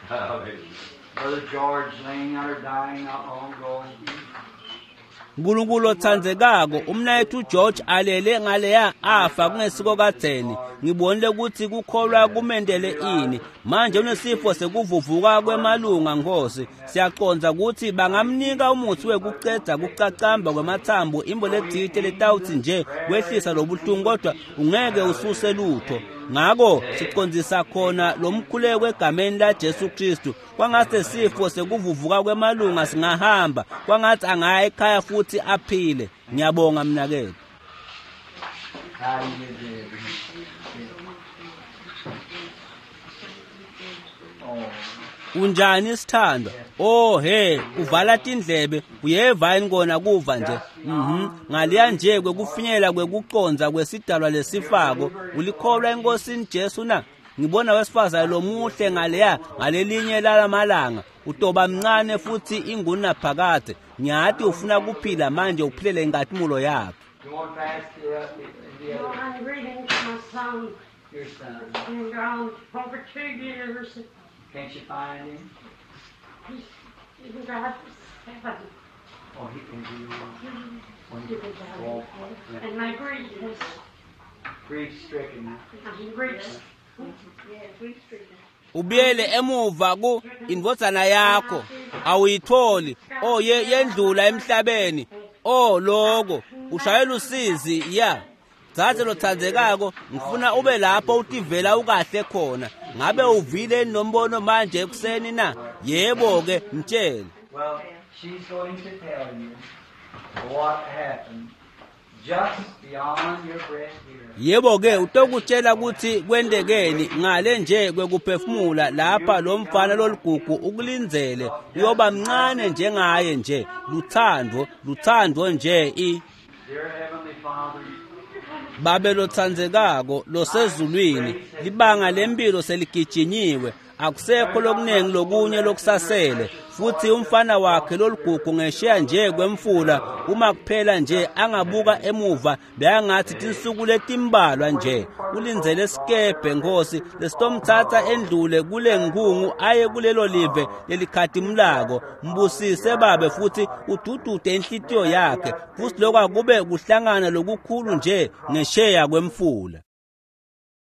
Hallelujah. Brother George laying out or dying not long ago. Nkulunkulu otsandzekako, umnayethu George alele ngaleya afa kungesiko kadzeni. Ngibonile ukuthi kukholwa kumendele ini. Manje unesifo sekuvuvuka kwemalunga, Nkosi. Siyacondza ukuthi bangamnika umuthi wekucedza kucacamba kwemathambo, imbo letsite letawutsi nje kwehlisa lobuhlungu, kodwa ungeke ususe lutho. Ngako sicondzisa khona lomkhuleko egameni laJesu Kristu. Kwangatsi sifo sekuvuvuka kwemalunga singahamba, kwangatsi angaya ekhaya futhi aphile. Ngiyabonga mnaketfu. How do you do? Oh, Unjani sithandwa? Oh he, uvala tindlebe, uyeva yini kona kuva nje? Ngaliya nje kwekufinyela kwekucondza kwesidalwa lesifako, ulikholwa eNkosini Jesu na? Ngibona wesifazane lomuhle ngaleya ngalelinye lalamalanga, utoba mncane futhi ingunaphakadze. Ngiyati ufuna kuphila manje uphilele inkatimulo yakhe. you want to pass the Well, other, I'm reading to my son. your son. Been gone over 2 years. Can't you find him? He's been gone 7. Oh, he can be on. He was Well, out. And my grief is, grief stricken. I'm grief. Ubuyele emuva ku indvodzana yakho, awuyitholi. Oh, yendlula emhlabeni. Oh, loko ushayela usizi ya. Dzadze lotsandzekako, ngifuna ube lapho utivela ukahle khona. Ngabe uvile nombono manje ekuseni na? Yebo ke, mtshele. Well, she's going to tell you what happened just beyond your breath here. Yebo ke, utokutshela ukuthi kwentekeni ngale nje kwekuphefumula lapha lo mfana loligugu ukulindzele. Uyoba mncane njengaye nje. Luthando, luthando nje i Dear Heavenly Father, Babe lotsandzekako losezulwini, libanga lempilo seligijinyiwe, akusekho lokunengi lokunye lokusasele. Futhi umfana wakhe loligugu ngesheya nje kwemfula, uma kuphela nje angabuka emuva, beyangathi tinsuku letimbalwa nje. Ulindzele sikebhe, Nkosi, lesitomtsatsa endlule kule nkhungu aye kulelo live lelikhatimulako. Mbusise Babe futhi ududude inhlitiyo yakhe, futhi lokho akube kuhlangana lokukhulu nje ngesheya kwemfula.